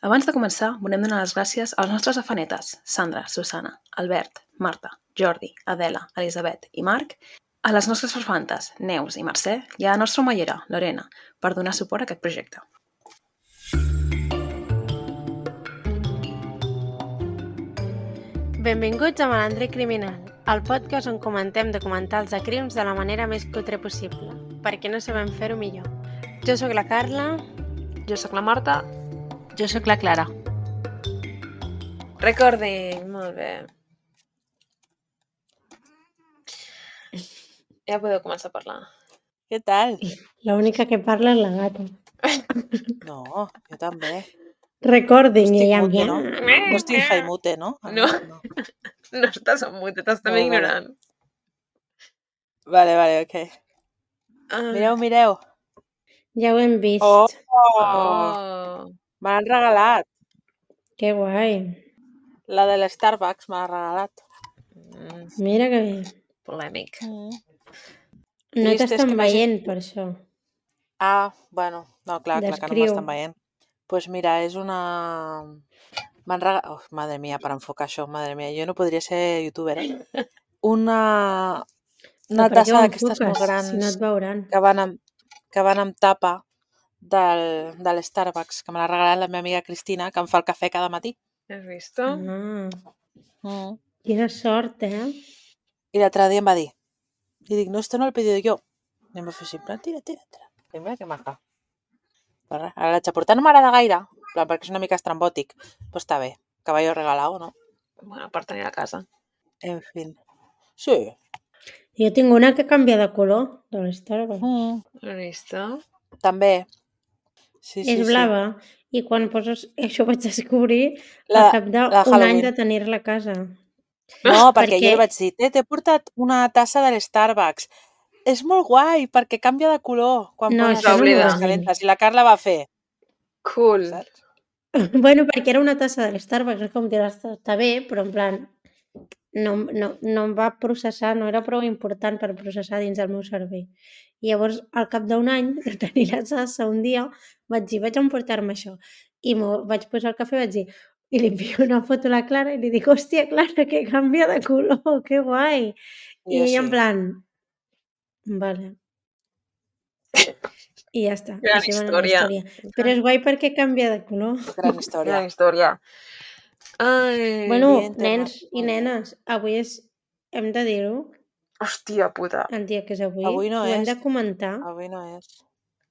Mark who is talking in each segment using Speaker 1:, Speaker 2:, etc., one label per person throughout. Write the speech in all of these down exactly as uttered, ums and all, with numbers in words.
Speaker 1: Abans de començar, volem donar les gràcies als nostres afanetes, Sandra, Susana, Albert, Marta, Jordi, Adela, Elisabet i Marc, a les nostres farfantes, Neus i Mercè, i a la nostra omellera, Lorena, per donar suport a aquest projecte.
Speaker 2: Benvinguts a Malandre Criminal, el podcast on comentem documentals de crims de la manera més cutre possible, perquè no sabem fer-ho millor. Jo sóc la Carla.
Speaker 1: Jo sóc la Marta.
Speaker 3: Jo sóc la Clara.
Speaker 1: Recording, molt bé. Ja podeu començar a parlar.
Speaker 3: Què tal?
Speaker 2: La única que parla és la gata.
Speaker 3: No, jo també.
Speaker 2: Recording,
Speaker 3: no
Speaker 2: ella
Speaker 3: estic mute,
Speaker 2: mia.
Speaker 3: no? No estic jaimute, no?
Speaker 1: No. no. No estàs en mute, t'estàs també
Speaker 3: Vale, vale.
Speaker 1: ignorant.
Speaker 3: Vale, vale, ok.
Speaker 1: Ah.
Speaker 3: Mireu, mireu.
Speaker 2: Ja ho hem vist.
Speaker 3: Oh!
Speaker 1: Oh.
Speaker 3: Me l'han regalat.
Speaker 2: Que guai.
Speaker 3: La de l'Starbucks me l'ha regalat.
Speaker 1: Mm,
Speaker 2: Mira que bé.
Speaker 1: polèmic.
Speaker 3: Mm.
Speaker 2: No
Speaker 3: Trist és
Speaker 2: t'estan
Speaker 3: que m'hagi-
Speaker 2: veient per això.
Speaker 3: Ah, bueno, no, clar, clar que no
Speaker 2: Descriu.
Speaker 3: m'estan veient. Doncs pues mira, és una... M'han regalat... Oh, madre mia, per enfocar això, madre mia, jo no podria ser youtuber, eh? Una... Una
Speaker 2: Però per què
Speaker 3: tassa
Speaker 2: ho
Speaker 3: d'aquestes molt
Speaker 2: enfoques,
Speaker 3: grans
Speaker 2: si no et veuran?
Speaker 3: que van amb, que van amb tapa del, de l'Starbucks, que me l'ha regalat la meva amiga Cristina, que em fa el cafè cada matí.
Speaker 1: Has visto?
Speaker 2: Ah,
Speaker 3: Mm.
Speaker 2: quina sort, eh?
Speaker 3: I l'altre dia em va dir, i dic, no, esto no lo he pedido yo. I em va fer així, en plan, tira, tira, tira. I mira que maca. Però res, ara l'haig de portar, no m'agrada gaire, en plan, perquè és una mica estrambòtic. Però està bé, caballo regalado, no?
Speaker 1: Bueno, per tenir a casa.
Speaker 3: En fin. Sí.
Speaker 2: Jo tinc una que canvia de color, de l'Starbucks.
Speaker 3: Mm.
Speaker 1: Has visto?
Speaker 3: També. Sí, sí,
Speaker 2: És blava. I quan poses... Això ho vaig descobrir
Speaker 3: La-
Speaker 2: al cap
Speaker 3: la
Speaker 2: d'un any
Speaker 3: Halloween.
Speaker 2: de tenir-la a casa.
Speaker 3: sí. No, perquè,
Speaker 2: Perquè-
Speaker 3: jo li vaig dir, "Té, t'he portat una tassa de l'Starbucks. És molt guai, perquè canvia de color quan
Speaker 2: No,
Speaker 3: poses
Speaker 1: això no m'ho
Speaker 3: les
Speaker 1: vas
Speaker 2: dir.
Speaker 3: calentes. I la Carla va fer,
Speaker 1: Cool.
Speaker 3: saps?
Speaker 2: Bueno, perquè era una tassa de l'Starbucks, és com dir, està, està bé, però en plan, no, no, no em va processar, no era prou important per processar dins del meu cervell. I llavors, al cap d'un any de tenir la tassa, un dia vaig dir, vaig emportar-me això. I m'ho vaig posar al cafè i vaig dir, i li envio una foto a la Clara i li dic, hòstia, Clara, que canvia de color, que guai. I
Speaker 3: Jo
Speaker 2: ella
Speaker 3: sí.
Speaker 2: en plan, vale. I ja està.
Speaker 1: Gran
Speaker 2: Així va anar la
Speaker 1: història.
Speaker 2: Però és guai perquè canvia de color.
Speaker 3: Gran història.
Speaker 1: Gran història. Ai,
Speaker 2: Bueno,
Speaker 3: Dia
Speaker 2: nens i
Speaker 3: internacional.
Speaker 2: nenes, avui és... Hem de dir-ho,
Speaker 1: hòstia puta.
Speaker 2: el dia que és avui.
Speaker 3: Avui no
Speaker 2: Ho hem
Speaker 3: és.
Speaker 2: de comentar.
Speaker 3: Avui no és.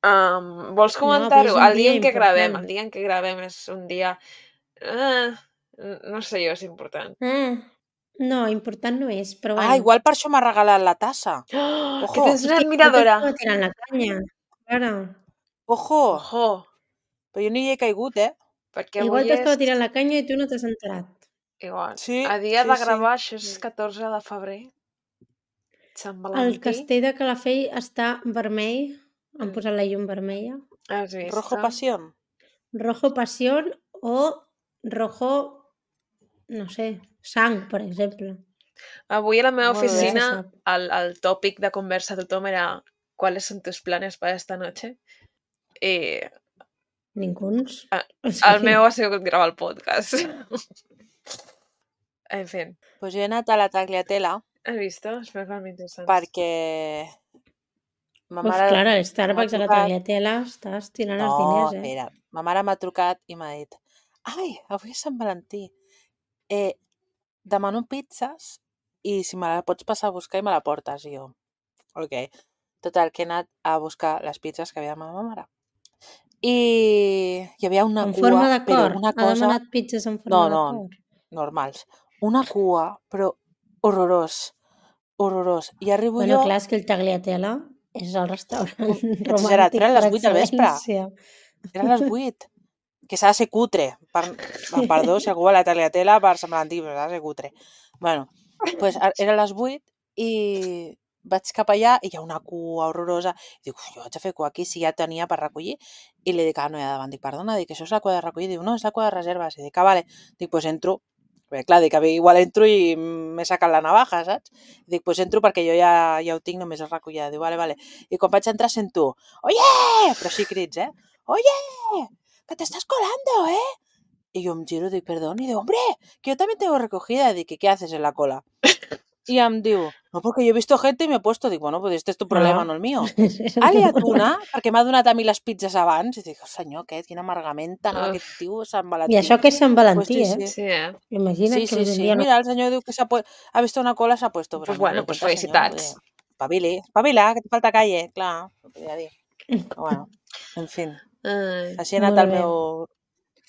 Speaker 1: Um, vols
Speaker 2: No,
Speaker 1: comentar-ho?
Speaker 2: avui és un
Speaker 1: El dia
Speaker 2: dia
Speaker 1: en què gravem.
Speaker 2: important.
Speaker 1: El dia en què gravem és un dia... Ah, no sé jo si és important.
Speaker 2: Ah, no, important no és, però bueno.
Speaker 3: Ah, igual per això m'ha regalat la tassa.
Speaker 1: Oh,
Speaker 3: Ojo.
Speaker 1: que tens una
Speaker 2: Hòstia,
Speaker 1: admiradora.
Speaker 2: igual t'estava tirant la canya. Clara.
Speaker 3: Ojo.
Speaker 1: Ojo,
Speaker 3: Però jo no hi he caigut, eh?
Speaker 1: perquè
Speaker 2: Igual
Speaker 1: avui
Speaker 2: t'estava
Speaker 1: és...
Speaker 2: tirant la canya i tu no t'has enterat.
Speaker 1: Igual.
Speaker 3: Sí,
Speaker 1: A dia
Speaker 3: sí,
Speaker 1: de
Speaker 3: sí.
Speaker 1: gravar, això és catorze de febrer. Sant
Speaker 2: El
Speaker 1: Valentí.
Speaker 2: castell de Calafell està vermell. Han
Speaker 1: Mm.
Speaker 2: posat la llum vermella.
Speaker 1: Has vist?
Speaker 3: Rojo pasión.
Speaker 2: Rojo pasión o rojo, no sé, sang, per exemple.
Speaker 1: Avui a la meva
Speaker 3: Molt bé.
Speaker 1: oficina
Speaker 2: No se sap.
Speaker 1: el, el tòpic de conversa de tothom era ¿cuáles son tus planes para esta noche? I
Speaker 2: Ninguns.
Speaker 1: Ah,
Speaker 2: O
Speaker 1: el
Speaker 2: sigui,
Speaker 1: meu ha sigut gravar el podcast. En fi,
Speaker 3: Pues jo he anat a la Tagliatella
Speaker 1: has vist? Espero que m'interessant.
Speaker 3: perquè... Ma
Speaker 2: Uf,
Speaker 3: mare
Speaker 2: Clara,
Speaker 3: m'ha
Speaker 2: Starbucks a la
Speaker 3: trucat.
Speaker 2: Tagliatella, estàs tirant els
Speaker 3: No,
Speaker 2: diners, eh?
Speaker 3: espera. Ma mare m'ha trucat i m'ha dit ai, avui és Sant Valentí. Eh, demano pizzas i si me la pots passar a buscar i me la portes. I jo, ok. Total, que he anat a buscar les pizzas que havia demanat ma mare. I hi havia una
Speaker 2: En
Speaker 3: cua,
Speaker 2: forma de
Speaker 3: però
Speaker 2: cor.
Speaker 3: una
Speaker 2: Ha
Speaker 3: cosa...
Speaker 2: demanat pizzas en
Speaker 3: No,
Speaker 2: forma de
Speaker 3: no,
Speaker 2: cor.
Speaker 3: normals. Una cua, però horrorós. Horrorós. I arribo
Speaker 2: Bueno,
Speaker 3: jo...
Speaker 2: clar, és que el Tagliatella és el restaurant
Speaker 3: Exagerat,
Speaker 2: romàntic
Speaker 3: eren
Speaker 2: per
Speaker 3: les vuit del vespre.
Speaker 2: excel·lència.
Speaker 3: Eren les vuit. Que s'ha de ser cutre. Per... ah, Perdó, si algú va a la Tagliatella per Sant Valentí, però s'ha de ser cutre. Bueno, pues, a- eren les vuit i vaig cap allà i hi ha una cua horrorosa. I dic, uf, jo haig de fer cua aquí si ja tenia per recollir. I li dic, ah, no, hi ha davant. Dic, perdona, dic, això és la cua de recollir. Diu, no, és la cua de reserves. I dic, ah, vale. Dic, pues entro. Bé, clar, dic, igual entro i m'he sacat la navaja, saps? Dic, pues entro perquè jo ja, ja ho tinc, només és recollir. Diu, vale, vale. I quan vaig entrar sento, oye! Però sí crits, eh? Oye! Que t'estàs colando, eh? Y yo em giro, dic, perdón, y digo, hombre, que yo también tengo recogida. Dic, ¿qué haces en la cola? Y em diu, no, porque yo he visto gente y me he puesto. Dic, bueno, pues este és tu problema,
Speaker 2: Ah.
Speaker 3: no el mío.
Speaker 2: És el
Speaker 3: Ha
Speaker 2: teu
Speaker 3: liat
Speaker 2: problema.
Speaker 3: una, perquè m'ha donat a mi les pizzas abans. I dic, oh, senyor, aquest, quina amargamenta,
Speaker 1: Uf.
Speaker 3: aquest tio, Sant
Speaker 2: I
Speaker 3: Valentí.
Speaker 2: això que és Sant
Speaker 3: Pues
Speaker 2: Valentí,
Speaker 3: sí,
Speaker 2: eh?
Speaker 3: sí.
Speaker 1: Sí, eh?
Speaker 2: Imagina't
Speaker 3: Sí,
Speaker 2: que
Speaker 3: sí,
Speaker 2: avui en
Speaker 3: sí.
Speaker 2: dia no.
Speaker 3: Mira, el senyor diu que s'ha pu- ha visto una cola, s'ha puesto. Però
Speaker 1: Pues
Speaker 3: a mi no
Speaker 1: bueno,
Speaker 3: me
Speaker 1: pues
Speaker 3: cuenta, senyor.
Speaker 1: felicitats.
Speaker 3: Espavili, espavila, que te falta calle. Clar, no podia dir. Però bueno, en fin.
Speaker 1: Ai.
Speaker 3: Així ha anat
Speaker 2: Molt
Speaker 3: el
Speaker 2: bé.
Speaker 3: meu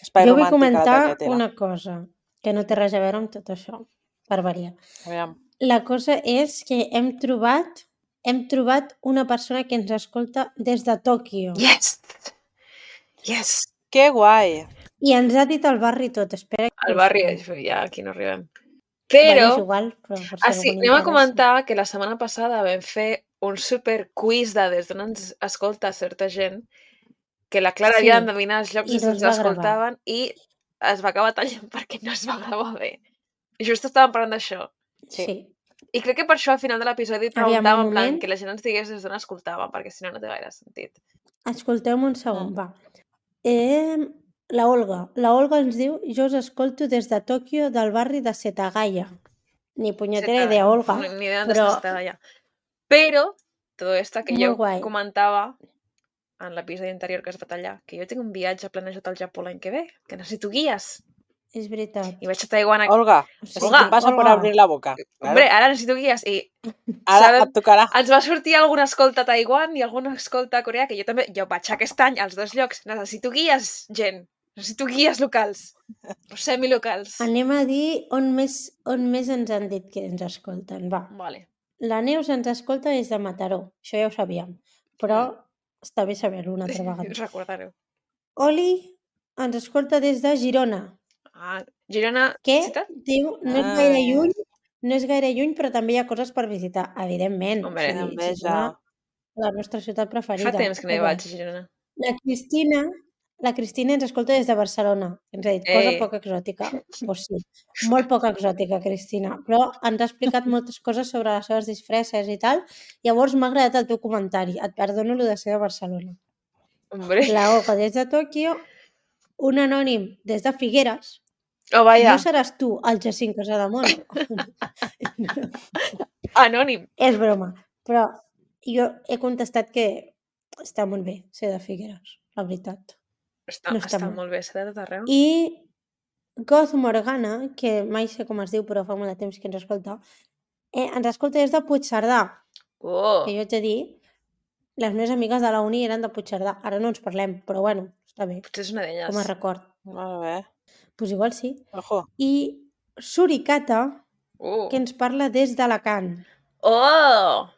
Speaker 3: espai
Speaker 2: Jo vull
Speaker 3: romàntic a la
Speaker 2: comentar
Speaker 3: Tagliatella.
Speaker 2: una cosa que no té res a veure amb tot això, per variar.
Speaker 3: Aviam.
Speaker 2: La cosa és que hem trobat hem trobat una persona que ens escolta des de Tòquio.
Speaker 1: Yes! Yes!
Speaker 3: Que guai.
Speaker 2: I ens ha dit el barri tot. Espera que
Speaker 1: Al
Speaker 2: ho
Speaker 1: barri,
Speaker 2: busquem.
Speaker 1: ja aquí no arribem.
Speaker 2: Bueno, és
Speaker 1: Però,
Speaker 2: igual, però per si
Speaker 1: ah,
Speaker 2: a
Speaker 1: sí,
Speaker 2: algú li
Speaker 1: anem a
Speaker 2: interessa.
Speaker 1: comentar que la setmana passada vam fer un super quiz de des d'on ens escolta certa gent, que la Clara
Speaker 2: Sí,
Speaker 1: havia d'endevinar els llocs
Speaker 2: i
Speaker 1: des
Speaker 2: no
Speaker 1: d'on
Speaker 2: es
Speaker 1: ens
Speaker 2: va gravar.
Speaker 1: escoltaven i es va acabar tallant perquè no es va gravar bé. I just estàvem parlant d'això.
Speaker 3: Sí.
Speaker 2: Sí.
Speaker 1: I crec que per això al final de l'episodi
Speaker 2: Aviam, un
Speaker 1: preguntàvem en plan
Speaker 2: moment.
Speaker 1: que la gent ens digués des d'on escoltava, perquè si no no té gaire sentit.
Speaker 2: Escolteu-me un segon,
Speaker 3: Mm.
Speaker 2: va. Eh, la Olga. La Olga ens diu, jo us escolto des de Tòquio del barri de Setagaya. Ni punyetera
Speaker 1: Setagaya.
Speaker 2: idea, Olga.
Speaker 1: Ni, ni idea d'on
Speaker 2: però
Speaker 1: està Setagaya. Però, todo esto que
Speaker 2: Molt
Speaker 1: jo
Speaker 2: guai.
Speaker 1: comentava en l'episodi anterior que es va tallar, que jo tinc un viatge planejat al Japó l'any que ve, que necessito guies.
Speaker 2: és veritat.
Speaker 1: I vaig a Taiwan... A...
Speaker 3: Olga,
Speaker 2: O
Speaker 3: eso
Speaker 2: sigui,
Speaker 1: Olga,
Speaker 3: te pasa por
Speaker 2: Olga.
Speaker 3: abrir la boca.
Speaker 1: Hombre,
Speaker 3: Claro.
Speaker 1: ara necessito guies i
Speaker 3: Ara
Speaker 1: sabem-
Speaker 3: et tocarà.
Speaker 1: ens va sortir alguna escolta a Taiwan i alguna escolta a Corea, que jo també, jo vaig aquest any als dos llocs. Necessito guies, gent. Necessito guies locals. O semilocals.
Speaker 2: Anem a dir on més, on més ens han dit que ens escolten. Va.
Speaker 1: Vale.
Speaker 2: La Neus ens escolta des de Mataró. Això ja ho sabíem. Però està bé saber-ho una altra vegada.
Speaker 1: Recordareu.
Speaker 2: Oli ens escolta des de Girona.
Speaker 1: Ah, Girona,
Speaker 2: Que
Speaker 1: ciutat?
Speaker 2: diu, no és
Speaker 3: Ah.
Speaker 2: gaire lluny, no és gaire lluny, però també hi ha coses per visitar, evidentment.
Speaker 1: Hombre,
Speaker 2: o sigui,
Speaker 3: enveja.
Speaker 2: Girona, la nostra ciutat preferida.
Speaker 1: Fa temps que no hi
Speaker 2: Home.
Speaker 1: vaig a Girona.
Speaker 2: La Cristina, la Cristina ens escolta des de Barcelona. Ens ha dit, cosa
Speaker 1: Ei.
Speaker 2: poc exòtica. Pues sí, molt poc exòtica, Cristina. Però ens ha explicat moltes coses sobre les seves disfresses i tal. Llavors m'ha agradat el teu comentari. Et perdono lo de ser de Barcelona.
Speaker 1: Hombre.
Speaker 2: La Oca des de Tòquio, un anònim des de Figueres.
Speaker 1: Oh, vaya.
Speaker 2: No seràs tu, el Jacint Casademont.
Speaker 1: Anònim.
Speaker 2: És broma. Però jo he contestat que està molt bé ser de Figueres, la veritat.
Speaker 1: Està,
Speaker 2: No
Speaker 1: no
Speaker 2: està
Speaker 1: està
Speaker 2: mal.
Speaker 1: molt bé, s'ha de tot arreu.
Speaker 2: I Goth Morgana, que mai sé com es diu, però fa molt de temps que ens escolta, eh, ens escolta des de Puigcerdà,
Speaker 1: Oh,
Speaker 2: que jo t'he dit, les meves amigues de la uni eren de Puigcerdà. Ara no ens parlem, però bueno, està bé,
Speaker 1: potser és una d'elles.
Speaker 2: com a record.
Speaker 3: Molt bé.
Speaker 2: Doncs pues igual sí.
Speaker 3: Ojo.
Speaker 2: I Suricata,
Speaker 1: Uh.
Speaker 2: que ens parla des d'Alacant.
Speaker 1: Oh!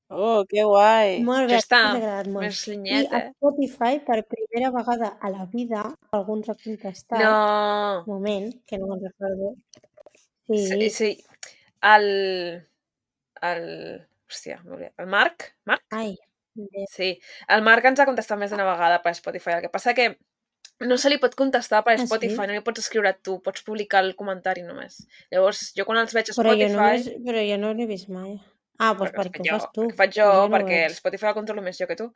Speaker 3: Oh, que guai.
Speaker 2: Molt bé,
Speaker 1: Això està
Speaker 2: m'ha agradat molt.
Speaker 1: més
Speaker 2: I
Speaker 1: llunyet,
Speaker 2: a
Speaker 1: eh?
Speaker 2: Spotify, per primera vegada a la vida, alguns ha contestat.
Speaker 1: No.
Speaker 2: Un moment, que no me'n recordo.
Speaker 1: Sí,
Speaker 2: Sí,
Speaker 1: sí. El... El... Hòstia, m'oblida. El Marc? Marc?
Speaker 2: ai, bé.
Speaker 1: Sí. El Marc ens ha contestat més d'una vegada per Spotify. El que passa que no se li pot contestar per
Speaker 2: Ah, sí?
Speaker 1: Spotify, no li pots escriure tu, pots publicar el comentari només. Llavors, jo quan els veig a
Speaker 2: Però jo,
Speaker 1: Spotify...
Speaker 2: només, però jo no l'he vist mai. Ah, doncs
Speaker 1: perquè
Speaker 2: perquè ho
Speaker 1: jo,
Speaker 2: fas tu.
Speaker 1: perquè faig jo,
Speaker 2: Doncs no ho
Speaker 1: perquè
Speaker 2: veig.
Speaker 1: el Spotify el controlo més jo que tu.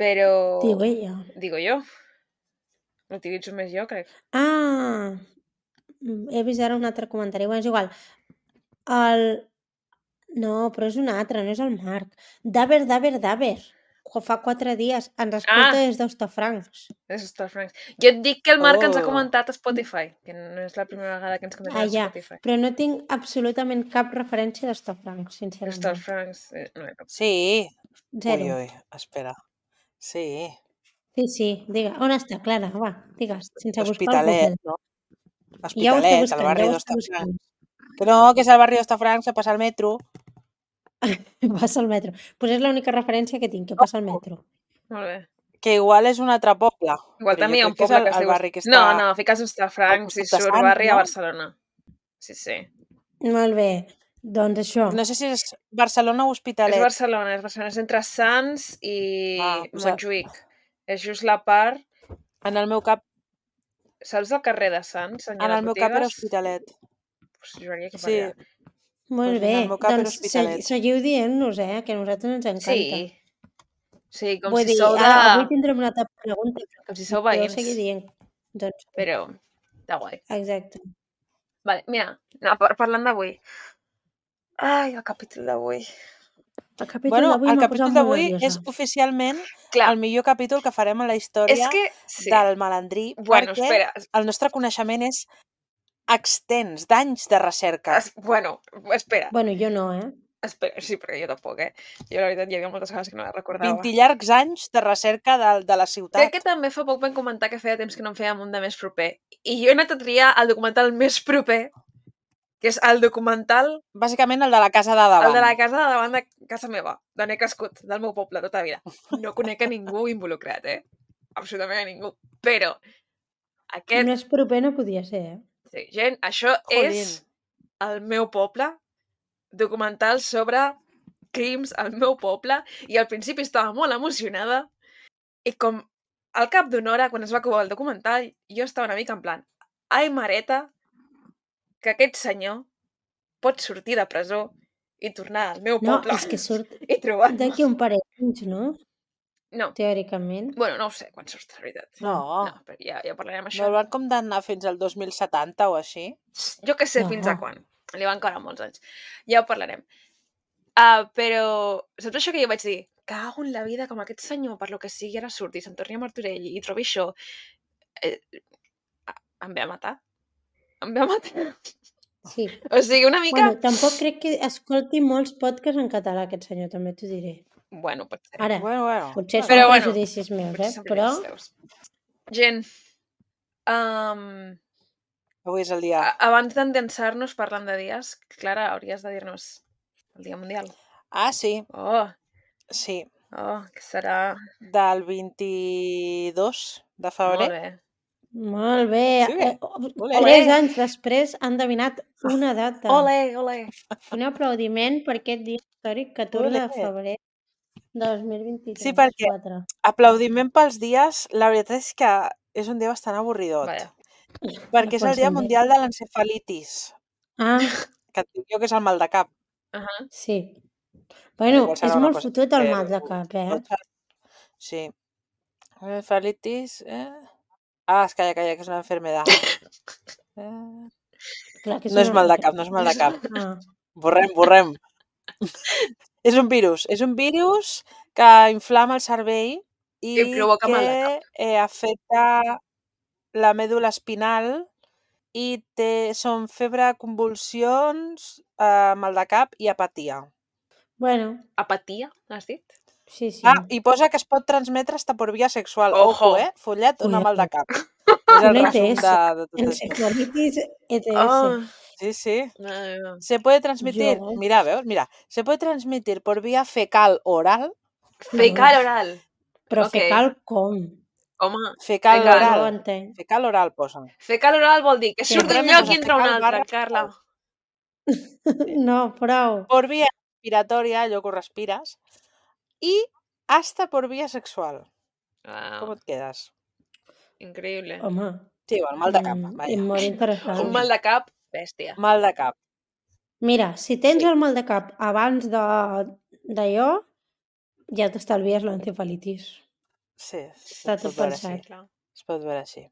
Speaker 1: Però...
Speaker 2: Diu ella.
Speaker 1: Digo jo. L'utilitzo més jo, crec.
Speaker 2: Ah, mm, he vist ara un altre comentari. Bueno, és igual. El... No, però és un altre, no és el Marc. Daver, Daver, Daver. Fa quatre dies ens escolta
Speaker 1: Ah.
Speaker 2: des d'Hostafrancs.
Speaker 1: És Star Franks. Jo et dic que el Marc ens ha
Speaker 3: Oh.
Speaker 1: comentat a Spotify, que no és la primera vegada que ens comenta
Speaker 2: Ah,
Speaker 1: a
Speaker 2: ja.
Speaker 1: Spotify.
Speaker 2: Però no tinc absolutament cap referència d'Hostafrancs,
Speaker 1: Star
Speaker 2: sincerament.
Speaker 1: Franks... Eh, no, no.
Speaker 3: Sí.
Speaker 2: Zero.
Speaker 3: Ui, ui, espera. Sí.
Speaker 2: Sí, sí, digue. On està, Clara? Va, digues, sense buscar al
Speaker 3: Hospitalet,
Speaker 2: Google.
Speaker 3: no?
Speaker 2: Ja ho està
Speaker 3: Hospitalet, al
Speaker 2: buscant,
Speaker 3: barri
Speaker 2: ja ho està
Speaker 3: d'Hostafrancs.
Speaker 2: buscant.
Speaker 3: Que no, que és al barri d'Hostafrancs, se passa al metro.
Speaker 2: Passa al metro. Doncs pues és l'única referència que tinc, que passa al metro.
Speaker 1: Molt bé.
Speaker 3: Que igual és un altre poble.
Speaker 1: Igual
Speaker 3: però
Speaker 1: també hi ha
Speaker 3: jo
Speaker 1: un
Speaker 3: crec que és
Speaker 1: poble
Speaker 3: el,
Speaker 1: que es
Speaker 3: el
Speaker 1: diu...
Speaker 3: barri que està...
Speaker 1: No, no, fiques Star Franks i
Speaker 3: costat de
Speaker 1: surt
Speaker 3: Sants,
Speaker 1: barri a
Speaker 3: no?
Speaker 1: Barcelona. Sí, sí.
Speaker 2: Molt bé, doncs això.
Speaker 3: No sé si és Barcelona o
Speaker 1: És
Speaker 3: Hospitalet.
Speaker 1: Barcelona, és Barcelona. És entre Sants i
Speaker 3: Ah, pues-
Speaker 1: Montjuïc. És just la part...
Speaker 3: En el meu cap,
Speaker 1: Saps el carrer de Sants? On hi ha
Speaker 3: en
Speaker 1: les
Speaker 3: el meu cap era
Speaker 1: botigues?
Speaker 3: Hospitalet.
Speaker 1: Pues juraria que per
Speaker 3: Sí.
Speaker 1: allà.
Speaker 2: Molt
Speaker 3: pues
Speaker 2: bé,
Speaker 3: en el meu cap era
Speaker 2: doncs se-
Speaker 3: Hospitalet.
Speaker 2: seguiu dient-nos, eh, que a nosaltres ens encanta.
Speaker 1: Sí. Sí, com
Speaker 2: Vull
Speaker 1: si
Speaker 2: dir,
Speaker 1: sou de...
Speaker 2: ara avui tindrem una altra pregunta, però
Speaker 1: Com si sou
Speaker 2: podeu
Speaker 1: veïns.
Speaker 2: seguir dient. Doncs,
Speaker 1: Però De guai.
Speaker 2: Exacte.
Speaker 1: Vale, mira, no, par parlant d'avui. Ai, el capítol d'avui.
Speaker 2: El capítol
Speaker 3: Bueno,
Speaker 2: d'avui
Speaker 3: el
Speaker 2: m'ha posat
Speaker 3: capítol
Speaker 2: molt
Speaker 3: d'avui
Speaker 2: nerviosa.
Speaker 3: és oficialment
Speaker 1: Clar,
Speaker 3: el millor capítol que farem en la
Speaker 1: és
Speaker 3: història
Speaker 1: que... Sí.
Speaker 3: del Malandrí,
Speaker 1: Bueno,
Speaker 3: perquè
Speaker 1: espera.
Speaker 3: el nostre coneixement és extens, d'anys de recerca.
Speaker 1: Es, bueno, espera.
Speaker 2: Bueno, jo no, eh?
Speaker 1: Espera, sí, perquè jo tampoc, eh? Jo, la veritat, hi havia moltes coses que no les recordava.
Speaker 3: vint llargs anys de recerca de, de la ciutat.
Speaker 1: Crec que també fa poc vam comentar que feia temps que no en fèiem un de més proper. I jo he anat a triar el documental més proper, que és el documental...
Speaker 3: Bàsicament el de la casa de davant.
Speaker 1: El de la casa de davant de casa meva, d'on he crescut, del meu poble, tota la vida. No conec a ningú involucrat, eh? Absolutament a ningú. Però aquest...
Speaker 2: Més proper no podia ser, eh?
Speaker 1: Sí, gent, això
Speaker 3: Jolín.
Speaker 1: és el meu poble, documental sobre crims al meu poble, i al principi estava molt emocionada, i com al cap d'una hora, quan es va acabar el documental, jo estava una mica en plan, ai, mareta, que aquest senyor pot sortir de presó i tornar al meu
Speaker 2: No,
Speaker 1: poble
Speaker 2: és que surt
Speaker 1: i trobar-nos.
Speaker 2: d'aquí un parell d'anys, no?
Speaker 1: No,
Speaker 2: Teòricament.
Speaker 1: bueno, no ho sé quan surt, la veritat.
Speaker 3: No,
Speaker 1: No, però ja, ja parlarem
Speaker 3: no
Speaker 1: això.
Speaker 3: el van condemnar fins al dos mil setanta o així.
Speaker 1: Jo que sé
Speaker 2: No.
Speaker 1: fins a quan. Li van caure molts anys. Ja ho parlarem. Uh, però, saps això que jo vaig dir? Cago en la vida, com aquest senyor, per lo que sigui, ara surti, se'n torni a Martorell i trobi això. Eh, em ve a matar. Em ve a matar.
Speaker 2: Sí.
Speaker 1: O sigui, una mica...
Speaker 2: Bueno, tampoc crec que escolti molts podcasts en català, aquest senyor, també t'ho diré.
Speaker 1: Bueno, pot ser.
Speaker 2: Ara,
Speaker 3: Bueno, bueno.
Speaker 2: potser són
Speaker 1: Però bueno,
Speaker 2: prejudicis meus,
Speaker 1: Potser
Speaker 2: eh?
Speaker 1: són
Speaker 2: Però
Speaker 1: prejudicis teus. Gent, um,
Speaker 3: Avui és el dia.
Speaker 1: a- abans d'endensar-nos parlant de dies, Clara, hauries de dir-nos el Dia Mundial.
Speaker 3: Ah, sí,
Speaker 1: Oh,
Speaker 3: sí.
Speaker 1: oh, que serà...
Speaker 3: Del vint-i-dos de febrer.
Speaker 1: Molt bé.
Speaker 2: molt bé.
Speaker 3: Sí, bé.
Speaker 2: Eh,
Speaker 3: Olé.
Speaker 2: Tres anys després han endevinat una data.
Speaker 1: Ole, ole.
Speaker 2: Un aplaudiment per aquest dia històric, catorze de
Speaker 3: Olé.
Speaker 2: febrer de dos mil vint-i-tres.
Speaker 3: Sí, perquè-
Speaker 2: quatre.
Speaker 3: Aplaudiment pels dies, la veritat és que és un dia bastant avorridot.
Speaker 1: Vaja.
Speaker 3: Perquè és
Speaker 2: No
Speaker 3: el Dia
Speaker 2: pot ser
Speaker 3: Mundial de l'Encefalitis,
Speaker 2: Ah,
Speaker 3: que et dic jo que és el mal de cap.
Speaker 1: Uh -huh.
Speaker 2: sí. Bueno,
Speaker 3: Igual serà
Speaker 2: és
Speaker 3: una
Speaker 2: molt
Speaker 3: cosa
Speaker 2: fotut el
Speaker 3: que-
Speaker 2: mal de cap, eh?
Speaker 3: Sí. Encefalitis... Eh? Ah, es calla, calla, que és una enfermedad. Eh...
Speaker 2: Clar que
Speaker 3: No és
Speaker 2: una-
Speaker 3: mal de cap, no és mal de cap.
Speaker 2: Ah,
Speaker 3: Borrem, borrem. És un virus, és un virus que inflama el cervell i,
Speaker 1: I provoca
Speaker 3: que
Speaker 1: mal de
Speaker 3: eh, afecta la mèdula espinal i té, són febre, convulsions, eh, mal de cap i apatia.
Speaker 2: bueno,
Speaker 1: Apatia, has dit?
Speaker 2: sí, sí.
Speaker 3: Ah, i posa que es pot transmetre hasta por vía sexual.
Speaker 1: Ojo.
Speaker 3: Ojo, eh? Follet, una mal de
Speaker 2: Cuidado.
Speaker 3: cap. És el
Speaker 2: Una
Speaker 3: resum
Speaker 2: E T S.
Speaker 3: de, de tot això.
Speaker 2: Encefalitis E T S.
Speaker 1: Oh,
Speaker 3: Sí, sí.
Speaker 1: no, no.
Speaker 3: Se puede transmitir,
Speaker 2: Yo.
Speaker 3: mira, veus, mira, se puede transmitir por vía fecal oral,
Speaker 1: Fecal oral.
Speaker 2: Però
Speaker 1: ok.
Speaker 2: fecal com?
Speaker 1: Home,
Speaker 3: fecal
Speaker 1: Fecal.
Speaker 2: No ho
Speaker 3: oral,
Speaker 2: entenc.
Speaker 3: fecal oral posen.
Speaker 1: fecal oral vol dir que
Speaker 2: Sí,
Speaker 1: surt d'un
Speaker 3: realment
Speaker 1: lloc
Speaker 3: posa
Speaker 1: i entra a un
Speaker 3: fecal
Speaker 1: altre,
Speaker 3: barra
Speaker 1: Carla.
Speaker 2: No, prou.
Speaker 3: Por vía respiratoria, allò que ho respires, i hasta por vía sexual. Com
Speaker 1: Wow,
Speaker 3: et quedes?
Speaker 1: increïble.
Speaker 2: Home,
Speaker 3: Sí, el mal de cap,
Speaker 2: mm,
Speaker 3: vaja.
Speaker 2: molt interessant.
Speaker 1: Un mal de cap, bèstia.
Speaker 3: Mal de cap.
Speaker 2: Mira, si tens
Speaker 3: Sí.
Speaker 2: el mal de cap abans de d'allò, ja t'estalvies l'encefalitis.
Speaker 3: Sí,
Speaker 2: Està
Speaker 3: es
Speaker 2: tot
Speaker 3: pot veure
Speaker 2: pensat.
Speaker 3: així.
Speaker 1: Clar.
Speaker 3: Es pot veure així.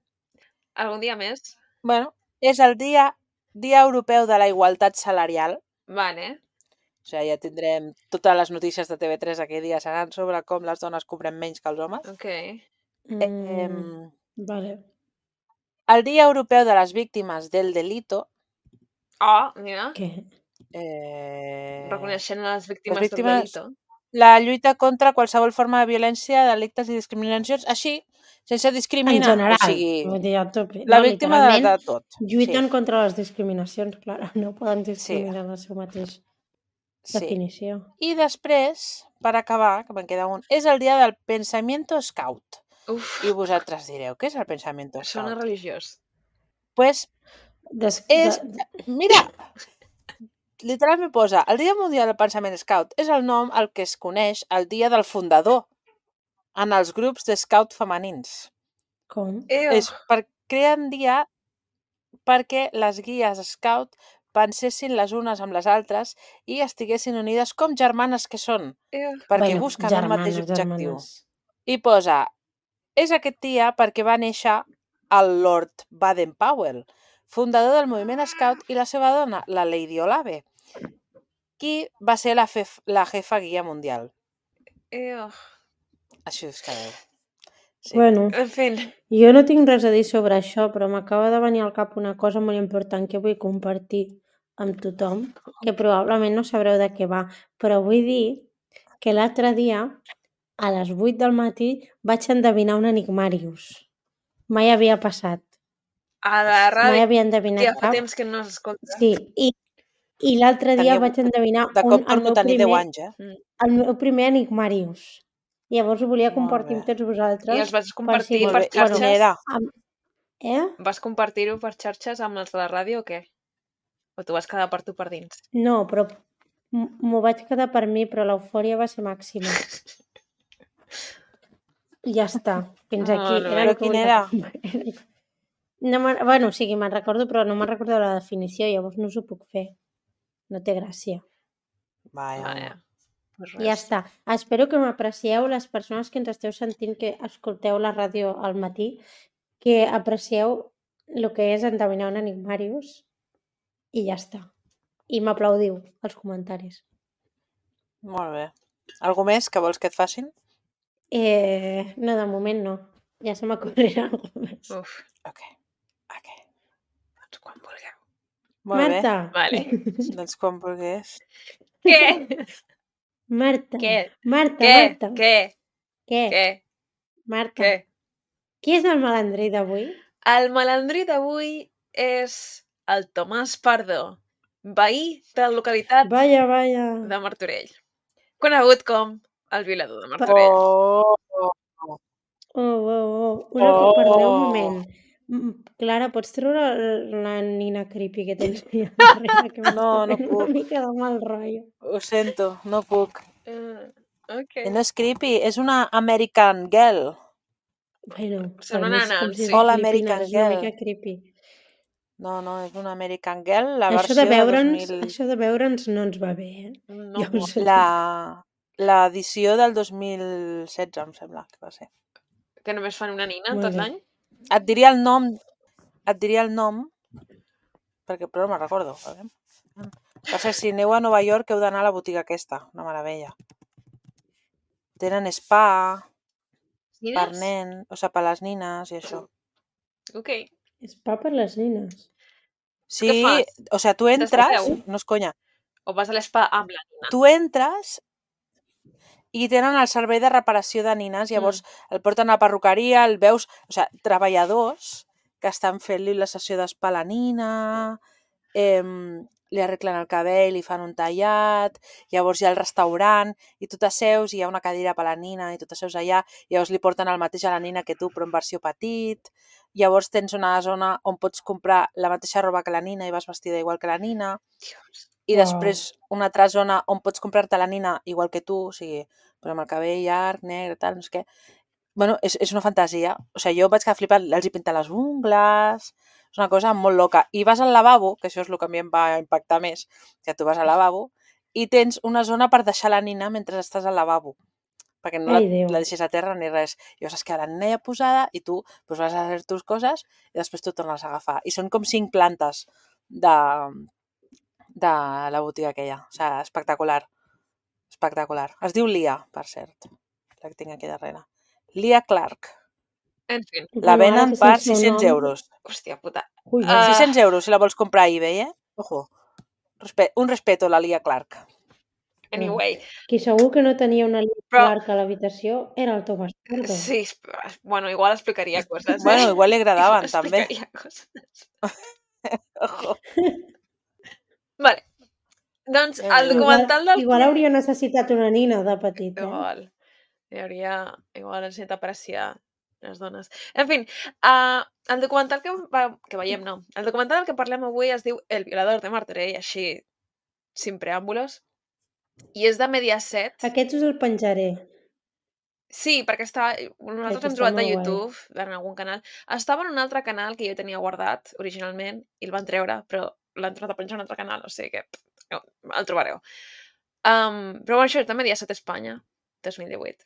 Speaker 1: Algun dia més?
Speaker 3: Bueno, és el dia, dia Europeu de la Igualtat Salarial.
Speaker 1: Vale.
Speaker 3: O sigui, ja tindrem totes les notícies de T V tres aquell dia seran sobre com les dones cobrem menys que els homes.
Speaker 1: Ok.
Speaker 2: Mm,
Speaker 3: Eh,
Speaker 2: vale.
Speaker 3: el Dia Europeu de les Víctimes del Delito.
Speaker 1: Oh, mira.
Speaker 2: Què?
Speaker 3: Eh,
Speaker 1: Reconeixent a les víctimes,
Speaker 3: les víctimes-
Speaker 1: del delito.
Speaker 3: la lluita contra qualsevol forma de violència, delictes i discriminacions, així, sense discriminar.
Speaker 2: En general.
Speaker 3: O sigui,
Speaker 2: Vull dir, a tope.
Speaker 3: la
Speaker 2: No,
Speaker 3: víctima de,
Speaker 2: literalment,
Speaker 3: de tot.
Speaker 2: lluiten contra les discriminacions, clar. No poden discriminar
Speaker 3: Sí.
Speaker 2: la seva mateixa
Speaker 3: Sí. sí.
Speaker 2: definició.
Speaker 3: I després, per acabar, que me'n queda un, és el dia del pensamiento scout.
Speaker 1: Uf,
Speaker 3: I vosaltres direu, què és el pensamiento
Speaker 1: sona
Speaker 3: scout?
Speaker 1: religiós.
Speaker 3: Pues
Speaker 2: Des,
Speaker 3: és...
Speaker 2: de,
Speaker 3: Mira, literalment posa, el Dia Mundial del Pensament Scout és el nom al que es coneix el dia del fundador en els grups de scout femenins.
Speaker 2: com?
Speaker 1: Ew.
Speaker 3: És per crear un dia perquè les guies scout pensessin les unes amb les altres i estiguessin unides com germanes que són,
Speaker 1: Ew.
Speaker 3: perquè
Speaker 2: Bueno,
Speaker 3: busquen un
Speaker 2: germanes,
Speaker 3: mateix objectiu.
Speaker 2: germanes.
Speaker 3: I posa, és aquest dia perquè va néixer el Lord Baden-Powell, fundador del moviment Scout, i la seva dona, la Lady Olave, qui va ser la, fef, la jefa guia mundial.
Speaker 1: Eo.
Speaker 3: Així us quedeu. Sí.
Speaker 2: Bueno,
Speaker 1: En fi,
Speaker 2: jo no tinc res a dir sobre això, però m'acaba de venir al cap una cosa molt important que vull compartir amb tothom, que probablement no sabreu de què va, però vull dir que l'altre dia, a les vuit del matí, vaig endevinar un enigmàrius. Mai havia passat.
Speaker 1: a la
Speaker 2: Mai
Speaker 1: ràdio
Speaker 2: havia endevinat
Speaker 1: ja fa
Speaker 2: cap.
Speaker 1: temps que no s'escolta.
Speaker 2: Sí, i, i l'altre dia
Speaker 3: Tenia-
Speaker 2: vaig endevinar
Speaker 3: De
Speaker 2: un,
Speaker 3: cop
Speaker 2: el,
Speaker 3: torno
Speaker 2: meu
Speaker 3: a tenir deu
Speaker 2: primer,
Speaker 3: anys, eh?
Speaker 1: Mm.
Speaker 2: el meu primer enigmàrius. Llavors ho volia
Speaker 3: Molt
Speaker 2: compartir
Speaker 3: bé.
Speaker 2: amb tots vosaltres.
Speaker 1: I els vas
Speaker 2: per
Speaker 1: compartir
Speaker 2: si-
Speaker 3: Molt
Speaker 1: per
Speaker 3: bé. I quin
Speaker 1: xarxes?
Speaker 3: era?
Speaker 2: Amb... Eh?
Speaker 1: Vas compartir-ho per xarxes amb els de la ràdio o què? O t'ho vas quedar per tu per dins?
Speaker 2: No, però m- m'ho vaig quedar per mi, però l'eufòria va ser màxima. I ja està. Fins aquí.
Speaker 1: Molt bé.
Speaker 2: Era
Speaker 3: Però
Speaker 2: el que
Speaker 3: quin
Speaker 2: volia
Speaker 3: era?
Speaker 2: compartir. No me'n- bueno, o sigui, me'n recordo, però no me'n recordo la definició, llavors no us ho puc fer. No té gràcia.
Speaker 3: Vaja,
Speaker 1: Vaja.
Speaker 3: home.
Speaker 1: Pues
Speaker 2: I ja
Speaker 1: res.
Speaker 2: està. Espero que m'aprecieu, les persones que ens esteu sentint, que escolteu la ràdio al matí, que aprecieu el que és endevinar un enigmàrius i ja està. I m'aplaudiu als comentaris.
Speaker 3: Molt bé. Algú més que vols que et facin?
Speaker 2: Eh, no, de moment no. Ja se m'acorrirà alguna més.
Speaker 1: Uf,
Speaker 3: Ok. Ok.
Speaker 1: doncs quan vulgueu.
Speaker 3: Molt
Speaker 2: Marta!
Speaker 1: Vale.
Speaker 3: bé. Doncs quan vulguis.
Speaker 1: Què?
Speaker 2: Marta!
Speaker 1: Què?
Speaker 2: Marta,
Speaker 1: Què?
Speaker 2: Marta!
Speaker 1: Què?
Speaker 2: Què?
Speaker 1: Què?
Speaker 2: Marta,
Speaker 1: Què?
Speaker 2: qui és el malandrí d'avui?
Speaker 1: El malandrí d'avui és el Tomàs Pardo, veí de la localitat
Speaker 2: Vaja, vaja.
Speaker 1: de Martorell, conegut com el violador de Martorell.
Speaker 3: Oh!
Speaker 2: Oh, oh, oh. Una
Speaker 3: Oh.
Speaker 2: cosa, perdoneu un moment. Mm, Clara, pots treure la nina creepy que tens allà darrere, que m'està
Speaker 3: No, no
Speaker 2: fent
Speaker 3: puc.
Speaker 2: una mica de mal rotllo.
Speaker 3: Ho sento, no puc.
Speaker 1: Uh, ok.
Speaker 3: I no és creepy, és una American Girl.
Speaker 2: Bueno,
Speaker 1: Són
Speaker 2: per
Speaker 1: una
Speaker 2: mi és com
Speaker 1: nana,
Speaker 2: si
Speaker 1: sí.
Speaker 2: fos
Speaker 3: All
Speaker 2: Filipines,
Speaker 3: American
Speaker 2: és una
Speaker 3: Girl.
Speaker 2: mica creepy.
Speaker 3: No, no, és una American Girl, la
Speaker 2: Això
Speaker 3: versió
Speaker 2: de
Speaker 3: de dos
Speaker 2: veure'ns,
Speaker 3: mil...
Speaker 2: això de veure'ns no ens va bé, eh?
Speaker 1: No,
Speaker 2: Ja us ho dic.
Speaker 3: La... L'edició del dos mil setze, em sembla que va ser.
Speaker 1: que només fan una nina
Speaker 2: Molt
Speaker 1: tot
Speaker 2: bé.
Speaker 1: l'any.
Speaker 3: Et diria el nom, et diria el nom, perquè però no me'n recordo. A veure. Per cert, si aneu a Nova York heu d'anar a la botiga aquesta, una meravella. Tenen spa per
Speaker 1: Nines?
Speaker 3: nen, o sigui, per les nines i això.
Speaker 1: Ok.
Speaker 2: És pa per les nines.
Speaker 3: Sí,
Speaker 1: Què fas?
Speaker 3: o sigui, tu entres,
Speaker 1: T'escapeu?
Speaker 3: no és conya,
Speaker 1: O vas a l'espa amb la nina?
Speaker 3: tu entres i tenen el servei de reparació de nines, llavors el porten a la perruqueria, el veus, o sigui, treballadors que estan fent-li la sessió d'espa a la nina, eh, li arreglen el cabell, li fan un tallat, llavors hi ha el restaurant i tu t'asseus i hi ha una cadira per a la nina i tu t'asseus allà, llavors li porten el mateix a la nina que tu però en versió petit, llavors tens una zona on pots comprar la mateixa roba que la nina i vas vestida igual que la nina,
Speaker 1: Dios.
Speaker 3: i
Speaker 2: Uau.
Speaker 3: després una altra zona on pots comprar-te la nina igual que tu, o sigui, però amb el cabell llarg, negre, tal, no sé què. Bueno, és, és una fantasia. O sigui, jo vaig quedar flipat, els hi pinten les ungles, és una cosa molt loca. I vas al lavabo, que això és el que a mi em va impactar més, que tu vas al lavabo, i tens una zona per deixar la nina mentre estàs al lavabo, perquè no la,
Speaker 2: Ai, Déu.
Speaker 3: la deixes a terra ni res. I llavors es queda la nina ja posada i tu pues, vas a fer tus coses i després tu tornes a agafar. I són com cinc plantes de, de la botiga aquella. O sigui, espectacular. Espectacular. Es diu Lia, per cert, la que tinc aquí darrere. Lia Clark.
Speaker 1: En fi.
Speaker 3: La
Speaker 2: Bueno, ara
Speaker 3: venen
Speaker 2: que
Speaker 3: per
Speaker 2: sense un
Speaker 3: sis-cents
Speaker 2: nom-
Speaker 3: euros.
Speaker 1: Hòstia puta.
Speaker 2: Ui,
Speaker 1: Ah.
Speaker 3: sis-cents euros si la vols comprar a eBay, eh? Ojo. Respe un respeto a la Lia Clark.
Speaker 1: Anyway.
Speaker 2: Qui segur que no tenia una línia
Speaker 1: Però-
Speaker 2: Clark a l'habitació era el Tomàs Pardo.
Speaker 1: Sí, es- bueno, igual explicaria coses. Eh?
Speaker 3: Bueno, igual li agradaven, també.
Speaker 1: Explicaria coses.
Speaker 3: Ojo.
Speaker 1: Vale. Doncs
Speaker 3: Eh,
Speaker 1: el documental
Speaker 2: igual,
Speaker 1: del...
Speaker 2: igual hauria necessitat una nina de petit, eh?
Speaker 1: Igual. Hi hauria... Igual necessita apreciar les dones. En fi, uh, el documental que, va, que veiem, no. El documental del que parlem avui es diu El violador de Martorell, així, sin preàmbulos. I és de Mediaset.
Speaker 2: Aquest us el penjaré.
Speaker 1: Sí, perquè estava... Nosaltres
Speaker 2: Perquè
Speaker 1: hem
Speaker 2: està
Speaker 1: trobat a
Speaker 2: molt guai.
Speaker 1: YouTube, en algun canal. Estava en un altre canal que jo tenia guardat originalment i el van treure, però l'han tornat a penjar en un altre canal, o sigui que pff, no, el trobareu. Um, però bueno, això és de Mediaset Espanya, dos mil divuit.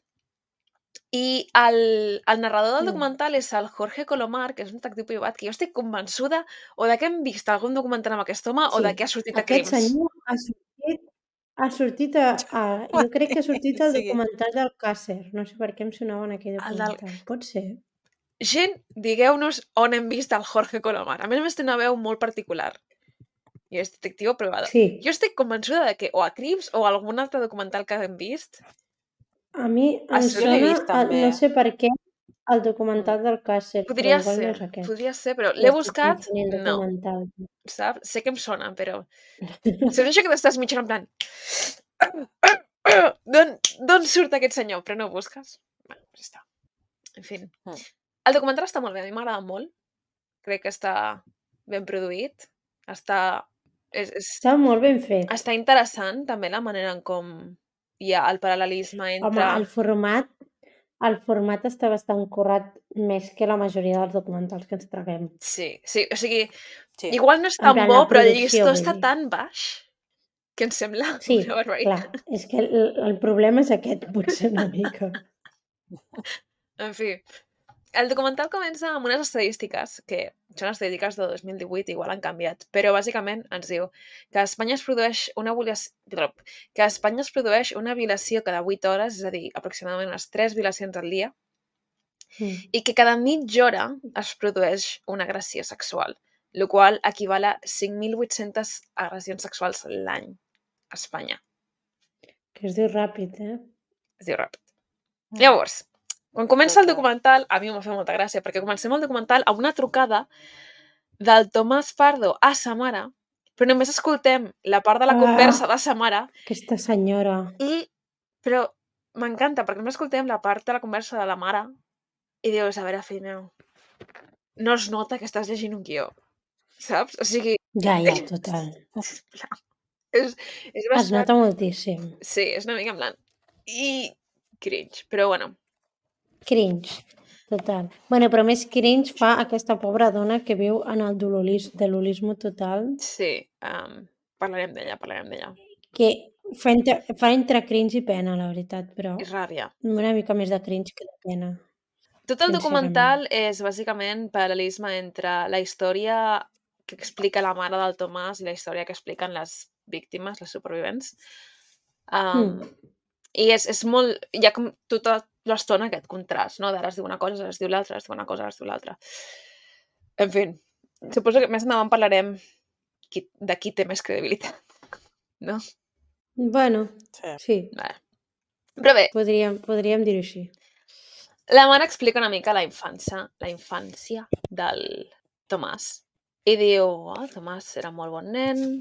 Speaker 1: I el, el narrador del
Speaker 2: Mm.
Speaker 1: documental és el Jorge Colomar, que és un detectiu privat, que jo estic convençuda o de que hem vist algun documental amb aquest home o
Speaker 2: Sí,
Speaker 1: de que ha sortit a
Speaker 2: aquest
Speaker 1: Crims.
Speaker 2: senyor ha sortit, ha sortit a, a... Jo crec que ha sortit al
Speaker 3: Sí.
Speaker 2: documental del Càcer. No sé per què em sonava en aquell
Speaker 1: El del-
Speaker 2: documental. Pot ser.
Speaker 1: Gent, digueu-nos on hem vist el Jorge Colomar. A més a més té una veu molt particular. I és detectiu privado.
Speaker 2: Sí.
Speaker 1: Jo estic convençuda de que o a Crims o a algun altre documental que hem vist.
Speaker 2: A mi
Speaker 1: Ah,
Speaker 2: em
Speaker 1: sí,
Speaker 3: jo l'he
Speaker 2: sona,
Speaker 3: vist,
Speaker 2: a,
Speaker 3: també.
Speaker 2: no sé per què, el documental del Càcer,
Speaker 1: Podria
Speaker 2: però igual
Speaker 1: ser,
Speaker 2: no és aquest.
Speaker 1: podria ser, però
Speaker 2: O
Speaker 1: l'he
Speaker 2: estic
Speaker 1: buscat,
Speaker 2: confonent
Speaker 1: no,
Speaker 2: documental.
Speaker 1: saps? Sé que em sona, però... Saps això que t'estàs mitjant en plan... D'on d'on surt aquest senyor? Però no ho busques. Bueno, ja està. En fi.
Speaker 3: Mm.
Speaker 1: El documental està molt bé, a mi m'agrada molt. Crec que està ben produït. Està... És, és,
Speaker 2: Està molt ben fet.
Speaker 1: està interessant, també, la manera en com hi ha el paral·lelisme
Speaker 2: Home,
Speaker 1: entre...
Speaker 2: el format, el format està bastant currat més que la majoria dels documentals que ens traguem.
Speaker 1: Sí, sí, o sigui,
Speaker 3: Sí.
Speaker 1: igual no és
Speaker 2: En
Speaker 1: tan
Speaker 2: plan,
Speaker 1: bo,
Speaker 2: la
Speaker 1: però el
Speaker 2: producció,
Speaker 1: llistó
Speaker 2: vull
Speaker 1: està
Speaker 2: dir.
Speaker 1: tan baix que em sembla
Speaker 2: Sí,
Speaker 1: una barbaritat.
Speaker 2: clar, és que el, el problema és aquest, potser una mica.
Speaker 1: En fi, el documental comença amb unes estadístiques, que són estadístiques de dos mil divuit, igual han canviat, però bàsicament ens diu que a Espanya es produeix una violació, que a Espanya es produeix una violació cada vuit hores, és a dir, aproximadament unes tres violacions al dia,
Speaker 2: Mm.
Speaker 1: i que cada mitja hora es produeix una agressió sexual, el qual equival a cinc mil vuit-centes agressions sexuals l'any a Espanya.
Speaker 2: Que es diu ràpid, eh?
Speaker 1: Es diu ràpid. Llavors, quan comença el
Speaker 3: Total.
Speaker 1: documental, a mi m'ha fet molta gràcia, perquè comencem el documental amb una trucada del Tomàs Pardo a sa mare, però només escoltem la part de la
Speaker 2: Ah.
Speaker 1: conversa de sa mare,
Speaker 2: Aquesta senyora.
Speaker 1: i... Però m'encanta, perquè només escoltem la part de la conversa de la mare i dius, a veure, fill meu, no es nota que estàs llegint un guió, saps? O sigui,
Speaker 2: Ja, ja, total.
Speaker 1: sisplau, és, és
Speaker 2: Es
Speaker 1: bastant...
Speaker 2: nota moltíssim.
Speaker 1: Sí, és una mica en plan... I cringe, però bueno,
Speaker 2: Cringe, total. Bueno, però més cringe fa aquesta pobra dona que viu en el dololis, dololisme total,
Speaker 1: sí, um, parlarem d'ella, parlarem d'ella.
Speaker 2: que fa entre, fa entre cringe i pena, la veritat, però
Speaker 1: I ràbia.
Speaker 2: una mica més de cringe que de pena.
Speaker 1: Tot el
Speaker 2: Sincerament.
Speaker 1: documental és bàsicament paral·lelisme entre la història que explica la mare del Tomàs i la història que expliquen les víctimes, les supervivents. Um,
Speaker 2: Mm.
Speaker 1: I és, és molt... Hi ha com tota l'estona aquest contrast, no? D'ara es diu una cosa, ara es diu l'altra, ara es diu una cosa, ara es diu l'altra. En fi, suposo que més endavant parlarem qui, de qui té més credibilitat, no?
Speaker 2: Bueno,
Speaker 3: Sí.
Speaker 2: sí,
Speaker 1: Vale. Però bé,
Speaker 2: podríem, podríem dir-ho així.
Speaker 1: la mare explica una mica la infància, la infància del Tomàs. I diu, oh, el Tomàs era molt bon nen,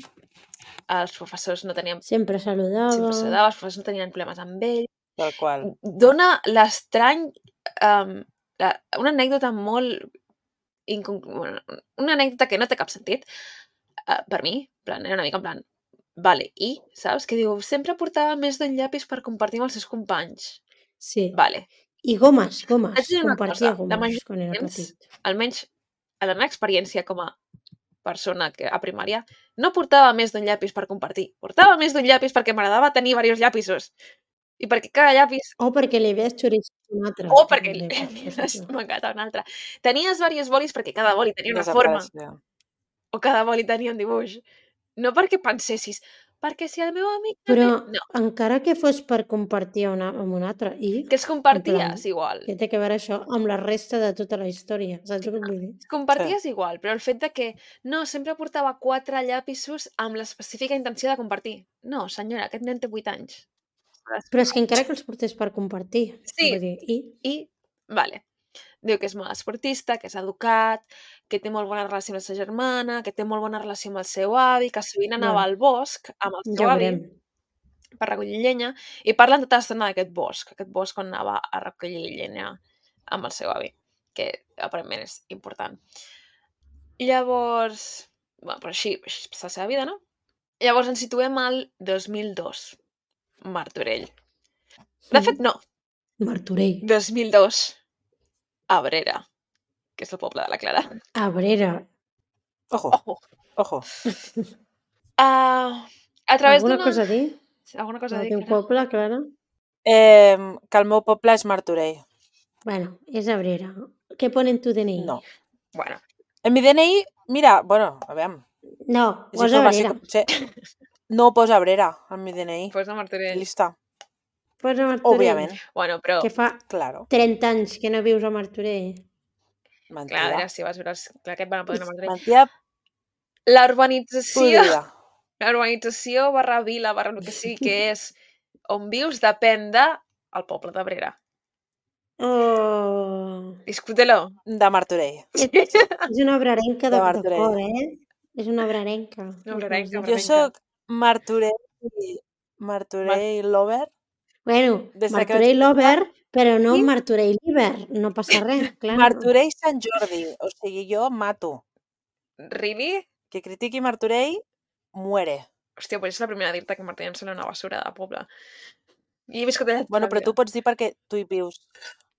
Speaker 1: els professors no tenien...
Speaker 2: Sempre saludava.
Speaker 1: Sempre saludava, els professors no tenien problemes amb ell.
Speaker 3: Tal qual.
Speaker 1: Dona l'estrany... Um, la, una anècdota molt... Inconc... Bueno, una anècdota que no té cap sentit, uh, per mi, en plan, era una mica en plan, vale, i, saps? Que diu, sempre portava més d'un llapis per compartir amb els seus companys.
Speaker 2: Sí.
Speaker 1: Vale.
Speaker 2: I gomes,
Speaker 1: Haig
Speaker 2: gomes.
Speaker 1: de dir una
Speaker 2: Compartia
Speaker 1: cosa, la
Speaker 2: gomes
Speaker 1: majoria
Speaker 2: quan era
Speaker 1: de temps,
Speaker 2: petit.
Speaker 1: almenys a la meva experiència com a persona que a primària, no portava més d'un llapis per compartir. Portava més d'un llapis perquè m'agradava tenir diversos llapisos. I perquè cada llapis...
Speaker 2: O perquè li havies xoriçat un altre.
Speaker 1: O perquè
Speaker 2: també,
Speaker 1: li
Speaker 2: és
Speaker 1: havies
Speaker 2: possible.
Speaker 1: mancat un altre. Tenies diversos bolis perquè cada boli tenia una forma.
Speaker 3: Desapareixia.
Speaker 1: O cada boli tenia un dibuix. No perquè pensessis, perquè si el meu amic
Speaker 2: Però
Speaker 1: també... No,
Speaker 2: encara que fos per compartir una, amb un altre, i
Speaker 1: que es
Speaker 2: en
Speaker 1: comparties
Speaker 2: plan,
Speaker 1: igual.
Speaker 2: què té que veure això amb la resta de tota la història? Saps el que vull dir?
Speaker 1: Es comparties igual, però el fet de que no, sempre portava quatre llapisos amb l'específica intenció de compartir. No, senyora, aquest nen té vuit anys.
Speaker 2: Però és que encara que els portés per compartir.
Speaker 1: Sí.
Speaker 2: Vull dir, i
Speaker 1: I, vale, diu que és molt esportista, que és educat, que té molt bona relació amb la seva germana, que té molt bona relació amb el seu avi, que sovint anava
Speaker 2: Vale.
Speaker 1: al bosc amb el seu
Speaker 2: ja ho
Speaker 1: avi
Speaker 2: veurem.
Speaker 1: per recollir llenya, i parlen tota l'estona d'aquest bosc, aquest bosc on anava a recollir llenya amb el seu avi, que aparentment és important. Llavors, bueno, però així, així és la seva vida, no? Llavors ens situem al dos mil dos, Martorell. De fet, no,
Speaker 2: Martorell.
Speaker 1: dos mil dos, Abrera, que és el poble de la Clara.
Speaker 2: Abrera.
Speaker 3: Ojo,
Speaker 1: Ojo!
Speaker 3: ojo.
Speaker 1: Uh, a través
Speaker 2: Alguna
Speaker 1: d'una...
Speaker 2: cosa a dir?
Speaker 1: Alguna cosa a
Speaker 2: El
Speaker 1: dir,
Speaker 2: teu
Speaker 1: Clara?
Speaker 2: poble, Clara?
Speaker 3: Eh, que el meu poble és Martorell.
Speaker 2: Bueno, és Abrera. Què pone en tu D N I?
Speaker 3: No.
Speaker 1: Bueno,
Speaker 3: En mi D N I, mira, bueno, a veure,
Speaker 2: No,
Speaker 3: és
Speaker 2: posa
Speaker 3: informació...
Speaker 2: Abrera.
Speaker 3: que- Sí, no posa Abrera en mi D N I.
Speaker 1: posa Martorell.
Speaker 3: Lista.
Speaker 2: Posa Martorell.
Speaker 3: Òbviament,
Speaker 1: Bueno, però,
Speaker 2: Que fa
Speaker 3: claro.
Speaker 2: trenta anys que no vius a Martorell.
Speaker 1: clar, a
Speaker 3: Mentida.
Speaker 1: veure si vas veure... els- Clar, aquest van a poder anar a Martorell.
Speaker 3: Mentida
Speaker 1: La urbanització,
Speaker 3: podrida.
Speaker 1: la urbanització barra vila, barra el que sigui que és on vius, depèn de el poble d'Abrera.
Speaker 2: Oh.
Speaker 1: Discútelo.
Speaker 3: De Martorell.
Speaker 2: És, és una obrerenca de,
Speaker 3: De
Speaker 2: de
Speaker 3: Martorell.
Speaker 2: cor, eh? És una obrerenca.
Speaker 1: Una obrerenca,
Speaker 2: Jo
Speaker 3: Jo
Speaker 1: obrerenca.
Speaker 3: sóc Martorell, Martorell Lover.
Speaker 2: Bueno,
Speaker 3: Des de que
Speaker 2: Martorell
Speaker 3: vaig
Speaker 2: Lover, però no
Speaker 3: I-
Speaker 2: Martorell Liber. No passa res, clar.
Speaker 3: Martorell Sant Jordi. O sigui, jo mato.
Speaker 1: Really?
Speaker 3: Que critiqui Martorell, muere.
Speaker 1: Hòstia, pues és la primera a dir-te que Martorell em sembla una basura de poble. I he viscut allà tota
Speaker 3: Bueno,
Speaker 1: la
Speaker 3: però
Speaker 1: vida.
Speaker 3: tu pots dir perquè tu hi vius.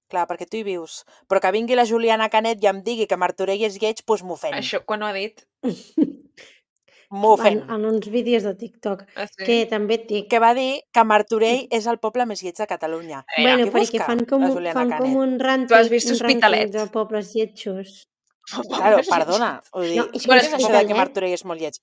Speaker 3: Clar, perquè tu hi vius. Però que vingui la Juliana Canet i em digui que Martorell és lleig, doncs m'ofèn.
Speaker 1: Això, quan ho ha dit?
Speaker 3: M'ofèn.
Speaker 2: En, en uns vídeos de TikTok.
Speaker 1: Ah, sí?
Speaker 2: Que també et dic...
Speaker 3: Que va dir que Martorell és el poble més lleig de Catalunya.
Speaker 1: A veure,
Speaker 2: Bueno,
Speaker 3: què
Speaker 2: perquè
Speaker 3: busca
Speaker 2: fan com,
Speaker 3: la
Speaker 2: un-
Speaker 3: Juliana
Speaker 2: fan com
Speaker 3: Canet?
Speaker 2: un rànquing,
Speaker 1: Tu has vist
Speaker 2: un rànquing
Speaker 1: Hospitalet?
Speaker 2: de pobles lletjos.
Speaker 3: Claro, perdona. Vull dir,
Speaker 2: No, és que
Speaker 3: què és això de que
Speaker 2: Hospitalet-
Speaker 3: Martorell és molt lleig?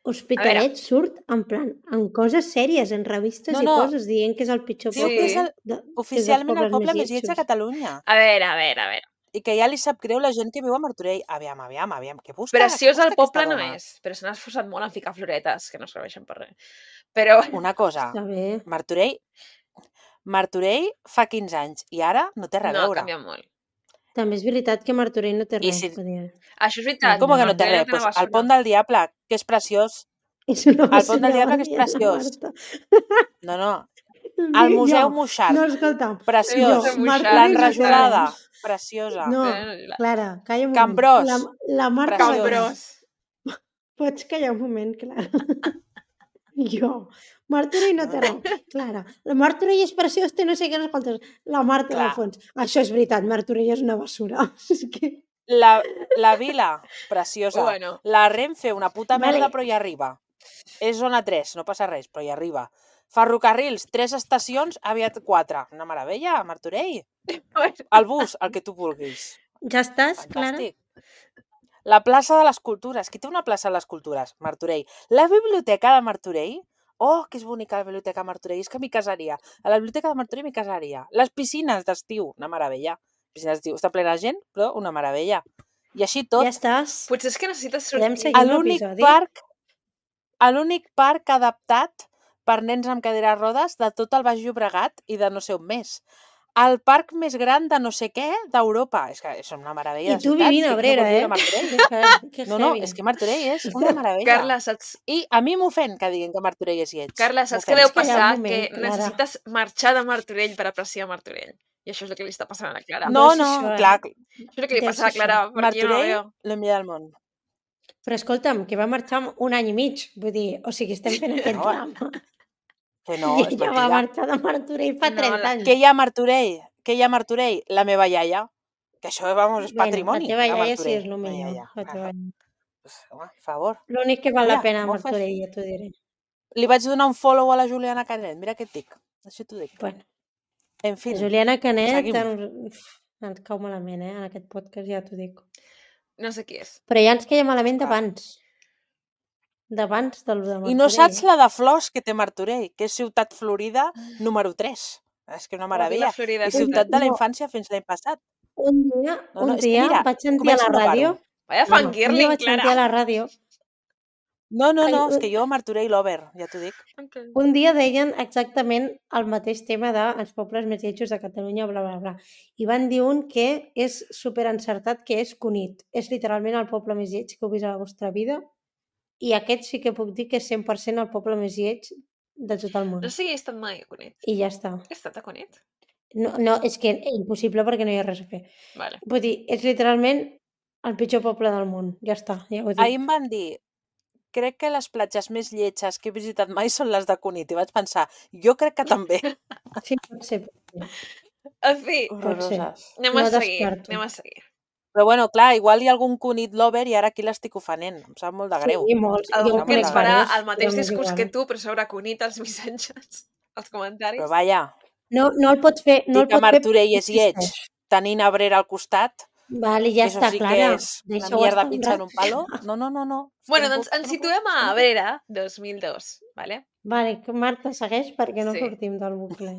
Speaker 2: Hospitalet surt en plan, en coses sèries, en revistes
Speaker 3: No,
Speaker 2: i
Speaker 3: no.
Speaker 2: coses, dient que és el pitjor
Speaker 3: Diu
Speaker 2: poble.
Speaker 3: que és el,
Speaker 2: de- que és dels
Speaker 3: oficialment el
Speaker 2: pobles
Speaker 3: poble més lleig de
Speaker 2: lletjos.
Speaker 3: Catalunya.
Speaker 1: A veure, a veure, a veure.
Speaker 3: I que ja li sap greu la gent que viu a Martorell. Aviam, aviam, aviam. Què busca?
Speaker 1: Preciós
Speaker 3: Què busca
Speaker 1: el poble
Speaker 3: aquesta
Speaker 1: no
Speaker 3: dona?
Speaker 1: és, però se n'ha esforçat molt en ficar floretes, que no serveixen per res. Però,
Speaker 3: Una cosa,
Speaker 2: Està bé.
Speaker 3: Martorell, Martorell fa quinze anys i ara no té res a
Speaker 1: no, ha
Speaker 3: veure.
Speaker 1: canviat molt.
Speaker 2: També és veritat que Martorell no té
Speaker 3: I
Speaker 2: res.
Speaker 3: si-
Speaker 2: vull dir.
Speaker 1: Això és veritat.
Speaker 3: Com que no té
Speaker 1: Martorell
Speaker 3: res?
Speaker 1: una
Speaker 3: Pues el
Speaker 1: basura.
Speaker 3: Pont del Diable, que és preciós.
Speaker 2: És una
Speaker 3: El Pont del
Speaker 2: basura,
Speaker 3: Diable, que és
Speaker 2: va dir la
Speaker 3: preciós.
Speaker 2: Marta.
Speaker 3: No, no. El Museu Moixart,
Speaker 2: No, escolta'm.
Speaker 3: preciós.
Speaker 1: Museu Moixart,
Speaker 3: L'enrajolada,
Speaker 1: exacte.
Speaker 3: preciosa.
Speaker 2: No,
Speaker 1: Eh, la-
Speaker 2: Clara, calla un
Speaker 3: Can
Speaker 2: moment.
Speaker 3: Bros,
Speaker 2: La, la Marta
Speaker 3: preciós.
Speaker 2: va dir-
Speaker 1: Cambrós.
Speaker 2: Pots callar un moment, Clara? Jo. Martorell no té res. Clara, la Martorell és preciós, té no sé què, no escoltes. La Marta
Speaker 3: Clar.
Speaker 2: de fons. Això és veritat, Martorell és una basura. És que...
Speaker 3: La, la vila, preciosa.
Speaker 1: Bueno.
Speaker 3: La Renfe, una puta
Speaker 2: Vale.
Speaker 3: merda, però hi arriba. És zona tres, no passa res, però hi arriba. Ferrocarrils, tres estacions, aviat quatre. Una meravella, Martorell. El bus, el que tu vulguis.
Speaker 2: Ja estàs, Clara?
Speaker 3: Fantàstic. La plaça de les Cultures. Qui té una plaça de les Cultures? Martorell. La biblioteca de Martorell. Oh, que és bonica la biblioteca de Martorell. És que m'hi casaria. A la biblioteca de Martorell m'hi casaria. Les piscines d'estiu, una meravella. Piscines d'estiu, està plena de gent, però una meravella. I així tot,
Speaker 2: Ja estàs.
Speaker 1: Potser és que necessites
Speaker 2: Podem
Speaker 1: sortir.
Speaker 2: seguir
Speaker 3: a
Speaker 2: amb
Speaker 3: l'únic
Speaker 2: l'episodi?
Speaker 3: parc, a l'únic parc adaptat per nens amb cadira de rodes de tot el Baix Llobregat i de no sé on més. El parc més gran de no sé què d'Europa. És que és una meravella.
Speaker 2: I
Speaker 3: de
Speaker 2: tu
Speaker 3: ciutat,
Speaker 2: vivint
Speaker 3: que
Speaker 2: a
Speaker 3: qui no
Speaker 2: Abrera,
Speaker 3: vol viure
Speaker 2: eh?
Speaker 3: a Martorell?
Speaker 2: Que heavy, que
Speaker 3: No, no,
Speaker 2: heavy.
Speaker 3: és que Martorell és una meravella.
Speaker 1: Carla, saps,
Speaker 3: I a mi m'ofèn que diguin que Martorell és lleig.
Speaker 1: Carla, saps què
Speaker 3: M'ofèn.
Speaker 1: deu
Speaker 2: Calla un
Speaker 1: passar?
Speaker 2: moment,
Speaker 1: Que
Speaker 2: Clara.
Speaker 1: necessites marxar de Martorell per apreciar Martorell. I això és el que li està passant a la Clara.
Speaker 3: No,
Speaker 2: Deu ser
Speaker 3: no,
Speaker 2: això, eh?
Speaker 3: clar,
Speaker 1: Això és el que li
Speaker 2: deu
Speaker 1: passa a la
Speaker 2: ser
Speaker 1: Clara,
Speaker 2: això.
Speaker 1: perquè jo no la
Speaker 3: Martorell,
Speaker 1: veo.
Speaker 3: lo millor del món.
Speaker 2: Però escolta'm, que va marxar amb un any i mig. Vull dir, o sigui, estem fent aquest
Speaker 3: No,
Speaker 2: drama.
Speaker 3: Que no,
Speaker 2: I
Speaker 3: és
Speaker 2: ella va
Speaker 3: mentida.
Speaker 2: marxar de Martorell fa
Speaker 1: No,
Speaker 2: trenta
Speaker 1: la-
Speaker 2: anys.
Speaker 3: Què hi ha a Martorell? Què hi ha a Martorell? La meva iaia. Que això, vamos, és
Speaker 2: Bueno,
Speaker 3: patrimoni.
Speaker 2: la teva
Speaker 3: de
Speaker 2: iaia sí
Speaker 3: Martorell.
Speaker 2: és el
Speaker 3: La
Speaker 2: millor.
Speaker 3: iaia.
Speaker 2: La teva
Speaker 3: Ah,
Speaker 2: iaia.
Speaker 3: pues, home, per favor.
Speaker 2: L'únic que val la
Speaker 3: Mira,
Speaker 2: pena a
Speaker 3: molt fàcil.
Speaker 2: Martorell, ja t'ho diré.
Speaker 3: Li vaig donar un follow a la Juliana Canet. Mira què et dic. Així t'ho dic.
Speaker 2: Bueno,
Speaker 3: En fi,
Speaker 2: la Juliana Canet
Speaker 3: seguim.
Speaker 2: ens, ens cau malament, eh? En aquest podcast ja t'ho dic.
Speaker 1: No sé qui és.
Speaker 2: Però ja ens queia malament
Speaker 3: Clar.
Speaker 2: d'abans. D'abans del de Martorell.
Speaker 3: I no saps la de flors que té Martorell, que és Ciutat Florida número tres. És que una meravella.
Speaker 1: La Florida,
Speaker 3: I
Speaker 1: sí.
Speaker 3: Ciutat de la
Speaker 2: No.
Speaker 3: Infància fins l'any passat.
Speaker 2: Un dia,
Speaker 3: No,
Speaker 2: un
Speaker 3: no, és que
Speaker 2: dia
Speaker 3: mira,
Speaker 2: vaig sentir a la
Speaker 3: començo, no
Speaker 2: ràdio...
Speaker 3: paro.
Speaker 1: Vaya
Speaker 2: No, no, un dia
Speaker 1: fangirling,
Speaker 2: vaig sentir a
Speaker 1: Clara.
Speaker 2: la ràdio...
Speaker 3: No, no, no,
Speaker 2: Ai,
Speaker 3: és que jo Martorell Lover, ja t'ho dic.
Speaker 1: Ok.
Speaker 2: Un dia deien exactament el mateix tema dels pobles més lletjos de Catalunya, bla, bla, bla. I van dir un que és superencertat, que és Cunit. És literalment el poble més lleig que heu vist a la vostra vida. I aquest sí que puc dir que és cent per cent el poble més lleig de tot el món.
Speaker 1: No sé si he estat mai a Cunit.
Speaker 2: I ja està.
Speaker 1: He estat a Cunit?
Speaker 2: No, no, és que impossible perquè no hi ha res a fer.
Speaker 1: Vale.
Speaker 2: Vull dir, és literalment el pitjor poble del món. Ja està, ja ho he dit.
Speaker 3: Ahir em van dir, crec que les platges més lletges que he visitat mai són les de Cunit. I vaig pensar, jo crec que també.
Speaker 2: Sí, pot ser. Pot ser.
Speaker 1: En fi,
Speaker 2: Pot ser.
Speaker 3: Horroroses.
Speaker 1: anem
Speaker 2: No
Speaker 1: a seguir.
Speaker 2: descarto.
Speaker 1: Anem a seguir.
Speaker 3: Però bueno, clar, igual hi ha algun Cunit Lover i ara aquí l'estic ofenent. Em sap molt de greu.
Speaker 2: Sí, molts. Jo
Speaker 1: Algú
Speaker 2: en
Speaker 1: que ens
Speaker 2: conec
Speaker 1: farà
Speaker 2: diversos,
Speaker 1: el mateix
Speaker 2: però m'és
Speaker 1: discurs
Speaker 2: igual.
Speaker 1: que tu, però sobre Cunit als missatges, als comentaris.
Speaker 3: Però vaja,
Speaker 2: No, no el pots fer... No
Speaker 3: dir
Speaker 2: el
Speaker 3: que
Speaker 2: pot fer
Speaker 3: Martorell
Speaker 2: perquè
Speaker 3: és lleig
Speaker 2: existeix.
Speaker 3: tenint Abrera al costat,
Speaker 2: Vale, ja
Speaker 3: eso
Speaker 2: està,
Speaker 3: sí que
Speaker 2: Clara.
Speaker 3: és una
Speaker 2: Deixa-ho
Speaker 3: mierda
Speaker 2: estar un
Speaker 3: pincha en
Speaker 2: rato.
Speaker 3: un palo. No, no, no, no. És que
Speaker 1: Bueno,
Speaker 3: no
Speaker 1: doncs
Speaker 3: puc,
Speaker 1: ens
Speaker 3: és que no puc,
Speaker 1: situem
Speaker 3: és
Speaker 1: a
Speaker 3: que no puc.
Speaker 1: Abrera dos mil dos, vale?
Speaker 2: Vale, que Marta, segueix perquè no
Speaker 1: Sí.
Speaker 2: sortim del bucle.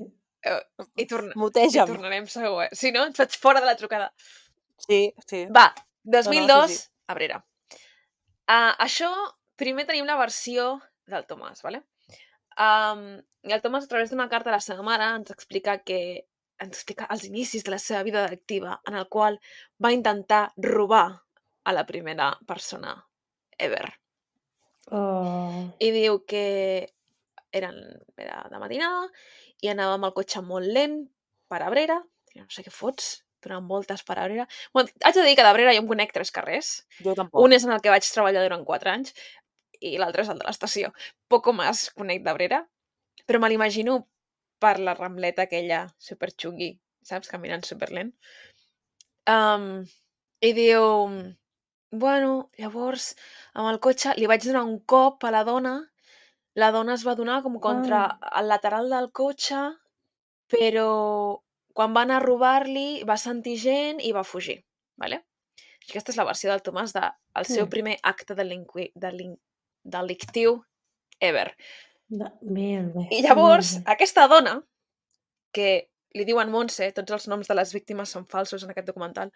Speaker 1: Eh, I, torna... I
Speaker 3: Muteja'm.
Speaker 1: tornarem segur. Si no, ens faig fora de la trucada.
Speaker 3: Sí, sí.
Speaker 1: Va,
Speaker 3: No,
Speaker 1: dos mil
Speaker 3: no,
Speaker 1: dos,
Speaker 3: sí, sí.
Speaker 1: Abrera. Uh, això, primer tenim la versió del Tomàs, vale? Um, I el Tomàs, a través d'una carta a la seva mare, ens explica que ens explica els inicis de la seva vida delictiva, en el qual va intentar robar a la primera persona ever.
Speaker 2: Oh.
Speaker 1: I diu que eren, era de matinada i anava amb el cotxe molt lent per Abrera. No sé què fots, donant voltes per Abrera. Bueno, haig de dir que d'Abrera jo em conec tres carrers.
Speaker 3: Jo tampoc.
Speaker 1: Un és en el que vaig treballar durant quatre anys i l'altre és el de l'estació. Poco més conec d'Abrera, però me l'imagino per la rambleta aquella superxungui, saps? Caminant superlent. Um, I diu... Bueno, llavors, amb el cotxe li vaig donar un cop a la dona. La dona es va donar com contra
Speaker 2: Ah.
Speaker 1: el lateral del cotxe, però quan va anar a robar-li va sentir gent i va fugir. Vale? Aquesta és la versió del Tomàs del de, seu
Speaker 2: Mm.
Speaker 1: primer acte delinqui, delin, delictiu ever.
Speaker 2: De... Bé, bé.
Speaker 1: I llavors,
Speaker 2: Molt bé.
Speaker 1: aquesta dona, que li diuen Montse, tots els noms de les víctimes són falsos en aquest documental,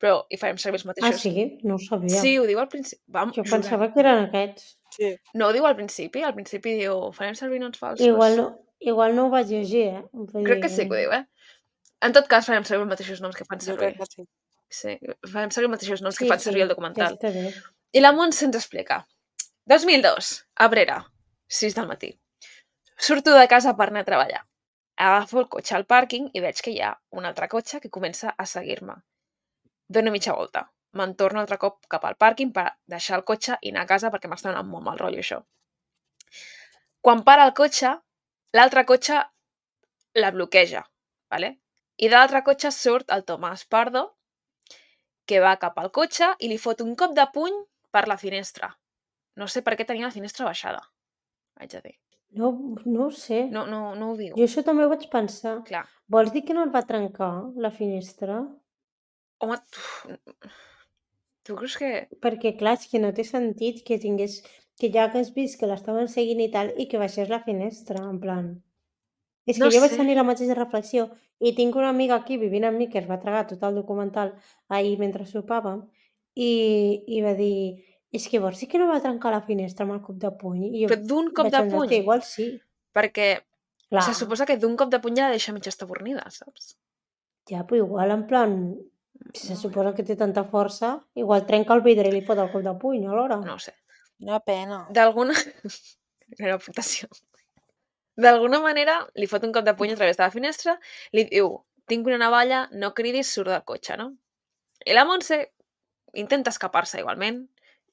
Speaker 1: però hi farem servir els
Speaker 2: Ah,
Speaker 1: mateixos.
Speaker 2: sí? No ho sabia.
Speaker 1: Sí, ho diu al principi. Vam,
Speaker 2: Jo
Speaker 1: jurem.
Speaker 2: pensava que eren aquests.
Speaker 3: Sí.
Speaker 1: No, ho diu al principi. Al principi diu, farem servir noms falsos.
Speaker 2: Igual no, igual no ho vaig llegir, eh? Vull
Speaker 1: Crec que
Speaker 2: dir-
Speaker 1: sí que ho diu, eh? En tot cas, farem servir els mateixos noms que fan
Speaker 3: Jo
Speaker 1: servir.
Speaker 3: crec que sí.
Speaker 1: Sí, farem servir els mateixos noms
Speaker 2: Sí,
Speaker 1: que fan
Speaker 2: sí,
Speaker 1: servir el
Speaker 2: ja
Speaker 1: documental.
Speaker 2: està bé.
Speaker 1: I la Montse ens explica. dos mil dos, Abrera, sis del matí. Surto de casa per anar a treballar. Agafo el cotxe al pàrquing i veig que hi ha un altre cotxe que comença a seguir-me. Dono mitja volta. Me'n torno altre cop cap al pàrquing per deixar el cotxe i anar a casa perquè m'està donant molt mal rotllo això. Quan para el cotxe, l'altre cotxe la bloqueja, ¿vale? I de l'altre cotxe surt el Tomàs Pardo, que va cap al cotxe i li fot un cop de puny per la finestra. No sé per què tenia la finestra baixada, haig de dir.
Speaker 2: No, no ho sé.
Speaker 1: No, no, no ho diu.
Speaker 2: Jo això també ho vaig pensar.
Speaker 1: Clar.
Speaker 2: Vols dir que no el va trencar, la finestra?
Speaker 1: Home, tu, tu creus que...
Speaker 2: Perquè, clar, és que no té sentit que tingués... Que ja hagués vist que l'estaven seguint i tal, i que baixés la finestra, en plan... És que
Speaker 1: No
Speaker 2: jo vaig
Speaker 1: sé.
Speaker 2: tenir la mateixa reflexió i tinc una amiga aquí vivint amb mi que es va tragar tot el documental ahir mentre sopàvem i, i va dir és que vols dir que no va trencar la finestra amb el cop de puny? I jo
Speaker 1: Però d'un cop
Speaker 2: vaig
Speaker 1: de
Speaker 2: pensar,
Speaker 1: puny?
Speaker 2: "Hòstia, igual sí.
Speaker 1: Perquè
Speaker 2: Clar,
Speaker 1: se suposa que d'un cop de puny ja la deixa mig estabornida, saps?
Speaker 2: ja, però igual en plan, si se suposa que té tanta força, igual trenca el vidre i li fot el cop de puny alhora.
Speaker 1: No ho sé.
Speaker 3: Una pena.
Speaker 1: D'alguna... Era aportació. D'alguna manera li fot un cop de puny a través de la finestra, li diu, tinc una navalla, no cridis, surt del cotxe, no? I la Montse intenta escapar-se igualment,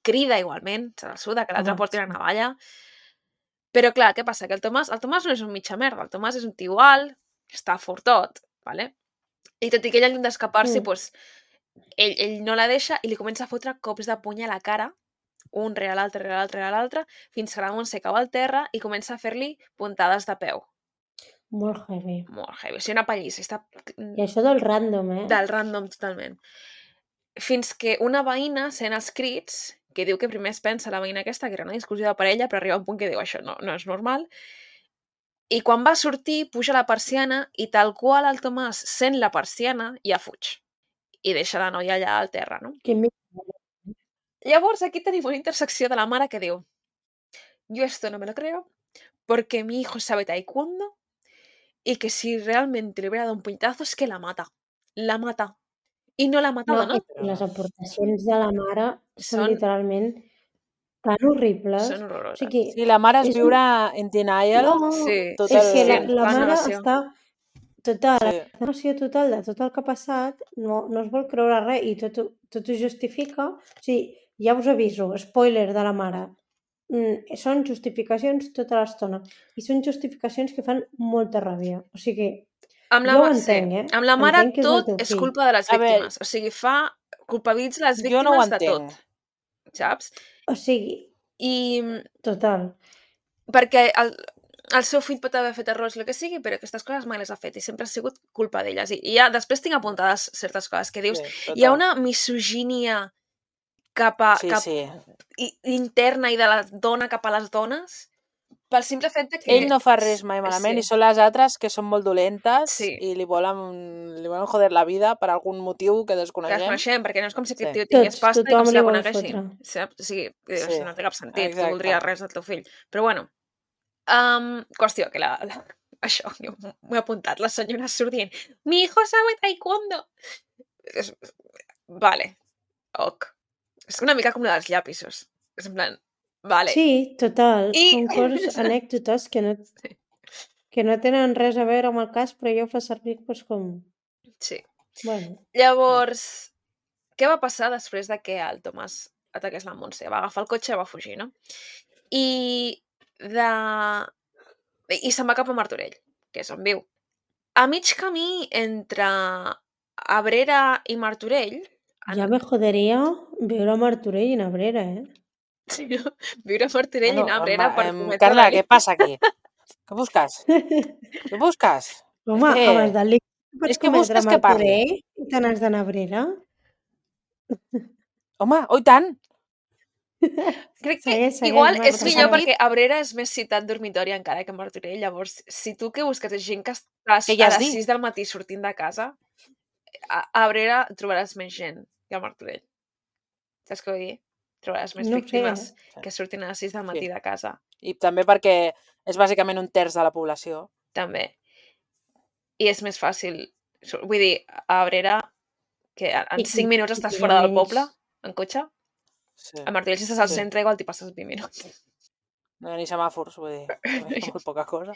Speaker 1: crida igualment, se la suda, que l'altre
Speaker 2: Home,
Speaker 1: porti la
Speaker 2: sí.
Speaker 1: navalla. Però clar, què passa? Que el Tomàs, el Tomàs no és un mitja merda, el Tomàs és un tio alt, està fortot, ¿vale? I tot i que ell intenta escapar-se,
Speaker 2: Mm.
Speaker 1: pues, ell, ell no la deixa i li comença a fotre cops de puny a la cara, un rere l'altre, rere l'altre, rere l'altre, fins que la Montse cau al terra i comença a fer-li puntades de peu.
Speaker 2: Molt heavy.
Speaker 1: Molt heavy. O sigui, una pallissa. Està
Speaker 2: I això del random, eh?
Speaker 1: del random totalment. Fins que una veïna sent els crits, que diu que primer es pensa la veïna aquesta que era una discussió de parella, però arriba un punt que diu això no, no és normal. I quan va sortir, puja la persiana i tal qual el Tomàs sent la persiana, ja fuig. I deixa la noia allà al terra, no?
Speaker 2: Que mi...
Speaker 1: Llavors aquí tenim una intersecció de la mare que diu yo esto no me lo creo porque mi hijo sabe taekwondo y que si realmente le hubiera dado un puñetazo es que la mata. La mata. I no l'ha matada,
Speaker 2: No,
Speaker 1: no?
Speaker 2: i les aportacions de la mare són,
Speaker 1: Són-
Speaker 2: literalment tan horribles.
Speaker 1: Són
Speaker 2: O
Speaker 1: horroroses.
Speaker 2: sigui,
Speaker 3: Sí, la mare es
Speaker 2: és un-
Speaker 3: viure en denial.
Speaker 2: no,
Speaker 1: Sí,
Speaker 3: tot
Speaker 2: és
Speaker 3: el-
Speaker 2: que la,
Speaker 1: sí,
Speaker 2: la
Speaker 1: la
Speaker 2: mare
Speaker 1: negació.
Speaker 2: està total,
Speaker 3: Sí.
Speaker 2: la negació total de tot el que ha passat, no, no es vol creure res i tot, ho- tot ho justifica. O sigui, ja us aviso, spoiler de la mare, mm, són justificacions tota l'estona i són justificacions que fan molta ràbia. O sigui,
Speaker 1: Amb la,
Speaker 2: jo ho
Speaker 1: ma- sí.
Speaker 2: entenc, eh?
Speaker 1: Amb la mare
Speaker 2: Entenc que és el
Speaker 1: tot
Speaker 2: teu
Speaker 1: és
Speaker 2: fill.
Speaker 1: culpa de les
Speaker 3: A veure,
Speaker 1: víctimes. O sigui, fa... culpabilitza les
Speaker 3: Jo
Speaker 1: víctimes
Speaker 3: no ho
Speaker 1: de
Speaker 3: entenc.
Speaker 1: tot. Saps?
Speaker 2: O sigui,
Speaker 1: I
Speaker 2: total.
Speaker 1: perquè el, el seu fill pot haver fet errors, el que sigui, però aquestes coses mai les ha fet i sempre ha sigut culpa d'elles. I, i ja després tinc apuntades certes coses que dius.
Speaker 3: Sí,
Speaker 1: Hi ha
Speaker 3: total.
Speaker 1: una misogínia cap a,
Speaker 3: Sí,
Speaker 1: cap,
Speaker 3: sí.
Speaker 1: i, interna i de la dona cap a les dones pel simple fet de que...
Speaker 3: Ell no fa res mai malament
Speaker 1: Sí.
Speaker 3: i són les altres que són molt dolentes
Speaker 1: Sí.
Speaker 3: i li volen, li volen joder la vida per algun motiu que
Speaker 1: Que
Speaker 3: desconeixem.
Speaker 1: desconeixem, perquè no és com si aquest
Speaker 3: Sí.
Speaker 1: tio tingués
Speaker 2: Tots,
Speaker 1: pasta i com
Speaker 2: tothom
Speaker 1: si
Speaker 2: li
Speaker 1: la
Speaker 2: vol
Speaker 1: coneguessin.
Speaker 2: fotre.
Speaker 1: Saps? O sigui,
Speaker 3: Sí,
Speaker 1: no té cap sentit,
Speaker 3: exacte.
Speaker 1: tu voldries res del teu fill. Però bueno, um, qüestió, que la, la, això, jo m'ho he apuntat, la senyora surt dient mi hijo sabe taekwondo. És, vale, ok. És una mica com la dels llapisos. És en plan, vale.
Speaker 2: Sí, total.
Speaker 1: I-
Speaker 2: Són coses, anècdotes que no,
Speaker 1: Sí.
Speaker 2: que no tenen res a veure amb el cas, però jo ho fa servir doncs, com...
Speaker 1: Sí.
Speaker 2: Bueno,
Speaker 1: Llavors, què va passar després de que el Tomàs ataqués la Montse? Va agafar el cotxe i va fugir, no? I de... I se'n va cap a Martorell, que és on viu. A mig camí entre Abrera i Martorell...
Speaker 2: ja me joderia viure a Martorell i en Abrera, eh?
Speaker 1: Sí, no? Viure a Martorell
Speaker 3: Bueno,
Speaker 1: i anar a Abrera
Speaker 3: em-
Speaker 1: per
Speaker 3: em,
Speaker 1: cometre
Speaker 3: Carla,
Speaker 1: delicte.
Speaker 3: què passa aquí? Què busques? Què busques?
Speaker 2: Home,
Speaker 3: És que-
Speaker 2: amb els delictes pots
Speaker 3: és que
Speaker 2: cometre a
Speaker 3: busques que parli.
Speaker 2: Martorell i te n'has d'anar a Abrera.
Speaker 3: Home, oi tant!
Speaker 1: Crec que
Speaker 2: Segueix, segueix,
Speaker 1: igual
Speaker 2: Marta,
Speaker 1: és millor
Speaker 3: segueix.
Speaker 1: perquè Abrera és més ciutat dormitori encara que Martorell. Llavors, si tu què busques és gent que estàs
Speaker 3: Què ja
Speaker 1: a
Speaker 3: has
Speaker 1: les
Speaker 3: dit?
Speaker 1: sis del matí sortint de casa, a a Abrera trobaràs més gent que a Martorell. Saps què vull dir? Trobaràs més
Speaker 2: No ho sé.
Speaker 1: víctimes
Speaker 3: Sí.
Speaker 1: que surtin a les sis del matí
Speaker 3: Sí.
Speaker 1: de casa,
Speaker 3: I també perquè és bàsicament un terç de la població.
Speaker 1: també. I és més fàcil. sur- Vull dir, a Abrera, que en
Speaker 2: I-
Speaker 1: cinc
Speaker 2: i-
Speaker 1: minuts
Speaker 2: i
Speaker 1: estàs
Speaker 2: hi ha
Speaker 1: fora del
Speaker 2: menys-
Speaker 1: poble, en cotxe.
Speaker 3: Sí.
Speaker 1: A Martorell, si estàs al
Speaker 3: Sí.
Speaker 1: centre, igual t'hi passes vint minuts.
Speaker 3: No hi ha ni semàfors, vull dir, és molt poca cosa.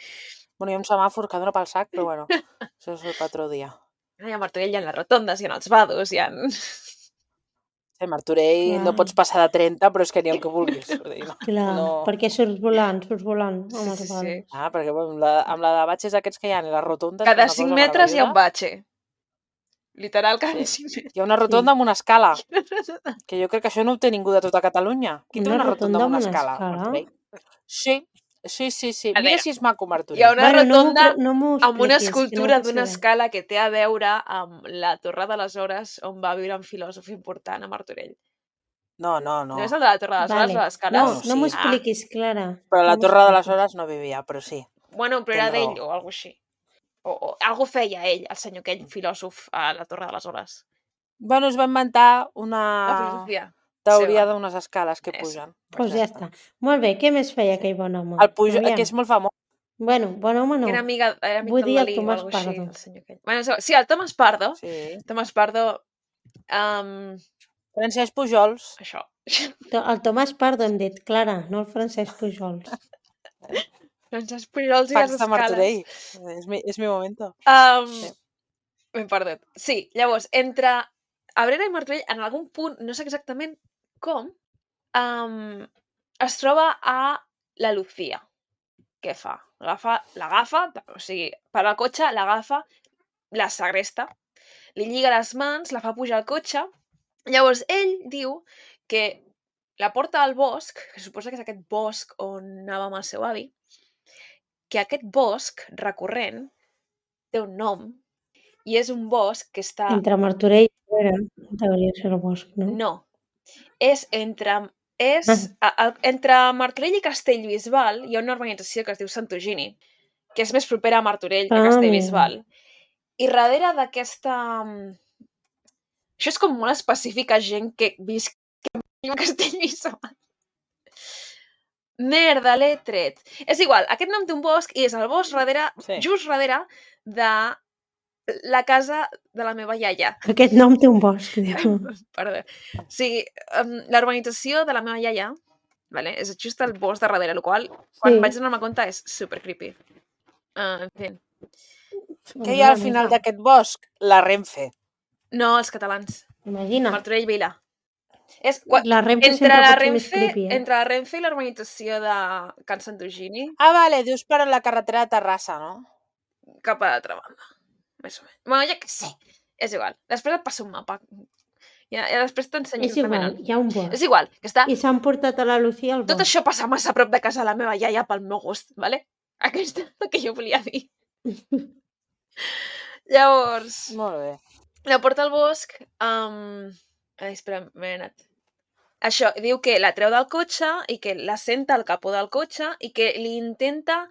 Speaker 3: Bueno, hi ha un semàfor que dona pel sac, però bueno, això és el patró dia.
Speaker 1: I a Martorell hi ha les rotondes, hi ha els vados, hi ha...
Speaker 3: Sí, a Martorell
Speaker 2: Clar.
Speaker 3: no pots passar de trenta, però és que ni el que vulguis. Vull dir, no.
Speaker 2: Clar,
Speaker 3: No.
Speaker 2: perquè surts volant, surts volant.
Speaker 1: Sí,
Speaker 2: Home,
Speaker 1: sí,
Speaker 2: que
Speaker 1: sí.
Speaker 2: vale.
Speaker 3: Ah, perquè bueno, amb, la, amb la de batxes aquests que hi ha i les rotondes...
Speaker 1: Cada
Speaker 3: és una
Speaker 1: cinc
Speaker 3: cosa
Speaker 1: metres hi ha un
Speaker 3: meravellosa.
Speaker 1: batxe. Literal, cada
Speaker 3: Sí.
Speaker 1: cinc metres.
Speaker 3: Hi ha una rotonda amb una escala,
Speaker 1: Sí.
Speaker 3: que jo crec que això no ho té ningú de tota Catalunya. Qui té
Speaker 2: Una
Speaker 3: una rotonda amb una
Speaker 2: rotonda amb una
Speaker 3: escala?
Speaker 2: escala?
Speaker 3: Martorell? Sí, sí, sí, sí.
Speaker 1: A
Speaker 3: Mira
Speaker 1: veure,
Speaker 3: si és maco Martorell.
Speaker 1: Hi ha una
Speaker 2: Bueno, no m'ho
Speaker 1: rotonda
Speaker 2: pre- no m'ho
Speaker 1: amb una
Speaker 2: expliquis, que no
Speaker 1: escultura
Speaker 2: ho
Speaker 1: d'una
Speaker 2: sé.
Speaker 1: escala que té a veure amb la Torre de les Hores on va viure un filòsof important a Martorell.
Speaker 3: No, no, no.
Speaker 1: No és el de la Torre de les Hores,
Speaker 2: Vale.
Speaker 1: l'escala?
Speaker 2: No,
Speaker 3: Bueno,
Speaker 2: no m'ho
Speaker 3: sí.
Speaker 2: expliquis, Clara.
Speaker 3: Però
Speaker 2: No
Speaker 3: la
Speaker 2: m'ho
Speaker 3: Torre de les
Speaker 2: expliquis.
Speaker 3: Hores no vivia, però sí.
Speaker 1: Bueno, però era
Speaker 3: Tens raó.
Speaker 1: d'ell o alguna així. O, o algo feia ell, el senyor aquell filòsof a la Torre de les Hores.
Speaker 3: Bueno, es va inventar
Speaker 1: La
Speaker 3: una
Speaker 1: filosofia.
Speaker 3: teoria
Speaker 1: seva.
Speaker 3: d'unes escales que
Speaker 1: Eso.
Speaker 3: pugen.
Speaker 2: Doncs ja està. Molt bé, què més feia aquell bon home?
Speaker 3: El pujo,
Speaker 2: Aviam.
Speaker 3: que és molt famós.
Speaker 2: Bueno, bon home no.
Speaker 1: Era amiga, era amic
Speaker 2: Vull
Speaker 1: del
Speaker 2: dir el
Speaker 1: Dalí o
Speaker 2: Tomàs
Speaker 1: alguna així,
Speaker 2: Pardo.
Speaker 1: el senyor aquell. Bueno, és igual. Sí, el Tomàs Pardo.
Speaker 3: Sí.
Speaker 1: Tomàs Pardo, um,
Speaker 3: Francesc Pujols.
Speaker 1: això.
Speaker 2: To- El Tomàs Pardo hem dit, Clara, no el Francesc Pujols.
Speaker 1: Francesc Pujols i les
Speaker 3: Fax de
Speaker 1: escales.
Speaker 3: Martorell. És mi, és mi momento.
Speaker 1: Um,
Speaker 3: Sí.
Speaker 1: M'he perdut. Sí, llavors, entre Abrera i Martorell, en algun punt, no sé exactament com, um, es troba a la Lucía. Què fa? Agafa, l'agafa, o sigui, para el cotxe, l'agafa, la segresta, li lliga les mans, la fa pujar al cotxe. Llavors, ell diu que la porta al bosc, que suposa que és aquest bosc on anava amb el seu avi, que aquest bosc recurrent té un nom i és un bosc que està...
Speaker 2: Entre Martorell i Abrera hauria de ser el bosc, no?
Speaker 1: No. És entre... És, a, a, entre Martorell i Castellbisbal hi ha una urbanització que es diu Santogini, que és més propera a Martorell que a
Speaker 2: Ah,
Speaker 1: Castellbisbal. I darrere d'aquesta... Això és com molt específic a gent que visc a Castellbisbal. Merda, l'he tret. És igual, aquest nom té un bosc i és el bosc darrere,
Speaker 3: Sí.
Speaker 1: just darrere de la casa de la meva iaia.
Speaker 2: Aquest nom té un bosc, diu.
Speaker 1: Perdó. O sigui, um, la urbanització de la meva iaia, vale, és just el bosc de darrere, el qual, quan
Speaker 2: Sí.
Speaker 1: vaig donar-me compte, és super creepy. Uh, en fi.
Speaker 3: Què hi ha al final d'aquest bosc? La Renfe.
Speaker 1: No, els catalans.
Speaker 2: Imagina,
Speaker 1: Martorell Vila. És, qua,
Speaker 2: la Renfe
Speaker 1: entre,
Speaker 2: sempre
Speaker 1: la
Speaker 2: pot ser més
Speaker 1: Renfe,
Speaker 2: creepy, eh?
Speaker 1: entre la Renfe i la urbanització de Can Santogini,
Speaker 3: Ah, vale, dius per la carretera de Terrassa, no?
Speaker 1: cap a l'altra banda. Més o menys. Bueno, ja que sé. És igual. Després et passo un mapa. Ja, ja després t'ensenyo
Speaker 2: És igual,
Speaker 1: exactament.
Speaker 2: hi ha un bosc.
Speaker 1: És igual, que està...
Speaker 2: I s'han portat a la Lucía al
Speaker 1: Tot
Speaker 2: bosc.
Speaker 1: això passa massa a prop de casa de la meva iaia pel meu gust, vale? Aquesta és el que jo volia dir. Llavors,
Speaker 3: Molt bé.
Speaker 1: la porta al bosc... Um... Ai, espera, m'he anat. Això, diu que la treu del cotxe i que la senta al capó del cotxe i que li intenta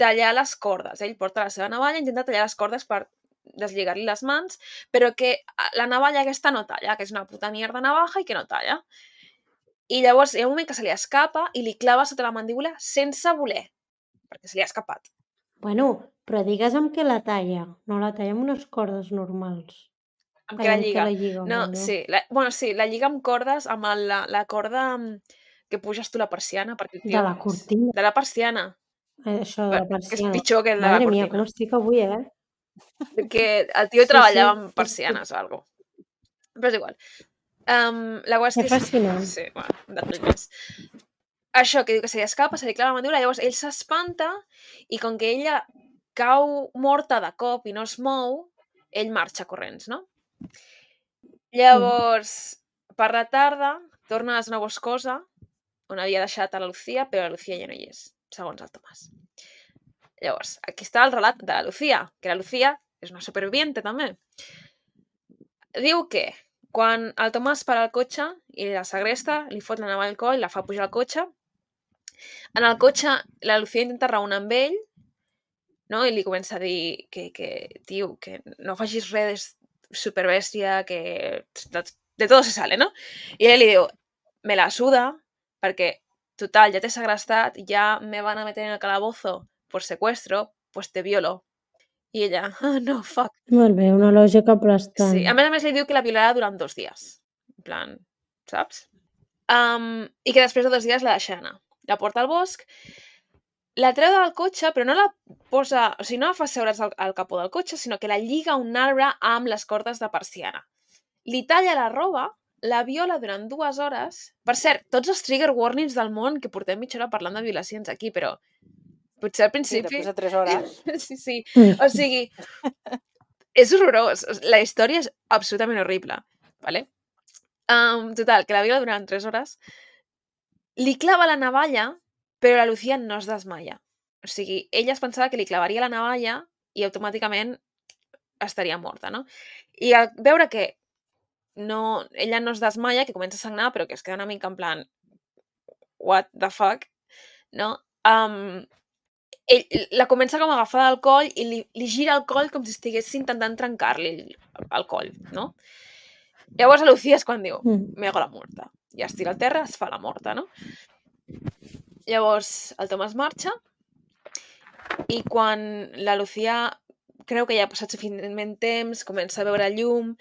Speaker 1: tallar les cordes. Ell porta la seva navalla i intenta tallar les cordes per deslligar-li les mans, però que la navalla aquesta no talla, que és una puta mierda navaja i que no talla. I llavors hi ha un moment que se li escapa i li clava sota la mandíbula sense voler, perquè se li ha escapat.
Speaker 2: Bueno, però digues amb què la talla. No la talla amb unes cordes normals.
Speaker 1: Amb què la
Speaker 2: Amb què
Speaker 1: lliga?
Speaker 2: la lliga,
Speaker 1: No,
Speaker 2: perdó.
Speaker 1: sí. La, bueno, sí, la lliga amb cordes, amb el, la, la corda que puges tu la persiana. Perquè el tio,
Speaker 2: De la cortina.
Speaker 1: De la persiana.
Speaker 2: Eh, Això de la
Speaker 1: Que és
Speaker 2: persiana.
Speaker 1: pitjor que el de
Speaker 2: Madre
Speaker 1: la
Speaker 2: mia,
Speaker 1: cortina.
Speaker 2: com estic avui, eh?
Speaker 1: Que el tio
Speaker 2: Sí,
Speaker 1: treballava
Speaker 2: sí.
Speaker 1: amb persianes o alguna cosa. Però és igual. Um, la qüestió
Speaker 2: Que fascinant.
Speaker 1: Sí, bueno, de més. Això, que diu que se li escapa, se li clava la mandíbula, llavors ell s'espanta i com que ella cau morta de cop i no es mou, ell marxa corrents, no? Llavors, per la tarda, torna a la zona boscosa, on havia deixat a la Lucía, però la Lucía ja no hi és, segons el Tomàs. Llavors, aquí està el relat de la Lucía, que la Lucía és una superviviente també. Diu que quan el Tomàs para el cotxe i la segresta, li fot la navalla al coll, la fa pujar al cotxe. En el cotxe, la Lucía intenta raonar amb ell, no? I li comença a dir que, que tio, que no facis res superbèstia, que de, de todo se sale, no? I ell li diu, me la suda, perquè, total, ja t'he segrestat, ja me van a meter en el calabozo por secuestro, pues te violo. I ella, oh, no, fuck.
Speaker 2: Molt bé, una lògica aplastant.
Speaker 1: Sí, a més a més li diu que la violarà durant dos dies. En plan, saps? Um, I que després de dos dies la deixa anar. La porta al bosc, la treu del cotxe, però no la posa... O sigui, no la fa seure's al, al capó del cotxe, sinó que la lliga a un arbre amb les cordes de persiana. Li talla la roba, la viola durant dues hores... Per cert, tots els trigger warnings del món, que portem mitja hora parlant de violacions aquí, però potser al principi...
Speaker 3: Sí, després de tres hores.
Speaker 1: Sí, sí. O sigui, és horrorós. La història és absolutament horrible. Vale? Um, total, que la viola durant tres hores. Li clava la navalla, però la Lucía no es desmaia. O sigui, ella es pensava que li clavaria la navalla i automàticament estaria morta, no? I al veure que no, ella no es desmaia, que comença a sagnar, però que es queda una mica en plan what the fuck, no? Um, ell la comença com a agafar del coll i li, li gira el coll com si estigués intentant trencar-li el, el coll, no? Llavors a Lucía és quan diu, me hago la muerta. I es tira al terra, es fa la morta, no? Llavors el Tomàs marxa i quan la Lucía creu que ja ha passat suficientment temps, comença a veure llum,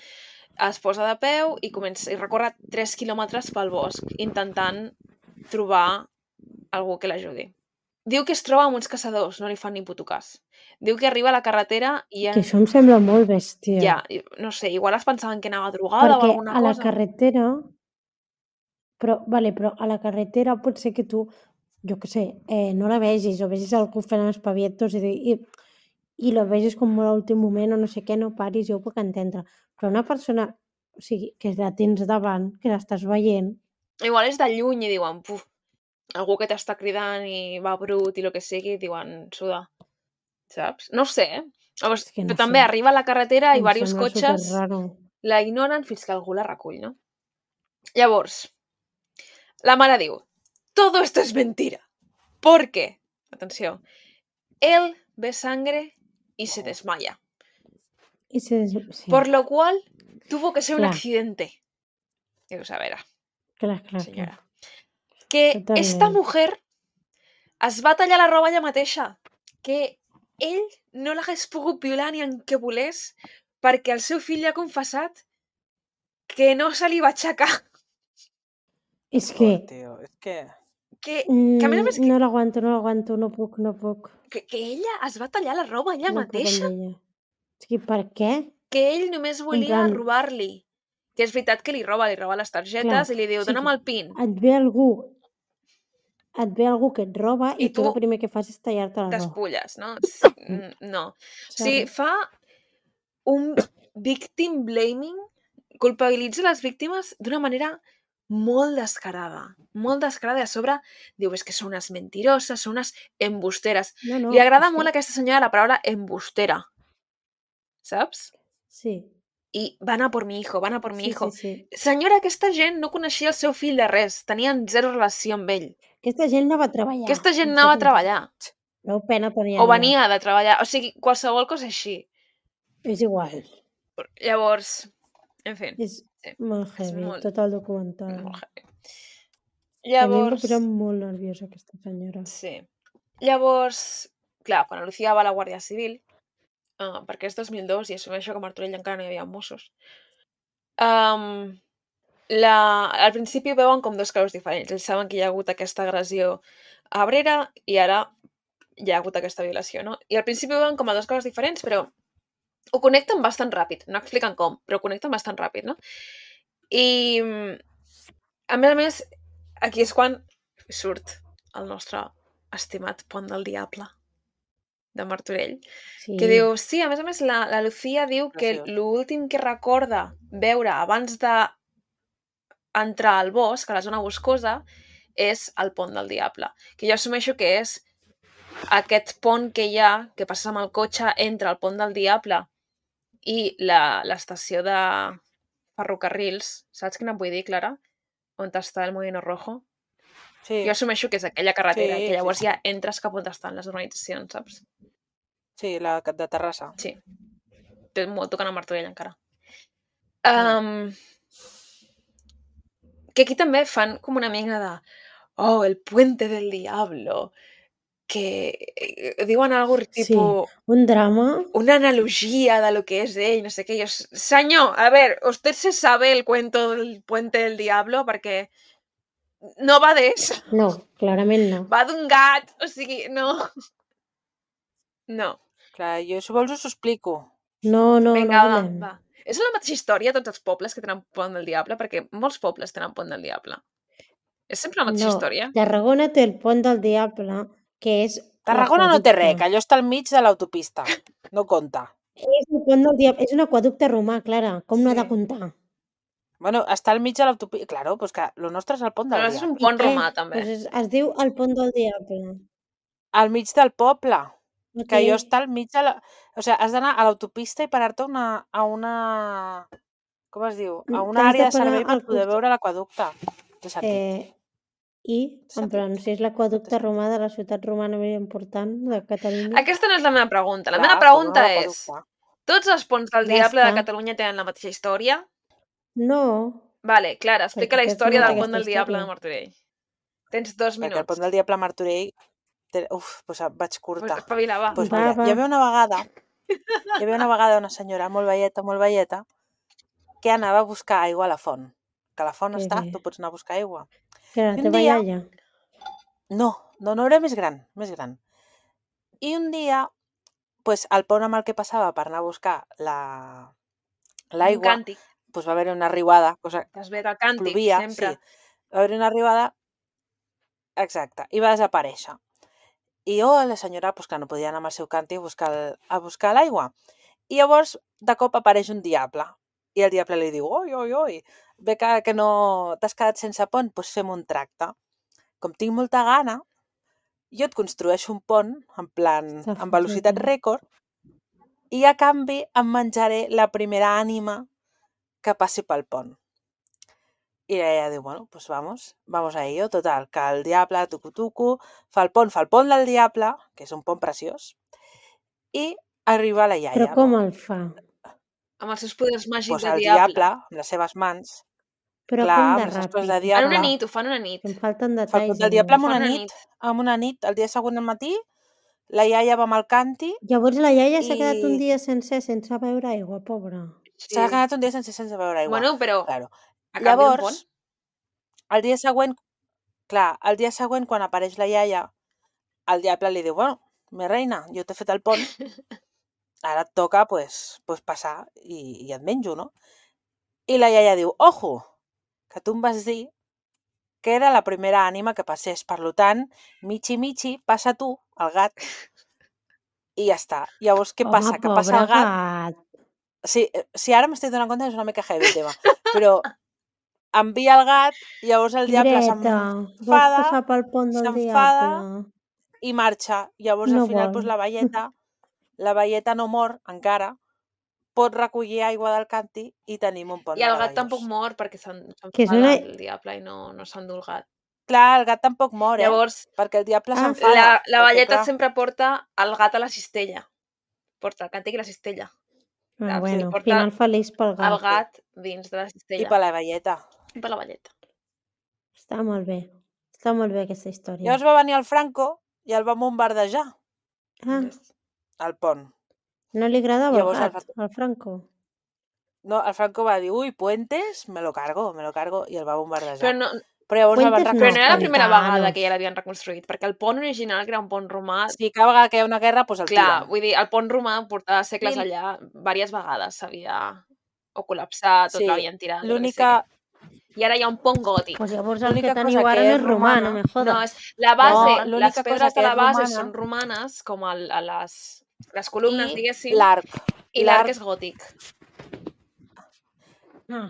Speaker 1: es posa de peu i, comença, i recorre tres quilòmetres pel bosc intentant trobar algú que l'ajudi. Diu que es troba amb uns caçadors, no li fan ni puto cas. Diu que arriba a la carretera i... En...
Speaker 2: Que això em sembla molt bèstia.
Speaker 1: Ja, no sé, igual es pensaven que anava drogada
Speaker 2: Perquè
Speaker 1: o alguna
Speaker 2: a la
Speaker 1: cosa.
Speaker 2: carretera... Però, vale, però a la carretera pot ser que tu, jo què sé, eh, no la vegis o vegis algú fent espavietos i, i, i la vegis com molt a l'últim moment o no sé què, no paris, jo ho puc entendre. Però una persona, o sigui, que la tens davant, que l'estàs veient...
Speaker 1: Igual és de lluny i diuen, puf, algú que t'està cridant i va brut i el que sigui, diuen, suda. Saps? No ho sé, eh? Llavors,
Speaker 2: És que no
Speaker 1: però també
Speaker 2: sé.
Speaker 1: arriba a la carretera i
Speaker 2: Em
Speaker 1: diversos
Speaker 2: sembla
Speaker 1: cotxes
Speaker 2: superraro.
Speaker 1: la ignoren fins que algú la recull, no? Llavors, la mare diu, todo esto es mentira. ¿Por qué? Atenció. Él ve sangre y se desmaya.
Speaker 2: I se des... sí.
Speaker 1: Por lo cual tuvo que ser un
Speaker 2: Clar.
Speaker 1: accidente. Dius, a veure,
Speaker 2: Clar, clar,
Speaker 1: senyora.
Speaker 2: clar.
Speaker 1: Que
Speaker 2: Totalment.
Speaker 1: esta mujer es va tallar la roba ella mateixa. Que ell no l'hagués pogut violar ni en què volés perquè el seu fill li ha confessat que no se li va aixecar.
Speaker 2: És que...
Speaker 3: Oh, tio, és que...
Speaker 1: Que, que a més a més... Que,
Speaker 2: No l'aguanto, no l'aguanto, no puc, no puc.
Speaker 1: que, que ella es va tallar la roba ella
Speaker 2: no puc
Speaker 1: mateixa.
Speaker 2: amb ella. És que per què?
Speaker 1: Que ell només volia
Speaker 2: plan-
Speaker 1: robar-li. Que és veritat que li roba, li roba les targetes
Speaker 2: Clar,
Speaker 1: i li diu,
Speaker 2: o sigui,
Speaker 1: dona'm el pin.
Speaker 2: Et ve algú et ve algú que et roba i,
Speaker 1: I
Speaker 2: tu
Speaker 1: tu
Speaker 2: el primer que fas és tallar-te la roba.
Speaker 1: Despulles, no? Sí, mm, no. O sigui,
Speaker 2: Saps?
Speaker 1: fa un victim blaming, culpabilitza les víctimes d'una manera molt descarada, molt descarada, i a sobre diu, és que són unes mentiroses, són unes embusteres.
Speaker 2: No, no,
Speaker 1: Li agrada
Speaker 2: és
Speaker 1: molt
Speaker 2: que...
Speaker 1: a aquesta senyora la paraula embustera, saps?
Speaker 2: Sí,
Speaker 1: I van a por mi hijo, van a por mi
Speaker 2: sí,
Speaker 1: hijo.
Speaker 2: sí, sí.
Speaker 1: Senyora, aquesta gent no coneixia el seu fill de res, tenien zero relació amb ell.
Speaker 2: Aquesta gent anava a treballar.
Speaker 1: Aquesta gent
Speaker 2: no
Speaker 1: anava
Speaker 2: sé
Speaker 1: a treballar,
Speaker 2: Prou pena tenia
Speaker 1: o
Speaker 2: ella.
Speaker 1: venia de treballar, o sigui, qualsevol cosa així.
Speaker 2: És igual.
Speaker 1: Llavors, en fi,
Speaker 2: És
Speaker 1: sí,
Speaker 2: molt
Speaker 1: és
Speaker 2: heavy,
Speaker 1: molt,
Speaker 2: tot el documental.
Speaker 1: molt heavy.
Speaker 2: I a mi em va
Speaker 1: Llavors,
Speaker 2: posar molt nerviosa aquesta senyora.
Speaker 1: sí. Llavors, clar, quan la Lucía va a la Guàrdia Civil, uh, perquè és dos mil dos i assumeixo que a Martorell encara no hi havia Mossos, um, la, al principi veuen com dos casos diferents. Ells saben que hi ha hagut aquesta agressió a Abrera i ara hi ha hagut aquesta violació, no? I al principi ho veuen com a dos coses diferents, però ho connecten bastant ràpid. No expliquen com, però ho connecten bastant ràpid, no? I, a més a més, aquí és quan surt el nostre estimat Pont del Diable de Martorell,
Speaker 2: Sí.
Speaker 1: que diu, sí, a més a més, la, la Lucía diu que
Speaker 3: Preciós.
Speaker 1: l'últim que recorda veure abans de entrar al bosc, a la zona boscosa, és el Pont del Diable, que jo assumeixo que és aquest pont que hi ha, que passes amb el cotxe entre el Pont del Diable i la- l'estació de ferrocarrils. Saps quina em vull dir, Clara? On està el Molino Rojo?
Speaker 3: Sí,
Speaker 1: Jo assumeixo que és aquella carretera,
Speaker 3: Sí,
Speaker 1: que llavors
Speaker 3: sí, sí.
Speaker 1: ja entres cap on estan les urbanitzacions, saps?
Speaker 3: sí, la de Terrassa.
Speaker 1: Sí. Té molt tocant a Martorell encara.
Speaker 3: Mm.
Speaker 1: Um, que aquí també fan com una mica de oh, el puente del diablo, que eh, diuen algo
Speaker 2: Sí,
Speaker 1: tipo
Speaker 2: un drama.
Speaker 1: una analogía de lo que es ell, no sé què. I jo, senyor, a ver, usted se sabe el cuento del puente del diablo perquè no va d'això,
Speaker 2: No, clarament no.
Speaker 1: va d'un gat, o sigui, no. No.
Speaker 3: Clar, jo si vols us ho explico.
Speaker 2: No, no,
Speaker 1: Vinga,
Speaker 2: no
Speaker 1: va,
Speaker 2: volem.
Speaker 1: va. És la mateixa història a tots els pobles que tenen pont del diable, perquè molts pobles tenen pont del diable. És sempre la mateixa
Speaker 2: No,
Speaker 1: història.
Speaker 2: Tarragona té el pont del diable, que és
Speaker 3: Tarragona no té res,
Speaker 2: l'aqueducte.
Speaker 3: que allò està al mig de l'autopista. No compta.
Speaker 2: És el pont del diable, és un aqueducte romà, Clara. Com no ha de
Speaker 1: Sí.
Speaker 2: comptar?
Speaker 3: Bueno, està al mig de l'autopista. Claro, pues que lo nostre és el pont del
Speaker 1: Però és un
Speaker 3: diable.
Speaker 2: I
Speaker 1: pont
Speaker 2: què?
Speaker 1: romà, també.
Speaker 2: Pues es, es diu el pont del diable.
Speaker 3: Al mig del poble.
Speaker 2: No
Speaker 3: Que allò
Speaker 2: té-
Speaker 3: està al mig de la... O sigui, has d'anar a l'autopista i parar-te una, a una... Com es diu? A una
Speaker 2: T'has de
Speaker 3: àrea de
Speaker 2: parar
Speaker 3: servei per
Speaker 2: al
Speaker 3: poder
Speaker 2: costat.
Speaker 3: veure l'aqueducte. Té sentit.
Speaker 2: Eh, I, en
Speaker 3: Sentit.
Speaker 2: plan, si és l'aqueducte romà de la ciutat romana més important de Catalunya,
Speaker 1: Aquesta no és la meva pregunta. La
Speaker 3: Clar,
Speaker 1: meva
Speaker 3: com
Speaker 1: pregunta
Speaker 3: un
Speaker 1: és,
Speaker 3: aqueducte.
Speaker 1: tots els ponts del
Speaker 2: Ja
Speaker 1: diable de
Speaker 2: està.
Speaker 1: Catalunya tenen la mateixa història?
Speaker 2: no,
Speaker 1: Vale, Clara, explica la
Speaker 2: Perquè aquest
Speaker 1: història
Speaker 2: no té
Speaker 1: del pont
Speaker 2: aquesta
Speaker 1: del diable
Speaker 2: història.
Speaker 1: de Martorell. Tens dos
Speaker 3: Perquè el
Speaker 1: minuts.
Speaker 3: pont del diable a Martorell... Té... Uf, doncs vaig
Speaker 1: Pues
Speaker 3: curta.
Speaker 1: espavila, va.
Speaker 3: Pues
Speaker 2: Va,
Speaker 3: mira,
Speaker 2: va.
Speaker 3: hi havia una vegada, hi havia una vegada una senyora molt velleta, molt velleta, que anava a buscar aigua a la font. Que a la font
Speaker 2: Que
Speaker 3: està,
Speaker 2: bé.
Speaker 3: tu pots anar a buscar aigua.
Speaker 2: que la
Speaker 3: I un
Speaker 2: teva
Speaker 3: dia-
Speaker 2: iaia.
Speaker 3: No, no, no era més gran, més gran. I un dia, pues, al pont amb el que passava per anar a buscar la
Speaker 1: Un
Speaker 3: l'aigua,
Speaker 1: càntic.
Speaker 3: pues, va haver una riuada, cosa
Speaker 1: Que es ve del càntic,
Speaker 3: plovia,
Speaker 1: sempre.
Speaker 3: sí. Va haver una riuada, exacte, i va desaparèixer. I oh, la senyora, pues, clar, no podia anar amb el seu càntic a buscar, el, a buscar l'aigua. I llavors, de cop apareix un diable. I el diable li diu, oi, oi, oi, ve que, que no t'has quedat sense pont, doncs fem un tracte. Com tinc molta gana, jo et construeixo un pont, en plan,
Speaker 2: Està
Speaker 3: amb velocitat
Speaker 2: fotut, eh?
Speaker 3: rècord, i a canvi em menjaré la primera ànima que passi pel pont. I ella diu, bueno, pues vamos, vamos a ello. Total, que el diable, tucu-tucu, fa el pont, fa el pont del diable, que és un pont preciós, i arriba la iaia.
Speaker 2: Però com
Speaker 3: no?
Speaker 2: el fa?
Speaker 1: Amb els seus poders màgics
Speaker 3: Pues
Speaker 1: de
Speaker 3: el
Speaker 1: diable.
Speaker 3: diable, amb les seves mans,
Speaker 2: Però
Speaker 3: clar,
Speaker 2: com
Speaker 3: amb
Speaker 2: de
Speaker 3: les seves coses
Speaker 2: ràpid?
Speaker 3: de
Speaker 1: En
Speaker 3: diable,
Speaker 1: una nit, ho fan una nit.
Speaker 2: Em falten
Speaker 3: fa el
Speaker 2: detalls.
Speaker 3: pont del diable amb
Speaker 1: Fa
Speaker 3: una
Speaker 1: una
Speaker 3: nit,
Speaker 1: nit.
Speaker 3: amb una nit, el dia següent al matí, la iaia va amb el canti,
Speaker 2: Llavors la iaia s'ha quedat un
Speaker 3: I-
Speaker 2: dia sencer sense beure aigua, pobra.
Speaker 3: s'ha quedat un dia sense, sense beure aigua.
Speaker 1: Bueno, però
Speaker 3: Claro.
Speaker 1: a canvi d'un pont.
Speaker 3: Llavors, el dia següent, clar, el dia següent, quan apareix la iaia, el diable li diu, bueno, mi reina, jo t'he fet el pont, ara et toca, pues, pues passar i, i et menjo, no? I la iaia diu, ojo, que tu em vas dir que era la primera ànima que passés, per tant, Michi Michi, passa tu, el gat, i ja està. Llavors, què passa?
Speaker 2: Home,
Speaker 3: Que passa
Speaker 2: pobre
Speaker 3: el gat...
Speaker 2: gat.
Speaker 3: Sí, eh, sí, ara m'estic donant compte que és una mica heavy el tema, però envia el gat, llavors el diable
Speaker 2: Greta, vols
Speaker 3: s'enfada,
Speaker 2: passar pel pont del
Speaker 3: s'enfada
Speaker 2: diable?
Speaker 3: i marxa. Llavors
Speaker 2: No
Speaker 3: al final
Speaker 2: vol.
Speaker 3: doncs, la velleta, la velleta no mor encara, pot recollir aigua del càntir i tenim un pont
Speaker 1: I el gat
Speaker 3: meravellós.
Speaker 1: tampoc mor perquè se'n-
Speaker 2: Que és
Speaker 1: s'enfada
Speaker 2: una...
Speaker 1: el diable i no, no s'endú el gat.
Speaker 3: Clar, el gat tampoc mor, eh?
Speaker 1: Llavors,
Speaker 3: Perquè el diable
Speaker 2: Ah.
Speaker 3: s'enfada.
Speaker 1: la, la
Speaker 3: perquè,
Speaker 1: velleta
Speaker 3: clar,
Speaker 1: sempre porta el gat a la cistella. Porta el càntic i la cistella.
Speaker 2: Ah,
Speaker 1: Saps? I
Speaker 2: bueno,
Speaker 1: el porta
Speaker 2: final feliç pel
Speaker 1: el
Speaker 2: gat.
Speaker 1: gat dins de la
Speaker 3: I
Speaker 1: cistella.
Speaker 3: per la velleta.
Speaker 1: I per la velleta.
Speaker 2: Està molt bé. Està molt bé aquesta història.
Speaker 3: Llavors va venir el Franco i el va bombardejar,
Speaker 2: Ah,
Speaker 1: Ves?
Speaker 3: al pont.
Speaker 2: no li agradava el
Speaker 3: Llavors el
Speaker 2: gat, el Franco.
Speaker 3: No, el Franco va dir, ui, Puentes, me lo cargo, me lo cargo, i el va bombardejar.
Speaker 1: Però no,
Speaker 3: Però llavors el van
Speaker 2: Puentes no,
Speaker 1: però no era la
Speaker 3: reconstruir.
Speaker 1: primera
Speaker 2: Pantanos.
Speaker 1: vegada que ja l'havien reconstruït, perquè el pont original, que era un pont romà,
Speaker 3: Si cada vegada que hi ha una guerra, doncs el
Speaker 1: clar,
Speaker 3: tiren.
Speaker 1: vull dir, el pont romà portava segles
Speaker 3: I-
Speaker 1: allà, diverses vegades s'havia o col·lapsat, tot
Speaker 3: Sí,
Speaker 1: l'havien tirat. jo què
Speaker 3: l'única...
Speaker 1: sé. I ara hi ha un pont gòtic.
Speaker 2: Pues llavors el
Speaker 3: L'única
Speaker 2: que teniu
Speaker 3: cosa
Speaker 2: ara
Speaker 3: que
Speaker 2: no
Speaker 3: és
Speaker 2: és romà,
Speaker 3: romana-
Speaker 2: no me
Speaker 1: No,
Speaker 2: jodes.
Speaker 1: és la base,
Speaker 3: No, l'única
Speaker 1: les
Speaker 3: cosa
Speaker 1: pedres
Speaker 3: que
Speaker 1: de la
Speaker 3: és
Speaker 1: base
Speaker 3: romana-
Speaker 1: són romanes, com el, a les, les columnes,
Speaker 3: I
Speaker 1: diguéssim,
Speaker 3: l'arc.
Speaker 1: i l'arc és gòtic.
Speaker 2: Ah,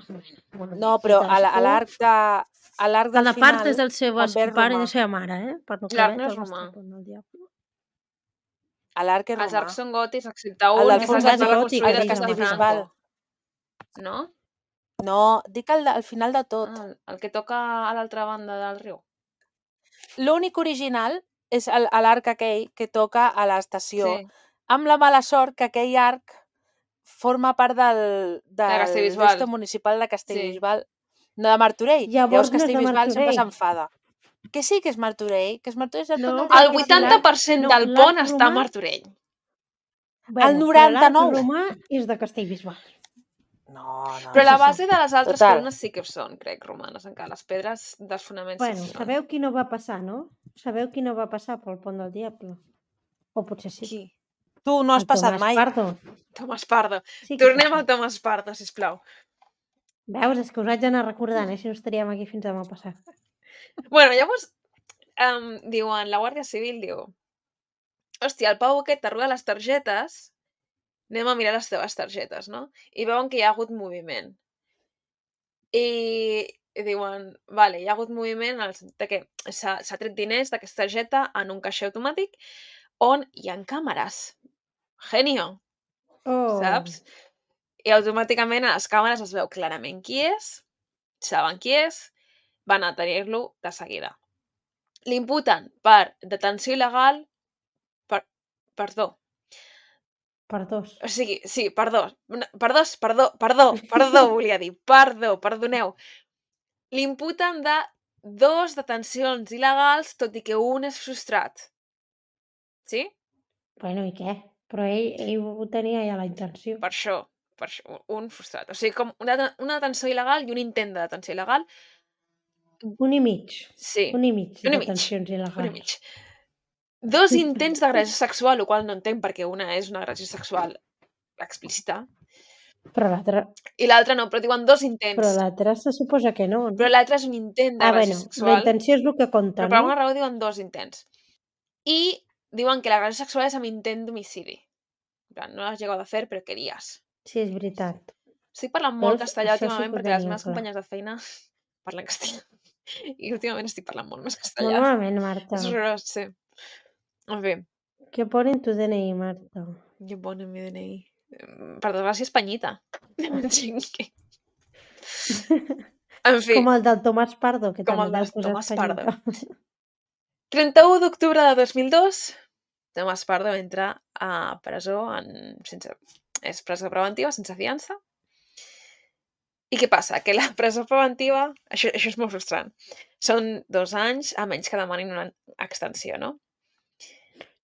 Speaker 2: bueno,
Speaker 3: No, però a la- a
Speaker 2: cadascú-
Speaker 3: l'arc de... A l'arc del
Speaker 2: Cada
Speaker 3: final...
Speaker 2: part és del seu
Speaker 3: també és
Speaker 2: pare i
Speaker 3: romà.
Speaker 2: de la seva mare, eh? Per no
Speaker 1: L'arc
Speaker 2: caber
Speaker 1: no és
Speaker 2: el vostre
Speaker 1: romà.
Speaker 2: pont del diable.
Speaker 3: A l'arc és
Speaker 1: Els
Speaker 3: romà.
Speaker 1: arcs són gòtics, excepte
Speaker 3: El
Speaker 1: un,
Speaker 3: del
Speaker 1: que
Speaker 3: fons
Speaker 1: s'ha
Speaker 2: és
Speaker 1: estat
Speaker 2: gòtic,
Speaker 1: reconstruït
Speaker 2: el de
Speaker 1: després de
Speaker 3: Castellbisbal.
Speaker 1: Franco. No?
Speaker 3: No, dic el de, al final de tot.
Speaker 1: Ah, el que toca a l'altra banda del riu.
Speaker 3: L'únic original és el- l'arc aquell que toca a l'estació,
Speaker 1: Sí.
Speaker 3: amb la mala sort que aquell arc forma part del, del
Speaker 1: Castellbisbal.
Speaker 3: d'esto municipal de Castellbisbal, no de Martorell.
Speaker 2: Llavors no és de
Speaker 3: Castellbisbal sempre
Speaker 2: Martorell.
Speaker 3: s'enfada. Que sí que és Martorell, que és Martorell és el
Speaker 2: No,
Speaker 3: pont del
Speaker 2: perquè
Speaker 1: El
Speaker 3: diable.
Speaker 2: si
Speaker 1: vuitanta per cent
Speaker 2: no,
Speaker 1: del
Speaker 2: l'arc
Speaker 1: pont està a
Speaker 2: romà-
Speaker 1: Martorell.
Speaker 2: Bueno,
Speaker 3: El
Speaker 2: però
Speaker 3: noranta-nou.
Speaker 2: l'arc romà és de Castellbisbal.
Speaker 3: No, no.
Speaker 1: Però la
Speaker 2: sí, sí.
Speaker 1: base de les altres
Speaker 3: Total.
Speaker 1: columnes sí que són, crec, romanes encara. Les pedres dels fonaments
Speaker 2: Bueno,
Speaker 1: sí que són.
Speaker 2: sabeu qui no va passar, no? Sabeu qui no va passar pel pont del diable? O potser sí.
Speaker 1: Qui?
Speaker 3: Tu no has
Speaker 2: El
Speaker 3: passat
Speaker 2: Tomàs
Speaker 3: mai.
Speaker 2: Pardo.
Speaker 1: Tomàs Pardo.
Speaker 2: Sí que
Speaker 1: Tornem
Speaker 2: passa.
Speaker 1: al Tomàs Pardo, sisplau.
Speaker 2: Veus? És que us haig d'anar recordant, eh? Si no estaríem aquí fins demà passat.
Speaker 1: Bueno, llavors, um, diuen, la Guàrdia Civil diu, hòstia, el Pau aquest t'arruga les targetes, anem a mirar les teves targetes, no? I veuen que hi ha hagut moviment. I, i diuen, vale, hi ha hagut moviment en el sentit de que s'ha s'ha tret diners d'aquesta targeta en un caixer automàtic on hi ha càmeres. Genio,
Speaker 2: Oh.
Speaker 1: saps? I automàticament a les càmeres es veu clarament qui és, saben qui és, van a tenir-lo de seguida. L'imputen per detenció il·legal, per, perdó,
Speaker 2: Per dos.
Speaker 1: o sigui, sí, perdó, no, perdó, perdó, perdó, perdó, volia dir, perdó, perdoneu. L'imputen de dos detencions il·legals, tot i que un és frustrat. Sí?
Speaker 2: Bueno, i què? Però ell, ell ho tenia ja la intenció.
Speaker 1: Per això, per això, un frustrat. O sigui, com una, una detenció il·legal i un intent de detenció il·legal.
Speaker 2: Un i mig.
Speaker 1: Sí,
Speaker 2: Un i mig
Speaker 1: un i
Speaker 2: de
Speaker 1: mig,
Speaker 2: tensions il·legals.
Speaker 1: un i mig. Dos intents d'agressió sexual, el qual no entenc perquè una és una agressió sexual explícita
Speaker 2: Però l'altre
Speaker 1: i l'altra no, però diuen dos intents.
Speaker 2: però l'altre se suposa que no. no?
Speaker 1: Però l'altre és un intent
Speaker 2: Ah,
Speaker 1: d'agressió
Speaker 2: bueno, la
Speaker 1: sexual.
Speaker 2: intenció és el que compta,
Speaker 1: Però per
Speaker 2: no?
Speaker 1: alguna raó diuen dos intents. I diuen que l'agressió sexual és amb intent d'homicidi. En plan, no lo has llegado a hacer, però querías.
Speaker 2: Sí, és veritat.
Speaker 1: Estic parlant molt
Speaker 2: Veus?
Speaker 1: castellà
Speaker 2: Això sí
Speaker 1: últimament
Speaker 2: que ho
Speaker 1: perquè les
Speaker 2: tenia
Speaker 1: meves
Speaker 2: clar.
Speaker 1: companyes de feina parlen castellà. I últimament estic parlant molt més
Speaker 2: Molt
Speaker 1: castellà.
Speaker 2: malament, Marta.
Speaker 1: És horrorós, sí. En fi,
Speaker 2: Què pone en tu D N I, Marta?
Speaker 1: què pone en mi D N I? Per desgràcia, Espanyita. En fi,
Speaker 2: Com el del Tomàs Pardo, que
Speaker 1: Com
Speaker 2: també
Speaker 1: el del
Speaker 2: t'has posat
Speaker 1: Tomàs
Speaker 2: Espanyita.
Speaker 1: trenta-u d'octubre de dos mil dos, Tomàs Pardo entra a presó en... sense... és presó preventiva, sense fiança. I què passa? Que la presó preventiva... Això, això és molt frustrant. Són dos anys, a menys que demanin una extensió, no?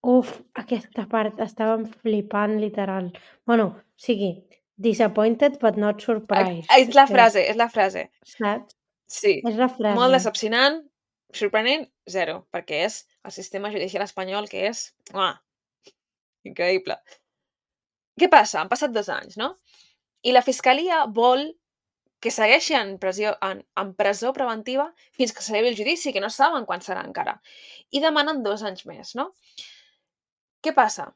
Speaker 2: Uf, aquesta part estàvem flipant, literal. Bueno, o sigui, disappointed but not surprised.
Speaker 1: És la
Speaker 2: que-
Speaker 1: frase, és la frase.
Speaker 2: Saps?
Speaker 1: Sí.
Speaker 2: És la frase.
Speaker 1: Molt decepcionant, sorprenent, zero, perquè és el sistema judicial espanyol que és... Uah, increïble. Què passa? Han passat dos anys, no? I la fiscalia vol que segueixi en, pressió, en, en presó preventiva fins que celebri el judici, que no saben quan serà encara. I demanen dos anys més, no? Què passa?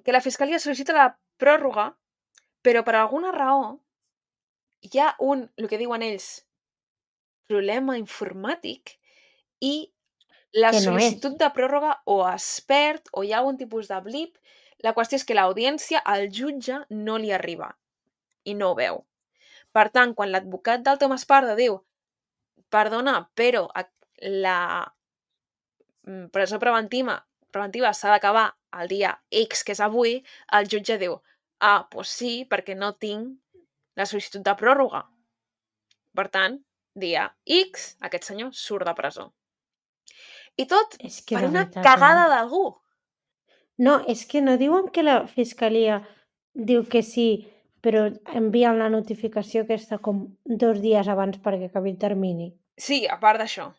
Speaker 1: Que la fiscalia sol·licita la pròrroga, però per alguna raó hi ha un, el que diuen ells, problema informàtic i la
Speaker 2: Que no és.
Speaker 1: sol·licitud de pròrroga o es perd o hi ha algun tipus de blip. La qüestió és que l'audiència, al jutge, no li arriba i no ho veu. Per tant, quan l'advocat del Tomàs Pardo diu perdona, però la presó preventiva, preventiva s'ha d'acabar el dia X, que és avui, el jutge diu ah, doncs sí, perquè no tinc la sol·licitud de pròrroga. Per tant, dia X, aquest senyor surt de presó. I tot
Speaker 2: És que
Speaker 1: per
Speaker 2: de
Speaker 1: una
Speaker 2: veritat,
Speaker 1: cagada
Speaker 2: eh?
Speaker 1: d'algú.
Speaker 2: No, és que no diuen que la fiscalia diu que sí, però envien la notificació aquesta com dos dies abans perquè acabi el termini.
Speaker 1: Sí, a part d'això.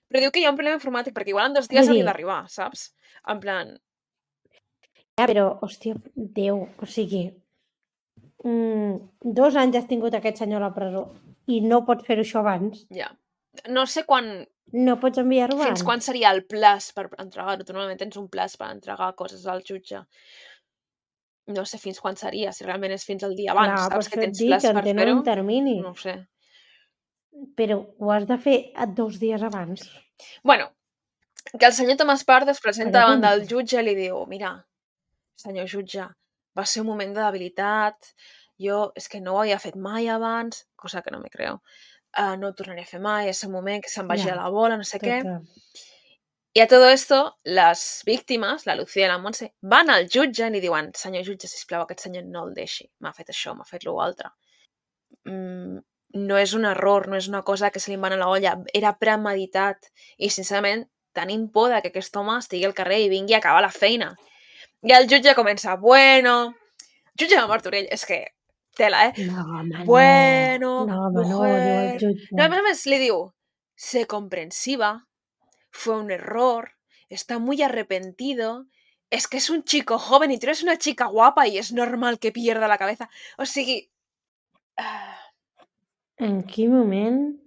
Speaker 1: Però diu que hi ha un problema informàtic perquè igual en dos dies
Speaker 2: Vull
Speaker 1: hauria
Speaker 2: dir-
Speaker 1: d'arribar, saps? En plan,
Speaker 2: Ja, però, hòstia, Déu, o sigui, mm, dos anys has tingut aquest senyor a la presó i no pots fer això abans.
Speaker 1: ja. No sé quan,
Speaker 2: No pots enviar-ho abans.
Speaker 1: fins quan seria el plaç per entregar-ho. Tu normalment tens un plaç per entregar coses al jutge. No sé fins quan seria, si realment és fins al dia abans,
Speaker 2: Clar, per
Speaker 1: saps que
Speaker 2: això et
Speaker 1: tens
Speaker 2: dic
Speaker 1: plaç
Speaker 2: que
Speaker 1: per
Speaker 2: en tenen
Speaker 1: fer-ho?
Speaker 2: un termini,
Speaker 1: No ho sé.
Speaker 2: però ho has de fer a dos dies abans.
Speaker 1: Bueno, que el senyor Tomàs Pardo es presenta davant del
Speaker 2: Pregunto.
Speaker 1: jutge i li diu mira, senyor jutge, va ser un moment de debilitat, jo és que no ho havia fet mai abans, cosa que no me creo, uh, no ho tornaré a fer mai, és un moment que se'm vagia
Speaker 2: Ja,
Speaker 1: la bola, no sé què.
Speaker 2: Total.
Speaker 1: I a todo esto, les víctimes, la Lucía i la Montse, van al jutge i li diuen senyor jutge, sisplau, aquest senyor no el deixi, m'ha fet això, m'ha fet l'altre. Mm, no és un error, no és una cosa que se li va a la olla, era premeditat i sincerament tenim por de que aquest home estigui al carrer i vingui a acabar la feina. I el jutge comença, bueno, jutge de Martorell, és que tela, eh?
Speaker 2: No, home,
Speaker 1: bueno,
Speaker 2: no. No, home, no,
Speaker 1: mujer...
Speaker 2: diu el jutge.
Speaker 1: No, a més a més li diu, sé comprensiva, fue un error, está muy arrepentido, es que es un chico joven y tú eres una chica guapa y es normal que pierda la cabeza. O sigui... ah,
Speaker 2: En quin moment?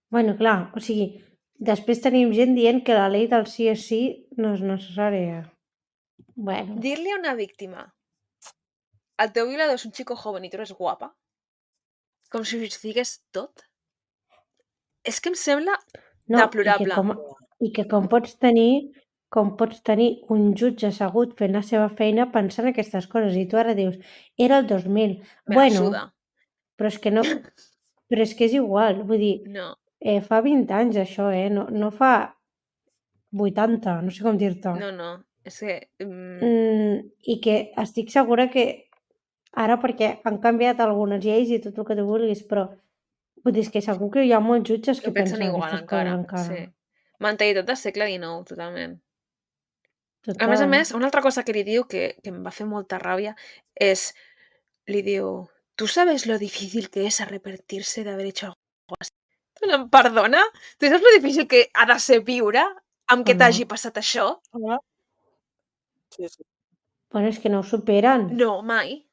Speaker 2: Bueno, clar, o sigui, després tenim gent dient que la llei del sí és sí no és necessària. Bueno,
Speaker 1: dir-li a una víctima el teu violador és un chico joven i tu eres guapa, com si ho justifiqués tot, és que em sembla
Speaker 2: no, i que,
Speaker 1: deplorable.
Speaker 2: com, i que com pots tenir com pots tenir un jutge assegut fent la seva feina pensant aquestes coses i tu ara dius, era el dos mil.
Speaker 1: Me la
Speaker 2: Bueno,
Speaker 1: suda.
Speaker 2: però és que no, però és que és igual, vull dir,
Speaker 1: No.
Speaker 2: eh, fa vint anys això, eh? No, no fa vuitanta, no sé com dir-te.
Speaker 1: No, no. És que... Mm,
Speaker 2: Mm, I que estic segura que ara perquè han canviat algunes lleis i tot el que tu vulguis, però vull dir, és que segur que hi ha molts jutges que
Speaker 1: que pensen
Speaker 2: pensen
Speaker 1: igual
Speaker 2: aquestes
Speaker 1: encara.
Speaker 2: coses encara.
Speaker 1: Sí. Mentalitat del segle dinou, totalment.
Speaker 2: Total.
Speaker 1: A més a més, una altra cosa que li diu que, que em va fer molta ràbia és, li diu, ¿tú sabes lo difícil que es arrepentirse de haber hecho algo así? Em perdona? Tu saps lo difícil que ha de ser viure amb que
Speaker 2: O no.
Speaker 1: t'hagi passat això?
Speaker 3: Hola. Sí, sí.
Speaker 2: Bueno, és que no ho superen.
Speaker 1: No, mai.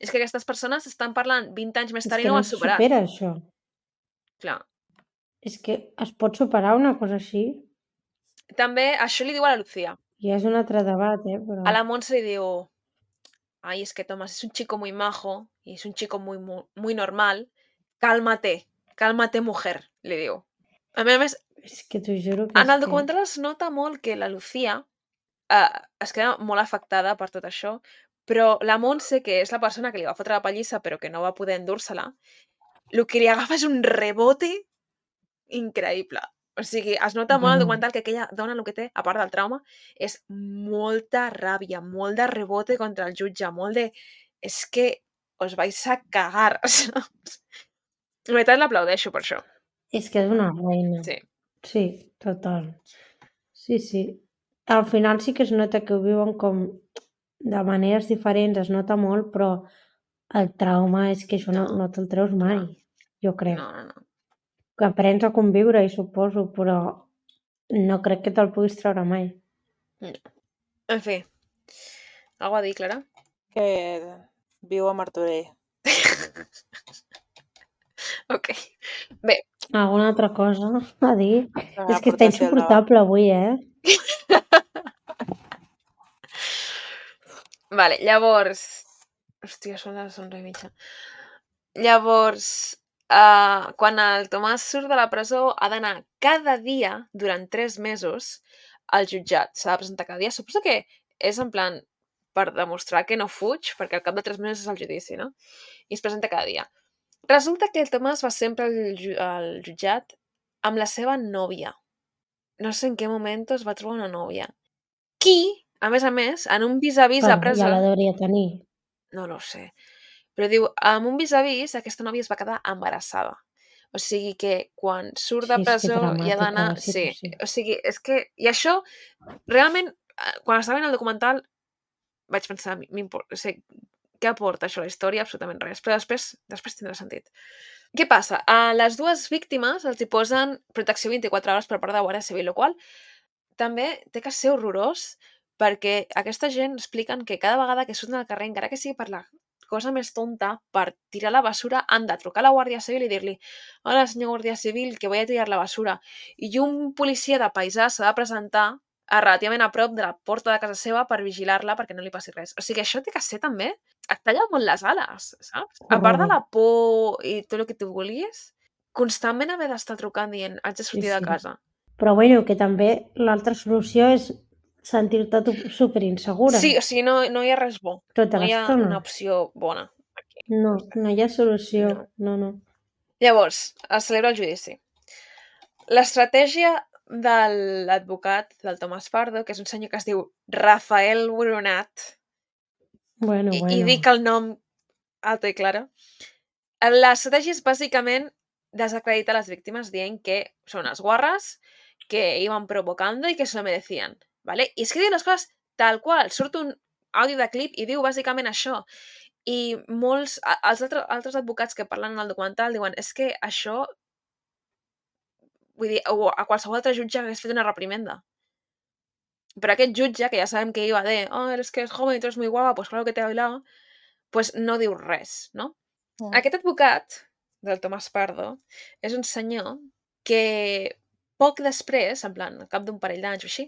Speaker 1: És que aquestes persones estan parlant vint anys més
Speaker 2: És
Speaker 1: tard i
Speaker 2: que
Speaker 1: no ho
Speaker 2: no
Speaker 1: han
Speaker 2: se
Speaker 1: superat.
Speaker 2: supera això.
Speaker 1: Clar.
Speaker 2: És que es pot superar una cosa així?
Speaker 1: També això li diu a la Lucía.
Speaker 2: Ja és un altre debat, eh? Però...
Speaker 1: A la Montse li diu, ay, es que Tomás es un chico muy majo y es un chico muy, muy, muy normal. Cálmate, cálmate, mujer, li diu. A més a més,
Speaker 2: És que t'ho juro que
Speaker 1: en
Speaker 2: és
Speaker 1: el documental
Speaker 2: que...
Speaker 1: es nota molt que la Lucía eh, es queda molt afectada per tot això, però la Montse, que és la persona que li va fotre la pallissa però que no va poder endur-se-la, el que li agafa és un rebote increïble. O sigui, es nota molt al
Speaker 2: Bueno.
Speaker 1: documental que aquella dona el que té, a part del trauma, és molta ràbia, molt de rebote contra el jutge, molt de... És que us vais a cagar, saps? La veritat l'aplaudeixo per això.
Speaker 2: És que és una reina.
Speaker 1: Sí.
Speaker 2: Sí, total. Sí, sí. Al final sí que es nota que ho viuen com de maneres diferents, es nota molt, però el trauma és que això no,
Speaker 1: No,
Speaker 2: no te'l treus mai,
Speaker 1: clar.
Speaker 2: jo crec.
Speaker 1: No, no, no.
Speaker 2: Que aprens a conviure, i suposo, però no crec que te'l puguis treure mai.
Speaker 1: no. En fi. Algo a dir, Clara?
Speaker 3: Que viu a Martorell.
Speaker 1: Ok. Bé.
Speaker 2: Alguna altra cosa a dir?
Speaker 3: La
Speaker 2: És que està
Speaker 3: aportació al debat.
Speaker 2: insuportable avui, eh?
Speaker 1: Vale, llavors... Hòstia, són les onze i mitja. Llavors, uh, quan el Tomàs surt de la presó ha d'anar cada dia, durant tres mesos, al jutjat. S'ha de presentar cada dia. Suposo que és en plan per demostrar que no fuig, perquè al cap de tres mesos és el judici, no? I es presenta cada dia. Resulta que el Tomàs va sempre al, ju al jutjat amb la seva nòvia. No sé en què moment es va trobar una nòvia. Qui, a més a més, en un vis-a-vis a presó...
Speaker 2: Ja la hauria tenir.
Speaker 1: No, no ho sé. Però diu, amb un vis-a-vis, aquesta nòvia es va quedar embarassada. O sigui que quan surt de
Speaker 2: Sí, és que
Speaker 1: presó
Speaker 2: dramàtica
Speaker 1: i ha d'anar...
Speaker 2: la
Speaker 1: Sí,
Speaker 2: situació.
Speaker 1: o sigui, és que... I això, realment, eh, quan estava veient el documental, vaig pensar, m'import... o sigui, què aporta això a la història? Absolutament res. Però després, després tindrà sentit. Què passa? A les dues víctimes els hi posen protecció vint-i-quatre hores per part de la Guàrdia Civil, el qual també té que ser horrorós, perquè aquesta gent expliquen que cada vegada que surten al carrer, encara que sigui per la cosa més tonta, per tirar la basura, han de trucar a la Guàrdia Civil i dir-li: hola, senyor Guàrdia Civil, que voy a tirar la basura. I un policia de paisà s'ha de presentar a relativament a prop de la porta de casa seva per vigilar-la perquè no li passi res. O sigui, això té que ser també... Et talla molt les ales, saps? A part de la por i tot el que tu volies, constantment haver d'estar trucant dient haig de sortir
Speaker 2: Sí,
Speaker 1: de
Speaker 2: sí.
Speaker 1: casa.
Speaker 2: Però bueno, que també l'altra solució és sentir-te tu superinsegura.
Speaker 1: Sí, o sigui, no, no hi ha res bo.
Speaker 2: Tota
Speaker 1: No hi ha
Speaker 2: l'estona.
Speaker 1: una opció bona. Aquí.
Speaker 2: No, no hi ha solució.
Speaker 1: No.
Speaker 2: No, no.
Speaker 1: Llavors, es celebra el judici. L'estratègia de l'advocat, del Tomàs Pardo, que és un senyor que es diu Rafael Boronat,
Speaker 2: Bueno,
Speaker 1: i,
Speaker 2: bueno.
Speaker 1: i dic el nom alto i claro, l'estratègia és bàsicament desacreditar les víctimes dient que són unes guarres, que iban provocando i que se lo merecían, ¿vale? I és que diu les coses tal qual. Surt un àudio de clip i diu bàsicament això. I molts, els altres, altres advocats que parlen en el documental diuen és que això, vull dir, a qualsevol altre jutge hagués fet una reprimenda. Però aquest jutge, que ja sabem que iba de oh, eres que es joven y tú eres muy guapa, pues claro que te he bailado, pues no diu res, no? Mm. Aquest advocat, del Tomàs Pardo, és un senyor que poc després, en plan, al cap d'un parell d'anys o així,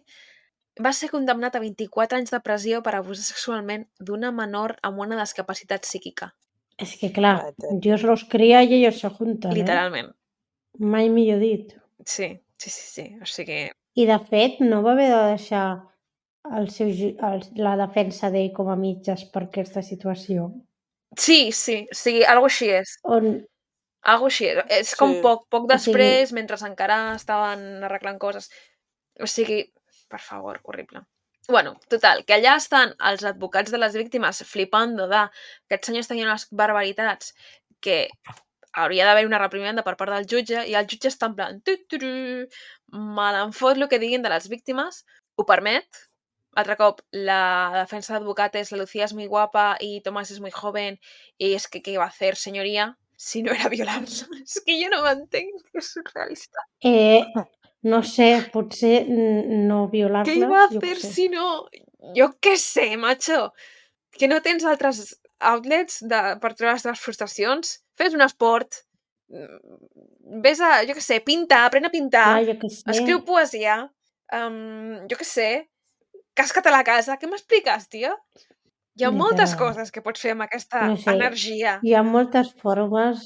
Speaker 1: va ser condemnat a vint-i-quatre anys de pressió per abusar sexualment d'una menor amb una discapacitat psíquica.
Speaker 2: És que, clar, Dios los cría y ellos se juntan,
Speaker 1: Literalment.
Speaker 2: Eh? Mai millor dit.
Speaker 1: Sí, sí, sí, sí. O sigui...
Speaker 2: I, de fet, no va haver de deixar el seu, el, la defensa d'ell com a mitges per aquesta situació.
Speaker 1: Sí, sí, o sigui, alguna així és.
Speaker 2: On...
Speaker 1: Algo així és. És com
Speaker 3: Sí.
Speaker 1: poc, poc després,
Speaker 2: O sigui...
Speaker 1: mentre encara estaven arreglant coses. O sigui, per favor, horrible. Bueno, total, que allà estan els advocats de les víctimes flipando de que aquests senyors tenien unes barbaritats que hauria d'haver una reprimenda per part del jutge i el jutge està en plan tu, tu, tu, me l'en fot el que diguin de les víctimes, ho permet. Altre cop, la defensa d'advocat és la Lucía és muy guapa i Tomás és muy joven i és que què va a fer, senyoria, si no era violar-la? És que jo no m'entenc, és surrealista.
Speaker 2: Eh, no sé, potser no violar-les,
Speaker 1: què va a
Speaker 2: jo
Speaker 1: fer
Speaker 2: què sé.
Speaker 1: si no? Jo què sé, macho. Que no tens altres outlets de, per treure les teves frustracions? Fes un esport. Ves a, jo què sé, pintar, aprèn a pintar.
Speaker 2: Clar, jo què sé.
Speaker 1: Escriu poesia. Um, jo què sé. Casca't a la casa. Què m'expliques, tia? Hi ha
Speaker 2: Literal.
Speaker 1: moltes coses que pots fer amb aquesta
Speaker 2: No sé,
Speaker 1: energia.
Speaker 2: hi ha moltes formes...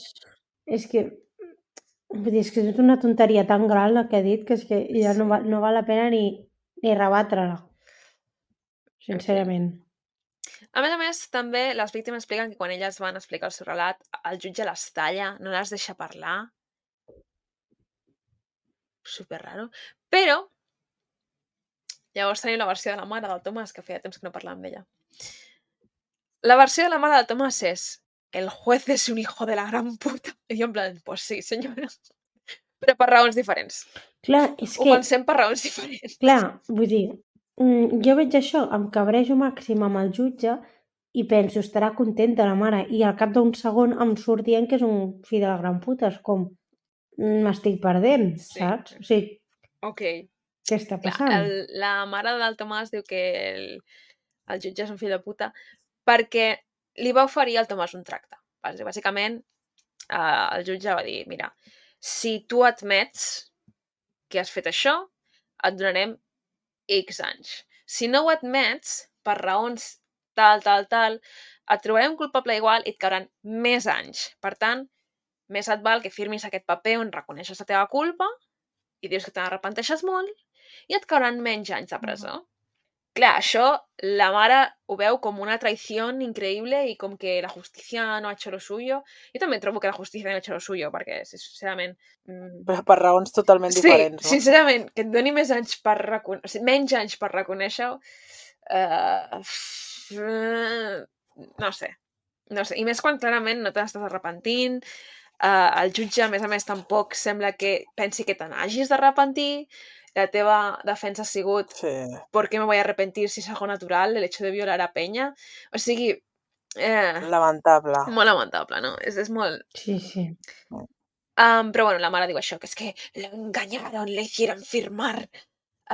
Speaker 2: És que... Vull dir, és que és una tonteria tan gran la que he dit que és que ja no, va, no val la pena ni, ni rebatre-la. Sincerament.
Speaker 1: A més a més, també les víctimes expliquen que quan elles van explicar el seu relat, el jutge les talla, no les deixa parlar. Super raro. Però, llavors tenim la versió de la mare del Tomàs, que feia temps que no parlàvem d'ella. La versió de la mare del Tomàs és el juez és un hijo de la gran puta. I jo en plan, pues sí, senyora. Però per raons diferents.
Speaker 2: Clar, és
Speaker 1: Ho
Speaker 2: que...
Speaker 1: pensem per raons diferents.
Speaker 2: Clar, vull dir, jo veig això, em cabrejo màxim amb el jutge i penso, estarà contenta la mare, i al cap d'un segon em surt dient que és un fill de la gran puta, és com, m'estic perdent,
Speaker 1: Sí.
Speaker 2: saps? O sigui,
Speaker 1: Ok.
Speaker 2: què està
Speaker 1: Clar,
Speaker 2: passant?
Speaker 1: el, la mare del Tomàs diu que el, el jutge és un fill de puta perquè li va oferir al Tomàs un tracte. Bàsicament, eh, el jutge va dir, mira, si tu admets que has fet això, et donarem X anys. Si no ho admets, per raons tal, tal, tal, et trobarem culpable igual i et cauran més anys. Per tant, més et val que firmis aquest paper on reconeixes la teva culpa i dius que te n'arrepenteixes molt i et cauran menys anys de presó. Uh -huh. Clar, això la mare ho veu com una traïció increïble i com que la justícia no ha hecho lo suyo. Jo també trobo que la justícia no ha hecho lo suyo, perquè, sincerament... Mm...
Speaker 3: Però per raons totalment
Speaker 1: sí,
Speaker 3: diferents, no?
Speaker 1: Sí, sincerament, que et doni més anys per reconèixer... O sigui, menys anys per reconèixer-ho... Uh... No sé. No sé. I més quan clarament no te n'estàs arrepentint. Uh, el jutge, a més a més, tampoc sembla que pensi que te n'hagis d'arrepentir. La teva defensa ha sigut
Speaker 3: sí.
Speaker 1: ¿por qué me voy a arrepentir si es algo natural el hecho de violar a Peña? O sigui... Eh,
Speaker 3: lamentable.
Speaker 1: Molt lamentable, no? És, és molt...
Speaker 2: Sí, sí.
Speaker 1: Um, però bueno, la mare diu això, que és que lo engañaron, le hicieron firmar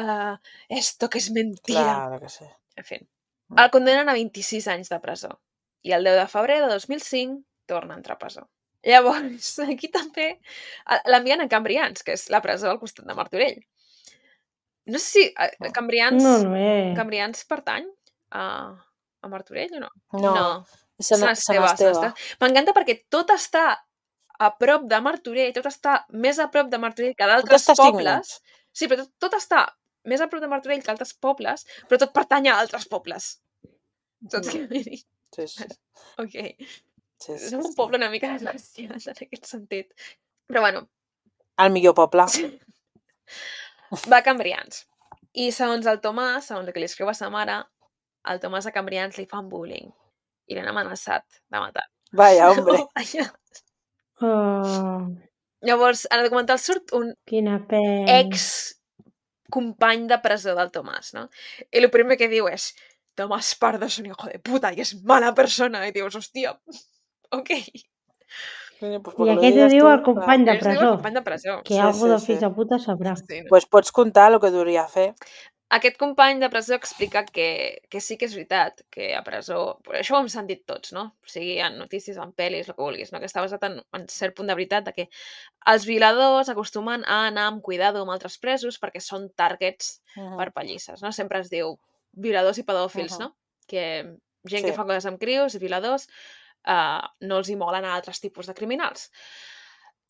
Speaker 1: uh, esto que es mentira.
Speaker 3: Claro que sí.
Speaker 1: En fi. El condenen a vint-i-sis anys de presó. I el deu de febrer de dos mil cinc torna a entrar a presó. Llavors, aquí també l'envien a Cambrians, que és la presó al costat de Martorell. No sé si uh, Cambrians,
Speaker 2: no,
Speaker 1: Cambrians pertany a, a Martorell o no?
Speaker 3: No,
Speaker 1: no.
Speaker 3: Sant Esteve.
Speaker 1: M'encanta perquè tot està a prop de Martorell, tot està més a prop de Martorell que d'altres pobles. Sí, però tot, tot està més a prop de Martorell que altres pobles, però tot pertany a altres pobles. Tot que vull dir.
Speaker 3: Sí, sí.
Speaker 1: Ok.
Speaker 3: Sí, sí,
Speaker 1: Som un
Speaker 3: sí.
Speaker 1: poble una mica desgraciat en aquest sentit. Però bueno.
Speaker 3: El millor poble.
Speaker 1: Va a Cambrians. I segons el Tomàs, segons el que li escriu a sa mare, el Tomàs a Cambrians li fan bullying. I l'han amenaçat de matar.
Speaker 3: Vaya, hombre.
Speaker 1: Oh, vaya.
Speaker 2: Oh.
Speaker 1: Llavors, en el documental surt un
Speaker 2: Quina pena.
Speaker 1: ex company de presó del Tomàs, no? I el primer que diu és Tomàs Pardo és un hijo de puta i és mala persona. I dius, hòstia, ok.
Speaker 2: I aquest ho diu el company de presó.
Speaker 1: El company de presó.
Speaker 2: Que algú de fills de puta sabrà.
Speaker 3: Sí, no? Pues pots contar el que duria fer.
Speaker 1: Aquest company de presó explica que, que sí que és veritat, que a presó... Això ho hem sentit tots, no? O sigui, en notícies, en pel·lis, el que vulguis, no? Que està basat en, en cert punt de veritat de que els violadors acostumen a anar amb cuidado amb altres presos perquè són targets uh -huh. per pallisses, no? Sempre es diu violadors i pedòfils, uh -huh. no? Que gent sí. que fa coses amb crios i violadors uh, no els hi molen a altres tipus de criminals.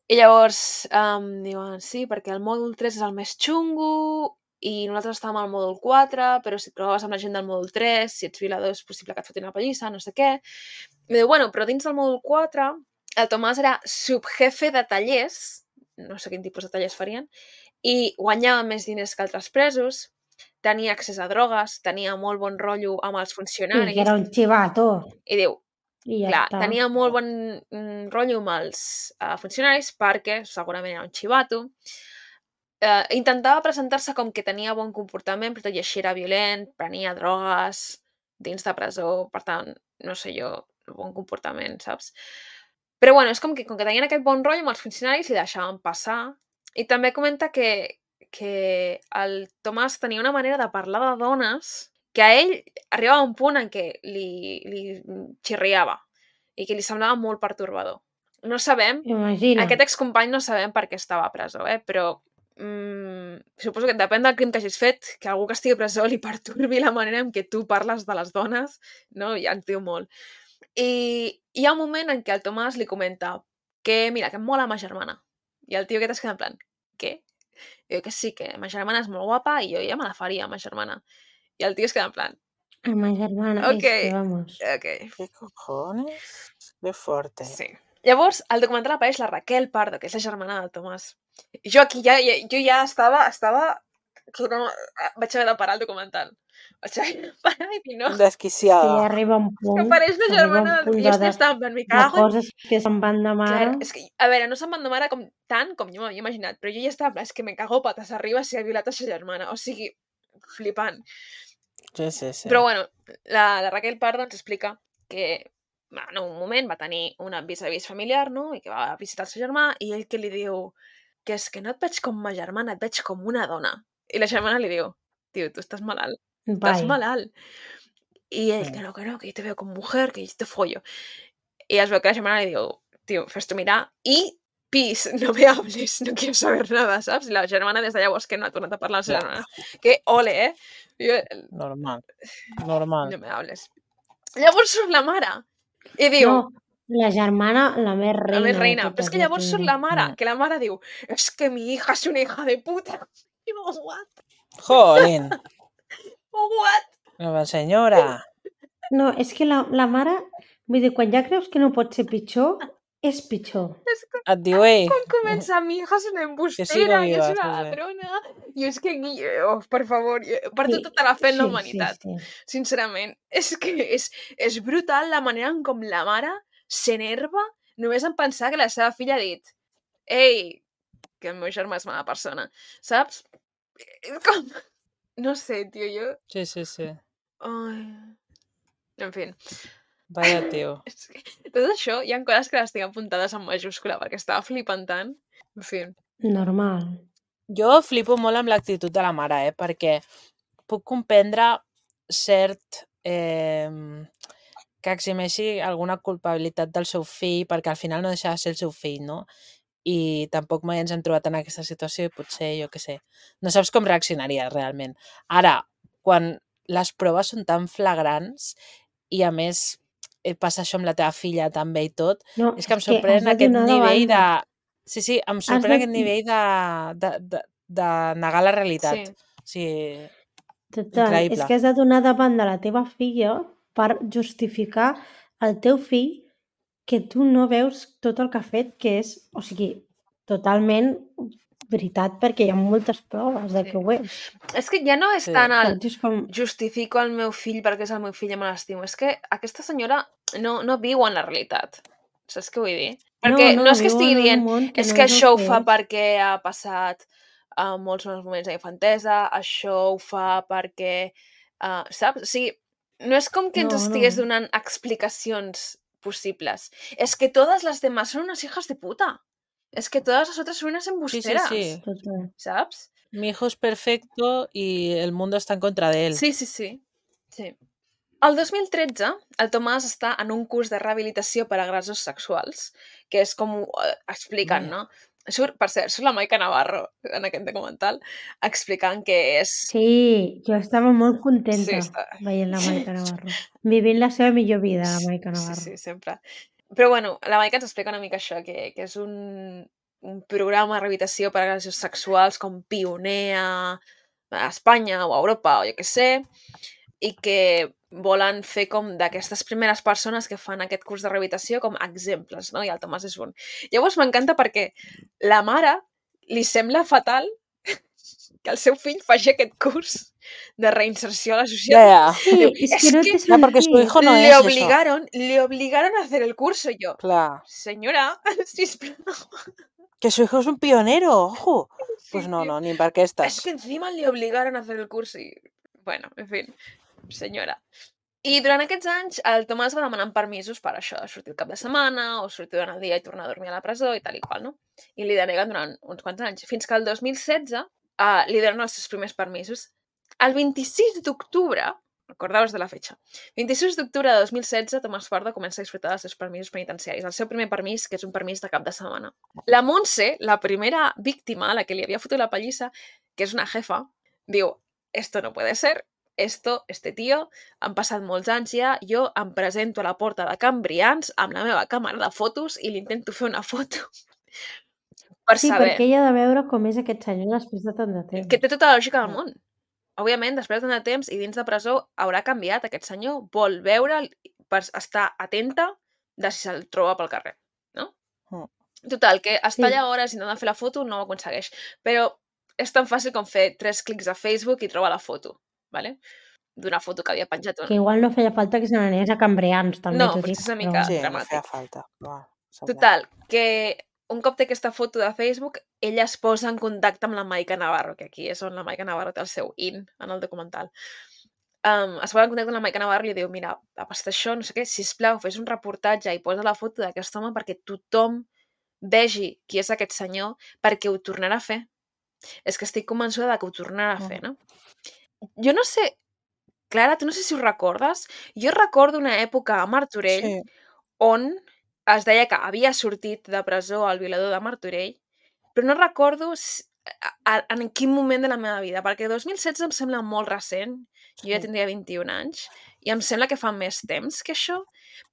Speaker 1: I llavors um, diuen, sí, perquè el mòdul tres és el més xungo i nosaltres estàvem al mòdul quatre, però si et proves amb la gent del mòdul tres, si ets violador és possible que et fotin una pallissa, no sé què. I diu, bueno, però dins del mòdul quatre el Tomàs era subjefe de tallers, no sé quin tipus de tallers farien, i guanyava més diners que altres presos, tenia accés a drogues, tenia molt bon rotllo amb els funcionaris.
Speaker 2: I que era un xivato.
Speaker 1: I diu,
Speaker 2: I ja
Speaker 1: clar,
Speaker 2: està.
Speaker 1: tenia molt bon mm, rotllo amb els uh, funcionaris perquè segurament era un xivato. Uh, intentava presentar-se com que tenia bon comportament, però tot i així era violent, prenia drogues dins de presó, per tant, no sé jo, bon comportament, saps? Però bueno, és com que, com que tenien aquest bon rotllo amb els funcionaris li deixaven passar. I també comenta que, que el Tomàs tenia una manera de parlar de dones que a ell arribava a un punt en què li, li xirriava i que li semblava molt pertorbador. No sabem,
Speaker 2: Imagina.
Speaker 1: Aquest excompany no sabem per què estava a presó, eh? Però mm, suposo que depèn del crim que hagis fet, que algú que estigui a presó li perturbi la manera en què tu parles de les dones, no? Ja ens diu molt. I hi ha un moment en què el Tomàs li comenta que, mira, que em mola ma germana. I el tio aquest es queda en plan, què? I diu que sí, que ma germana és molt guapa i jo ja me la faria, ma germana. I el tio es queda en plan,
Speaker 2: A ma germana,
Speaker 1: Ok.
Speaker 2: és que vamos.
Speaker 1: ok.
Speaker 3: ¿Qué cojones? Qué fuerte.
Speaker 1: Sí. Llavors, al documental apareix la Raquel Pardo, que és la germana del Tomàs. I jo aquí ja, ja, jo ja estava, estava... que no, vaig haver de parar el documental. Vaig haver de parar i dir no.
Speaker 2: Que
Speaker 3: Desquiciada.
Speaker 2: ja arriba un punt...
Speaker 1: Que apareix la
Speaker 2: arriba un
Speaker 1: germana
Speaker 2: punt
Speaker 1: del...
Speaker 2: de,
Speaker 1: I jo
Speaker 2: de,
Speaker 1: estava en plan, me
Speaker 2: de
Speaker 1: cago en...
Speaker 2: coses que se'n van de mare.
Speaker 1: Clar, és que, a veure, no se'n van de mare com, tant com jo m'havia imaginat, però jo ja estava en plan, és que me cago patas arriba si ha violat a sa germana. O sigui, flipant.
Speaker 3: Sí, sí, sí.
Speaker 1: Però bueno, la, la Raquel Pardo ens explica que en un moment va tenir un vis-a-vis familiar, no? I que va visitar el seu germà i ell que li diu que és que no et veig com ma germana, et veig com una dona. I la germana li diu, tio, tu estàs malalt, estàs
Speaker 2: Vai.
Speaker 1: malalt. I ell, que no, que no, que yo te veo como mujer, que yo te follo. Y es veo que la germana le digo, tío, fes-t'ho mirar i pis, no me hables, no quiero saber nada, saps? I la germana des de llavors que no ha tornat a parlar amb la germana. Que ole, eh? Jo,
Speaker 3: Normal. Normal.
Speaker 1: no me hables. Llavors surt la mare i diu,
Speaker 2: No, La germana, la més
Speaker 1: La més
Speaker 2: reina de
Speaker 1: reina. Però és
Speaker 2: totes,
Speaker 1: que
Speaker 2: la
Speaker 1: llavors surt
Speaker 2: Tingui.
Speaker 1: la mare,
Speaker 3: Mm.
Speaker 1: que la mare diu és que mi hija és una hija de puta. I diu, what?
Speaker 3: Jolín,
Speaker 1: What?
Speaker 3: la senyora.
Speaker 2: No, és que la, la mare... Vull dir, quan ja creus que no pot ser pitjor, és pitjor.
Speaker 1: És que
Speaker 3: Et diu, ei,
Speaker 1: quan comença mi hija és una
Speaker 3: que
Speaker 1: embustera
Speaker 3: sigo
Speaker 1: i és
Speaker 3: viva.
Speaker 1: una
Speaker 3: Sí, sí.
Speaker 1: ladrona. I és que, Guille, oh, per favor, jo- perdo
Speaker 2: Sí,
Speaker 1: tota la fe en la
Speaker 2: sí,
Speaker 1: humanitat.
Speaker 2: sí, sí.
Speaker 1: Sincerament, és que és, és brutal la manera en com la mare s'enerva només en pensar que la seva filla ha dit ei, que el meu germà és mala persona, saps? És com... No sé, tio, jo...
Speaker 3: Sí, sí, sí.
Speaker 1: Ai... En fi.
Speaker 3: Vaya tio.
Speaker 1: És que tot això, hi ha coses que les tinc apuntades en majúscula perquè estava flipant tant. En fi.
Speaker 2: Normal.
Speaker 3: Jo flipo molt amb l'actitud de la mare, eh? Perquè puc comprendre cert... Eh, que eximeixi alguna culpabilitat del seu fill, perquè al final no deixa de ser el seu fill, no? I tampoc mai ens hem trobat en aquesta situació i potser, jo què sé, no saps com reaccionaria realment. Ara, quan les proves són tan flagrants i a més eh, passa això amb la teva filla també i tot,
Speaker 2: No,
Speaker 3: és que em
Speaker 2: és que has
Speaker 3: sorprèn
Speaker 2: de
Speaker 3: aquest
Speaker 2: donar de
Speaker 3: nivell de...
Speaker 2: banda.
Speaker 3: Sí, sí, em
Speaker 2: Has
Speaker 3: sorprèn
Speaker 2: de...
Speaker 3: aquest nivell de, de, de, de negar la realitat.
Speaker 1: Sí.
Speaker 3: O sigui,
Speaker 2: Total,
Speaker 3: increïble.
Speaker 2: és que has de donar davant de la teva filla per justificar al teu fill que tu no veus tot el que ha fet, que és, o sigui, totalment veritat, perquè hi ha moltes proves de
Speaker 1: Sí.
Speaker 2: que ho és.
Speaker 1: És que ja no és
Speaker 3: Sí.
Speaker 1: tant el
Speaker 2: Saps? És com...
Speaker 1: justifico el meu fill perquè és el meu fill i me l'estimo. És que aquesta senyora no, no viu en la realitat. Saps què vull dir? Perquè no,
Speaker 2: no,
Speaker 1: no és que
Speaker 2: viu
Speaker 1: estigui
Speaker 2: en un
Speaker 1: dient
Speaker 2: món que
Speaker 1: és
Speaker 2: no
Speaker 1: que
Speaker 2: és el
Speaker 1: això ho
Speaker 2: que
Speaker 1: fa
Speaker 2: és.
Speaker 1: perquè ha passat uh, molts bons moments d'infantesa, això ho fa perquè... Uh, saps? O sigui, no és com que ens
Speaker 2: No,
Speaker 1: estigués
Speaker 2: no.
Speaker 1: donant explicacions possibles. És que todas las demás son unas hijas de puta. Es que todas las otras son unas
Speaker 3: Sí, sí,
Speaker 1: embusteras.
Speaker 3: sí.
Speaker 2: Total.
Speaker 1: ¿Sabes?
Speaker 3: Mi hijo es perfecto y el mundo está en contra de él.
Speaker 1: Sí, sí, sí. sí. El dos mil tretze, el Tomàs està en un curs de rehabilitació per a agressors sexuals, que és com ho eh, expliquen,
Speaker 3: Vaya.
Speaker 1: no? Surt, per cert, surt la Maica Navarro en aquest documental, explicant que és...
Speaker 2: Sí, jo estava molt
Speaker 1: Sí,
Speaker 2: contenta
Speaker 1: està...
Speaker 2: veient la Maica Navarro. Vivint la seva millor vida, la Maica
Speaker 1: Sí,
Speaker 2: Navarro.
Speaker 1: sí, sempre. Però bueno, la Maica ens explica una mica això, que, que és un, un programa de rehabilitació per a agressors sexuals com pioner a, a Espanya o a Europa o jo què sé, i que volen fer com d'aquestes primeres persones que fan aquest curs de rehabilitació com exemples, no? I el Tomàs és un. Llavors m'encanta perquè la mare li sembla fatal que el seu fill faci aquest curs de reinserció a la
Speaker 3: Ya,
Speaker 1: societat.
Speaker 3: ya.
Speaker 2: Sí,
Speaker 1: Diu,
Speaker 2: és
Speaker 1: es
Speaker 2: que no
Speaker 1: que
Speaker 2: té
Speaker 3: Ya, porque su
Speaker 2: sentit.
Speaker 3: hijo no
Speaker 1: le
Speaker 3: es eso.
Speaker 1: obligaron, le obligaron a hacer el curso. Y yo,
Speaker 3: Claro.
Speaker 1: señora, sisplau.
Speaker 3: Que su hijo es un pionero, ojo.
Speaker 1: Sí,
Speaker 3: Pues no,
Speaker 1: tio.
Speaker 3: no, ni per què
Speaker 1: Es
Speaker 3: estàs.
Speaker 1: que encima le obligaron a hacer el curso y... Bueno, en fin, senyora. I durant aquests anys el Tomàs va demanant permisos per això, de sortir el cap de setmana o sortir durant el dia i tornar a dormir a la presó i tal i qual, no? I li deneguen durant uns quants anys, fins que el dos mil setze uh, li donen els seus primers permisos. El vint-i-sis d'octubre, recordeu-vos de la fetxa, vint-i-sis d'octubre de dos mil setze, Tomàs Pardo comença a disfrutar dels seus permisos penitenciaris, el seu primer permís, que és un permís de cap de setmana. La Montse, la primera víctima a la que li havia fotut la pallissa, que és una jefa, diu, esto no puede ser, esto, este tio, han passat molts anys ja, jo em presento a la porta de Can Brians amb la meva càmera de fotos i li intento fer una foto per
Speaker 2: Sí,
Speaker 1: saber
Speaker 2: perquè ella ha de veure com és aquest senyor després de tant de temps.
Speaker 1: que té tota la lògica del
Speaker 3: Mm.
Speaker 1: món. Òbviament, després de tant de temps i dins de presó haurà canviat aquest senyor, vol veure'l per estar atenta de si se'l troba pel carrer, no?
Speaker 3: Mm.
Speaker 1: Total, que està
Speaker 2: Sí.
Speaker 1: allà hores intentant fer la foto, no ho aconsegueix. Però és tan fàcil com fer tres clics a Facebook i trobar la foto, ¿vale? D'una foto que havia penjat una.
Speaker 2: Que igual no feia falta que se n'anés a Cambrians, també
Speaker 1: No,
Speaker 2: t'ho
Speaker 1: potser
Speaker 2: dic.
Speaker 1: és una
Speaker 2: Però...
Speaker 1: mica
Speaker 3: Sí, no
Speaker 1: dramàtic.
Speaker 3: feia falta. Bueno, sembla.
Speaker 1: Total, que un cop té aquesta foto de Facebook, ella es posa en contacte amb la Maica Navarro, que aquí és on la Maica Navarro té el seu in en el documental. Um, es posa en contacte amb la Maica Navarro i li diu, mira, ha passat això, no sé què, sisplau, fes un reportatge i posa la foto d'aquest home perquè tothom vegi qui és aquest senyor, perquè ho tornarà a fer. És que estic convençuda de que ho tornarà a fer, no? Jo no sé, Clara, tu no sé si ho recordes, jo recordo una època a Martorell
Speaker 3: Sí.
Speaker 1: on es deia que havia sortit de presó el violador de Martorell, però no recordo en quin moment de la meva vida, perquè dos mil setze em sembla molt recent, jo ja tindria vint-i-un anys, i em sembla que fa més temps que això,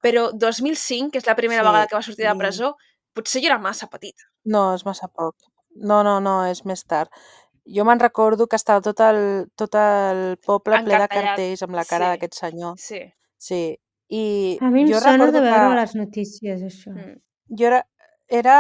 Speaker 1: però dos mil cinc, que és la primera
Speaker 3: Sí,
Speaker 1: vegada que va sortir de
Speaker 3: i-
Speaker 1: presó, potser jo era massa petita.
Speaker 3: No, és massa poc. No, no, no, és més tard. Jo me'n recordo que estava tot el, tot el poble ple de
Speaker 1: Encartellat,
Speaker 3: cartells amb la cara
Speaker 1: sí.
Speaker 3: d'aquest senyor.
Speaker 1: Sí.
Speaker 3: Sí. I
Speaker 2: A mi em
Speaker 3: jo
Speaker 2: sona
Speaker 3: recordo
Speaker 2: de
Speaker 3: que
Speaker 2: veure les notícies, això.
Speaker 1: Mm.
Speaker 3: jo era, era...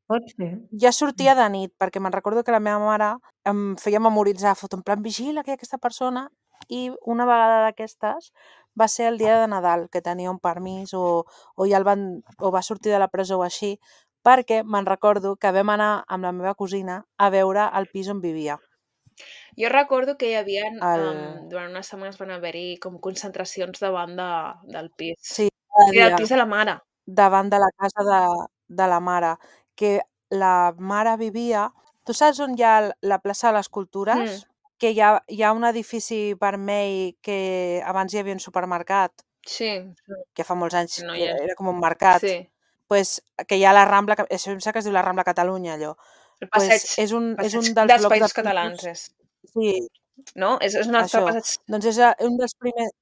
Speaker 2: Pot ser.
Speaker 3: Ja sortia de nit, perquè me'n recordo que la meva mare em feia memoritzar foto, en plan, vigila que hi ha aquesta persona, i una vegada d'aquestes va ser el dia de Nadal, que tenia un permís o, o ja el van, o va sortir de la presó o així, perquè me'n recordo que vam anar amb la meva cosina a veure el pis on vivia.
Speaker 1: Jo recordo que hi havia,
Speaker 3: El...
Speaker 1: um, durant unes setmanes van haver-hi com concentracions davant de, del pis.
Speaker 3: Sí, cada
Speaker 1: I del
Speaker 3: dia,
Speaker 1: pis de la mare.
Speaker 3: davant de la casa de, de la mare, que la mare vivia... Tu saps on hi ha l- la plaça de les Cultures?
Speaker 1: Mm.
Speaker 3: Que hi ha, hi ha un edifici vermell que abans hi havia un supermercat,
Speaker 1: Sí.
Speaker 3: que fa molts anys
Speaker 1: No
Speaker 3: que
Speaker 1: hi és.
Speaker 3: era com un mercat.
Speaker 1: Sí.
Speaker 3: Pues, que hi ha la Rambla, que- això em sembla que es diu la Rambla Catalunya, allò.
Speaker 1: El
Speaker 3: Pues
Speaker 1: passeig,
Speaker 3: és un, és
Speaker 1: passeig
Speaker 3: un dels,
Speaker 1: dels
Speaker 3: blocs de
Speaker 1: països
Speaker 3: pisos...
Speaker 1: catalans, és.
Speaker 3: Sí,
Speaker 1: No? És, és un altre
Speaker 3: això.
Speaker 1: passeig.
Speaker 3: Doncs és a- un dels primers...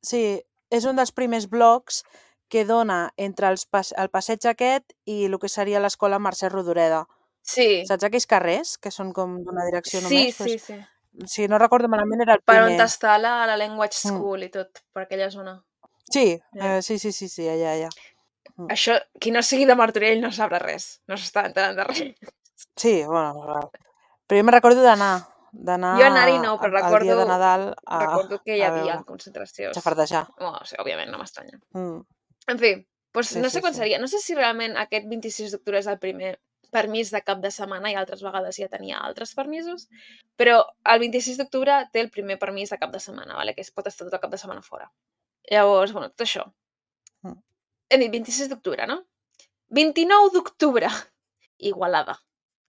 Speaker 3: Sí, és un dels primers blocs que dona entre els pas, el passeig aquest i el que seria l'escola Mercè Rodoreda.
Speaker 1: Sí.
Speaker 3: Saps aquells carrers que són com d'una direcció
Speaker 1: Sí,
Speaker 3: només?
Speaker 1: sí,
Speaker 3: Pues,
Speaker 1: sí.
Speaker 3: si no recordo malament era el
Speaker 1: Per on
Speaker 3: primer.
Speaker 1: està la, la Language
Speaker 3: Mm.
Speaker 1: School i tot, per aquella zona.
Speaker 3: Sí,
Speaker 1: Yeah.
Speaker 3: eh, sí, sí, sí, sí, allà, allà. Mm.
Speaker 1: Això, qui no sigui de Martorell no sabrà res. No s'està enterant de res.
Speaker 3: Sí, bueno, val. Però jo me'n recordo d'anar, d'anar
Speaker 1: Jo anar-hi no, però
Speaker 3: a- el dia de
Speaker 1: recordo,
Speaker 3: Nadal a,
Speaker 1: recordo que hi
Speaker 3: a
Speaker 1: havia
Speaker 3: veure,
Speaker 1: concentracions.
Speaker 3: xafardejar.
Speaker 1: Oh, sí, òbviament, no m'estranya.
Speaker 3: Mm.
Speaker 1: En fi, doncs
Speaker 3: Sí,
Speaker 1: no
Speaker 3: sí,
Speaker 1: sé quan
Speaker 3: sí.
Speaker 1: seria. No sé si realment aquest vint-i-sis d'octubre és el primer permís de cap de setmana i altres vegades ja tenia altres permisos, però el vint-i-sis d'octubre té el primer permís de cap de setmana, vale? Que es pot estar tot el cap de setmana fora. Llavors, bueno, tot això.
Speaker 3: Mm.
Speaker 1: Hem dit vint-i-sis d'octubre, no? vint-i-nou d'octubre, Igualada,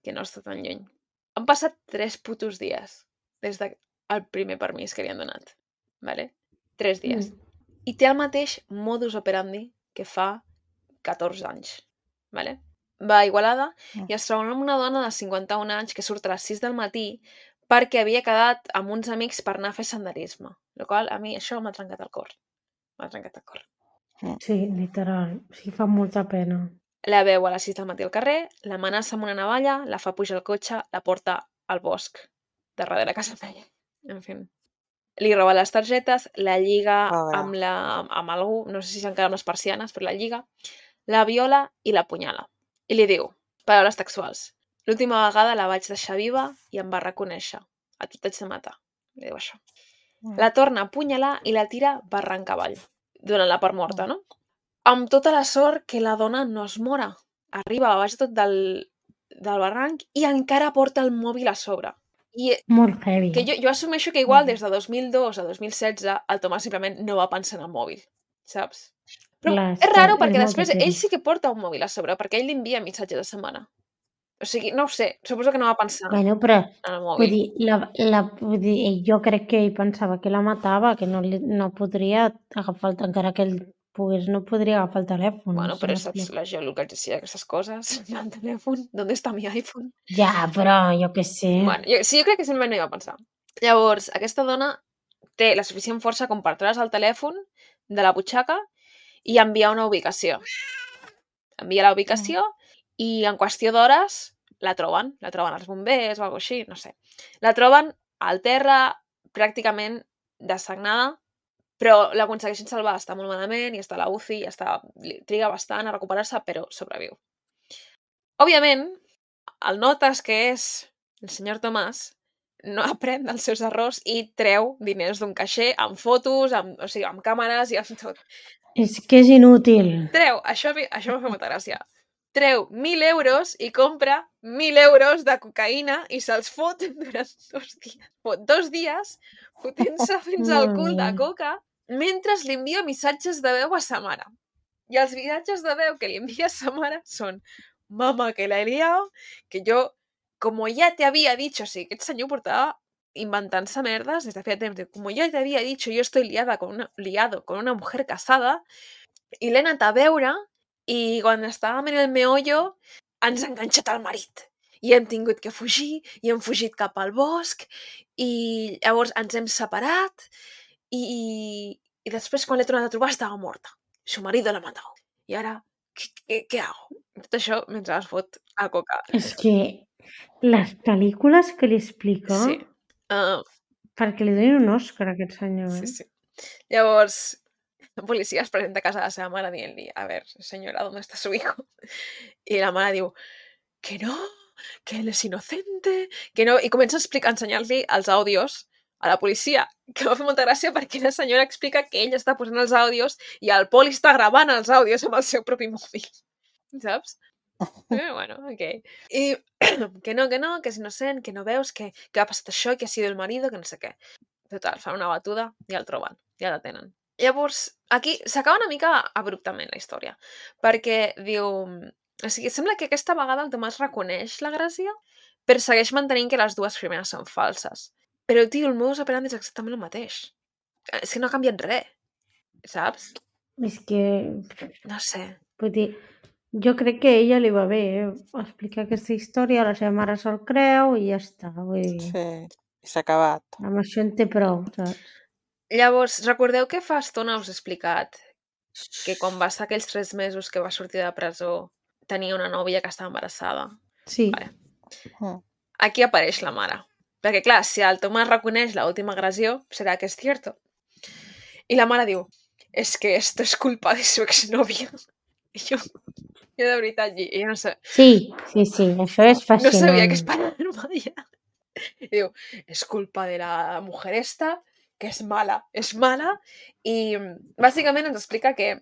Speaker 1: que no està tan lluny. Han passat tres putos dies des del primer permís que li han donat, vale? Tres dies.
Speaker 2: Mm.
Speaker 1: I té el mateix modus operandi que fa catorze anys, vale? Va a Igualada
Speaker 3: Mm.
Speaker 1: i es troba amb una dona de cinquanta-un anys que surt a les sis del matí perquè havia quedat amb uns amics per anar a fer senderisme, el qual a mi això m'ha trencat el cor. M'ha trencat el cor.
Speaker 2: Sí, literal. Sí, fa molta pena.
Speaker 1: La veu a les sis del matí al carrer, l'amenaça amb una navalla, la fa pujar al cotxe, la porta al bosc, de darrere casa feia. En fi. Li roba les targetes, la lliga
Speaker 3: Pobra.
Speaker 1: amb, la, amb algú, no sé si s'encara amb les persianes, però la lliga, la viola i l'apunyala. I li diu, paraules textuals, l'última vegada la vaig deixar viva i em va reconèixer. A tu t'haig de matar. Li diu això.
Speaker 3: Mm.
Speaker 1: La torna a apunyalar i la tira barranc avall, donant-la per morta, no? Amb tota la sort que la dona no es mora. Arriba a baix tot del, del barranc i encara porta el mòbil a sobre. I
Speaker 2: Molt heavy.
Speaker 1: que jo, jo assumeixo que igual
Speaker 3: Mm.
Speaker 1: des de dos mil dos a dos mil setze el Tomàs simplement no va pensar en el mòbil, saps? Però
Speaker 2: Clar,
Speaker 1: és raro
Speaker 2: és
Speaker 1: perquè
Speaker 2: molt
Speaker 1: després
Speaker 2: de
Speaker 1: ell
Speaker 2: temps.
Speaker 1: sí que porta un mòbil a sobre, perquè ell li envia missatges a setmana. O sigui, no ho sé, suposo que no va pensar
Speaker 2: Bueno, però
Speaker 1: en el
Speaker 2: vull
Speaker 1: mòbil.
Speaker 2: dir, la, la, vull dir, jo crec que ell pensava que la matava, que no, li, no podria agafar, el, encara que ell pogués, no podria agafar el telèfon.
Speaker 1: Bueno,
Speaker 2: no sé,
Speaker 1: però
Speaker 2: no
Speaker 1: saps
Speaker 2: sé.
Speaker 1: la geolocalització d'aquestes coses? El telèfon, ¿dónde está mi iPhone?
Speaker 2: Ja, però jo què sé.
Speaker 1: Bueno, jo, sí, jo crec que sempre no hi va pensar. Llavors, aquesta dona té la suficient força com per treure's el telèfon de la butxaca i enviar una ubicació. Envia la ubicació i en qüestió d'hores la troben. La troben els bombers o alguna cosa així, no sé. La troben al terra, pràcticament dessagnada, però l'aconsegueixen salvar. Està molt malament i està a la U C I, i està, li triga bastant a recuperar-se, però sobreviu. Òbviament, el notes que és el senyor Tomàs no aprèn dels seus errors i treu diners d'un caixer amb fotos, amb, o sigui, amb càmeres i amb tot.
Speaker 2: És que és inútil.
Speaker 1: Treu, això, a mi- això m'ha fet molta gràcia, treu mil euros i compra mil euros de cocaïna i se'ls fot durant dos dies. Fot dos dies fotent-se fins al
Speaker 2: Molt
Speaker 1: cul de
Speaker 2: bé.
Speaker 1: coca mentre li envia missatges de veu a sa mare. I els missatges de veu que li envia sa mare són «Mama, que la he liado, que yo, como ya te había dicho», o sigui, aquest senyor portava inventant-se merdes des de feia temps. Diu, «Como ya te había dicho, yo estoy liada con una, liado con una mujer casada», i l'he anat a veure i quan estàvem en el meollo ens ha enganxat el marit. i hem tingut que fugir, i hem fugit cap al bosc, i llavors ens hem separat, i, y después cuando l'he tornat a trobar estava morta. Su marido la mató. I ara, què, què, què hago? Tot això mentre es fot a coca.
Speaker 2: És que les pel·lícules que li explica,
Speaker 1: Sí. Uh,
Speaker 2: perquè li donin un Òscar a aquest senyor,
Speaker 1: sí,
Speaker 2: eh?
Speaker 1: sí. Llavors, la policia es presenta a casa de la seva mare dient-li, a ver, señora, ¿dónde está su hijo? I la mare diu, que no, que él es inocente, que no... I comença a explicar, a ensenyar-li els àudios a la policia, que va fer molta gràcia perquè la senyora explica que ell està posant els àudios i el poli està gravant els àudios amb el seu propi mòbil, saps? Eh, bueno, ok. I que no, que no, que és innocent, que no veus, que, que ha passat això, que ha sido el marido, que no sé què. Total, fan una batuda i el troben, ja la tenen. Llavors, aquí s'acaba una mica abruptament la història, perquè diu... O sigui, sembla que aquesta vegada el Tomàs reconeix l'agressió, però segueix mantenint que les dues primeres són falses. Però, tio, el modus operandi és exactament el mateix. És que no ha canviat res, saps?
Speaker 2: És que,
Speaker 1: No sé.
Speaker 2: vull dir, jo crec que a ella li va bé, eh? Explicar aquesta història, la seva mare se'l creu i ja està. Vull dir,
Speaker 3: Sí, i s'ha acabat.
Speaker 2: amb això en té prou, saps?
Speaker 1: Llavors, recordeu que fa estona us he explicat que quan va estar aquells tres mesos que va sortir de presó tenia una nòvia que estava embarassada?
Speaker 2: Sí.
Speaker 1: Vale.
Speaker 3: Mm.
Speaker 1: Aquí apareix la mare. Perquè, clar, si el Tomàs reconeix l'última agressió, serà que és cierto. I la mare diu, és es que esto es culpa de su exnovia. I jo, jo de veritat, jo no sé.
Speaker 2: Sí, sí, sí, això és fascinant.
Speaker 1: No sabia que esperar-me ja. I diu, és culpa de la mujer esta, que és mala, és mala, i bàsicament ens explica que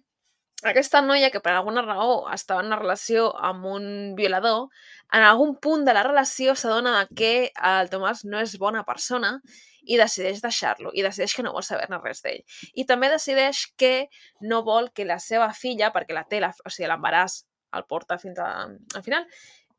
Speaker 1: aquesta noia que per alguna raó estava en una relació amb un violador, en algun punt de la relació s'adona que el Tomàs no és bona persona i decideix deixar-lo, i decideix que no vol saber-ne res d'ell. I també decideix que no vol que la seva filla, perquè la té, la, o sigui, l'embaràs el porta fins a, al final,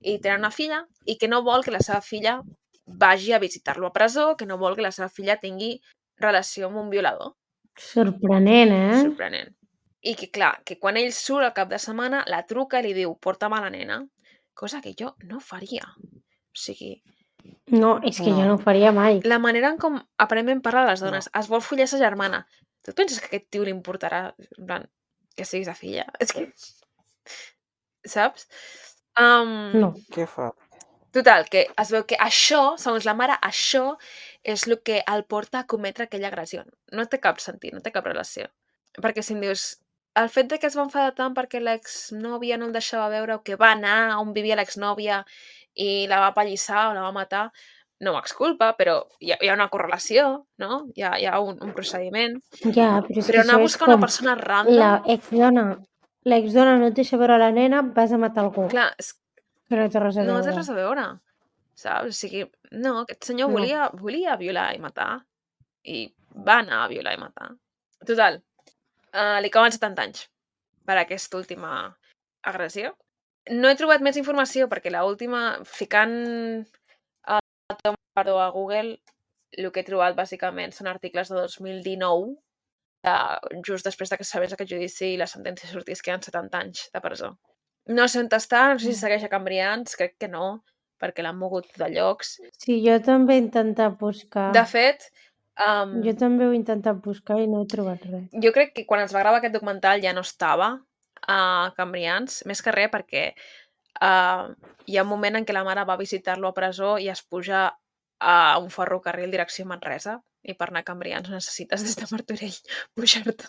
Speaker 1: i tenen una filla, i que no vol que la seva filla vagi a visitar-lo a presó, que no vol que la seva filla tingui relació amb un violador.
Speaker 2: Sorprenent, eh?
Speaker 1: Sorprenent. I que, clar, que quan ell surt al cap de setmana, la truca i li diu, porta'm a la nena. Cosa que jo no faria. O sigui...
Speaker 2: No, és que
Speaker 3: No.
Speaker 2: jo no ho faria mai.
Speaker 1: La manera en com aparentment parla les dones, es vol follar sa germana. Tu et penses que aquest tio li importarà, en plan, que siguis a filla? És que... Saps? Um,
Speaker 2: No.
Speaker 3: Què fa?
Speaker 1: Total, que es veu que això, segons la mare, això és el que el porta a cometre aquella agressió. No té cap sentit, no té cap relació. Perquè si em dius, el fet de que es va enfadar tant perquè l'exnòvia no el deixava veure o que va anar on vivia l'exnòvia i la va apallissar o la va matar, no m'exculpa, però hi ha, hi ha una correlació, no? Hi ha, hi ha un, un procediment.
Speaker 2: Ja, però és
Speaker 1: Però
Speaker 2: que
Speaker 1: anar a
Speaker 2: això és
Speaker 1: buscar una
Speaker 2: com
Speaker 1: persona random...
Speaker 2: la exdona. La exdona no et deixa veure la nena, vas a matar algú.
Speaker 1: Clar, és,
Speaker 2: Que no té res a
Speaker 1: no
Speaker 2: veure.
Speaker 1: té res a veure, saps? O sigui, no, aquest senyor
Speaker 2: No.
Speaker 1: volia, volia violar i matar i va anar a violar i matar. Total, uh, li acaben setanta anys per aquesta última agressió. No he trobat més informació perquè l'última, ficant el Tom Pardo a Google, el que he trobat bàsicament són articles de dos mil dinou, de, just després de que sabés aquest judici i la sentència sortís que eren setanta anys de presó. No sé on està, no sé si segueix a Cambrians, crec que no, perquè l'han mogut de llocs.
Speaker 2: Sí, jo també he intentat buscar.
Speaker 1: De fet, um,
Speaker 2: Jo també ho he intentat buscar i no he trobat res.
Speaker 1: jo crec que quan es va gravar aquest documental ja no estava a Cambrians, més que res perquè uh, hi ha un moment en què la mare va visitar-lo a presó i es puja a un ferrocarril direcció Manresa, i per anar a Cambrians necessites des de Martorell pujar-te,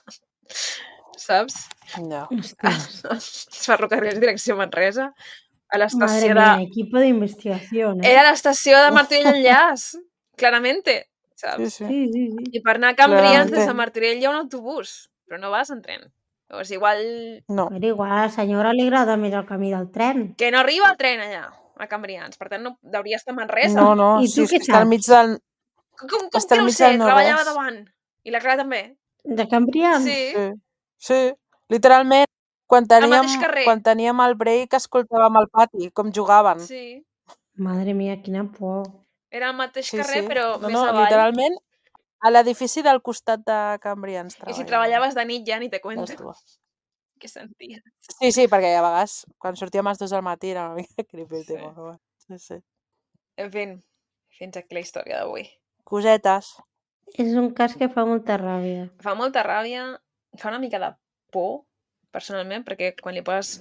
Speaker 1: saps?
Speaker 3: No.
Speaker 2: Ostres.
Speaker 1: Els ferrocarrils direcció Manresa, a
Speaker 2: Madre
Speaker 1: l'estació
Speaker 2: mía,
Speaker 1: de...
Speaker 2: equipo de investigación, ¿eh?
Speaker 1: Era l'estació de Martorell Enllaç, claramente,
Speaker 3: Sí,
Speaker 1: saps?
Speaker 3: sí.
Speaker 2: Sí, sí, sí.
Speaker 1: I per anar a Cambrians
Speaker 3: Claramente.
Speaker 1: des de Martorell hi ha un autobús, però no vas en tren. Llavors, igual...
Speaker 3: No.
Speaker 2: Però igual a la senyora li agrada més el camí del tren.
Speaker 1: Que no arriba el tren allà, a Cambrians. Per tant, no hauria estar a Manresa.
Speaker 3: No, no,
Speaker 2: I tu
Speaker 3: si és
Speaker 2: què
Speaker 3: que està al
Speaker 2: saps?
Speaker 3: mig del...
Speaker 1: Com, com, com
Speaker 3: està
Speaker 1: que
Speaker 3: al
Speaker 1: no ho
Speaker 3: mig
Speaker 1: sé?
Speaker 3: del no
Speaker 1: Treballava
Speaker 3: res.
Speaker 1: davant. I la Clara també.
Speaker 2: De Cambrians?
Speaker 1: Sí.
Speaker 3: Sí, sí. Literalment, quan
Speaker 1: Al
Speaker 3: teníem,
Speaker 1: mateix carrer.
Speaker 3: quan teníem el break escoltàvem al pati, com jugaven.
Speaker 1: Sí.
Speaker 2: Madre mía, quina por.
Speaker 1: Era al mateix
Speaker 3: Sí,
Speaker 1: carrer,
Speaker 3: sí.
Speaker 1: però
Speaker 3: no,
Speaker 1: més
Speaker 3: no,
Speaker 1: avall.
Speaker 3: literalment, a l'edifici del costat de Cambrians
Speaker 1: I si
Speaker 3: treballaven.
Speaker 1: treballaves de nit ja ni te cuento.
Speaker 3: Les dues.
Speaker 1: Què sentia?
Speaker 3: Sí, sí, perquè a vegades, quan sortíem a les dues del matí, era una mica creepy el tema.
Speaker 1: Sí.
Speaker 3: Però bueno. Sí, sí.
Speaker 1: En fi, fins aquí la història d'avui.
Speaker 3: Cosetes.
Speaker 2: És un cas que fa molta ràbia.
Speaker 1: Fa molta ràbia, fa una mica de por, personalment, perquè quan li poses...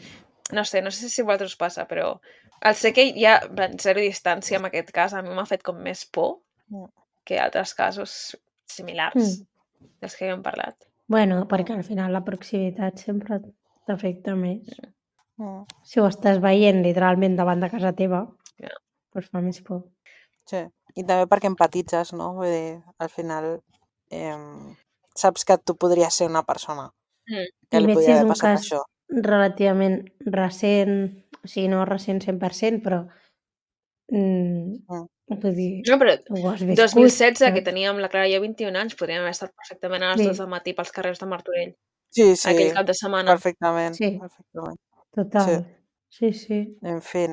Speaker 1: No sé, no sé si a vosaltres us passa, però el sé que hi ha en zero distància en aquest cas, a mi m'ha fet com més por
Speaker 3: Mm.
Speaker 1: que altres casos similars
Speaker 2: Mm.
Speaker 1: dels que hem parlat.
Speaker 2: Bueno, perquè al final la proximitat sempre t'afecta més.
Speaker 3: Mm.
Speaker 2: Si ho estàs veient literalment davant de casa teva,
Speaker 1: Ja.
Speaker 2: doncs fa més por.
Speaker 3: Sí. I també perquè empatitzes, no? Vull dir, al final eh, saps que tu podries ser una persona
Speaker 1: Mm.
Speaker 3: que
Speaker 2: I
Speaker 3: li
Speaker 2: més si
Speaker 3: podria
Speaker 2: és
Speaker 3: haver
Speaker 2: un
Speaker 3: passat
Speaker 2: cas
Speaker 3: això.
Speaker 2: relativament recent, o sigui, no recent cent per cent, però mm,
Speaker 3: Mm.
Speaker 2: vull dir,
Speaker 1: No, però
Speaker 2: ho has
Speaker 1: dos mil
Speaker 2: viscut.
Speaker 1: setze, que
Speaker 2: saps?
Speaker 1: teníem la Clara i jo vint-i-un anys, podríem haver estat perfectament a les
Speaker 2: Sí.
Speaker 1: dues del matí pels carrers de Martorell,
Speaker 3: Sí, sí,
Speaker 1: aquell cap de setmana.
Speaker 3: perfectament.
Speaker 2: Sí.
Speaker 3: perfectament.
Speaker 2: Total. Sí, sí.
Speaker 3: En fi,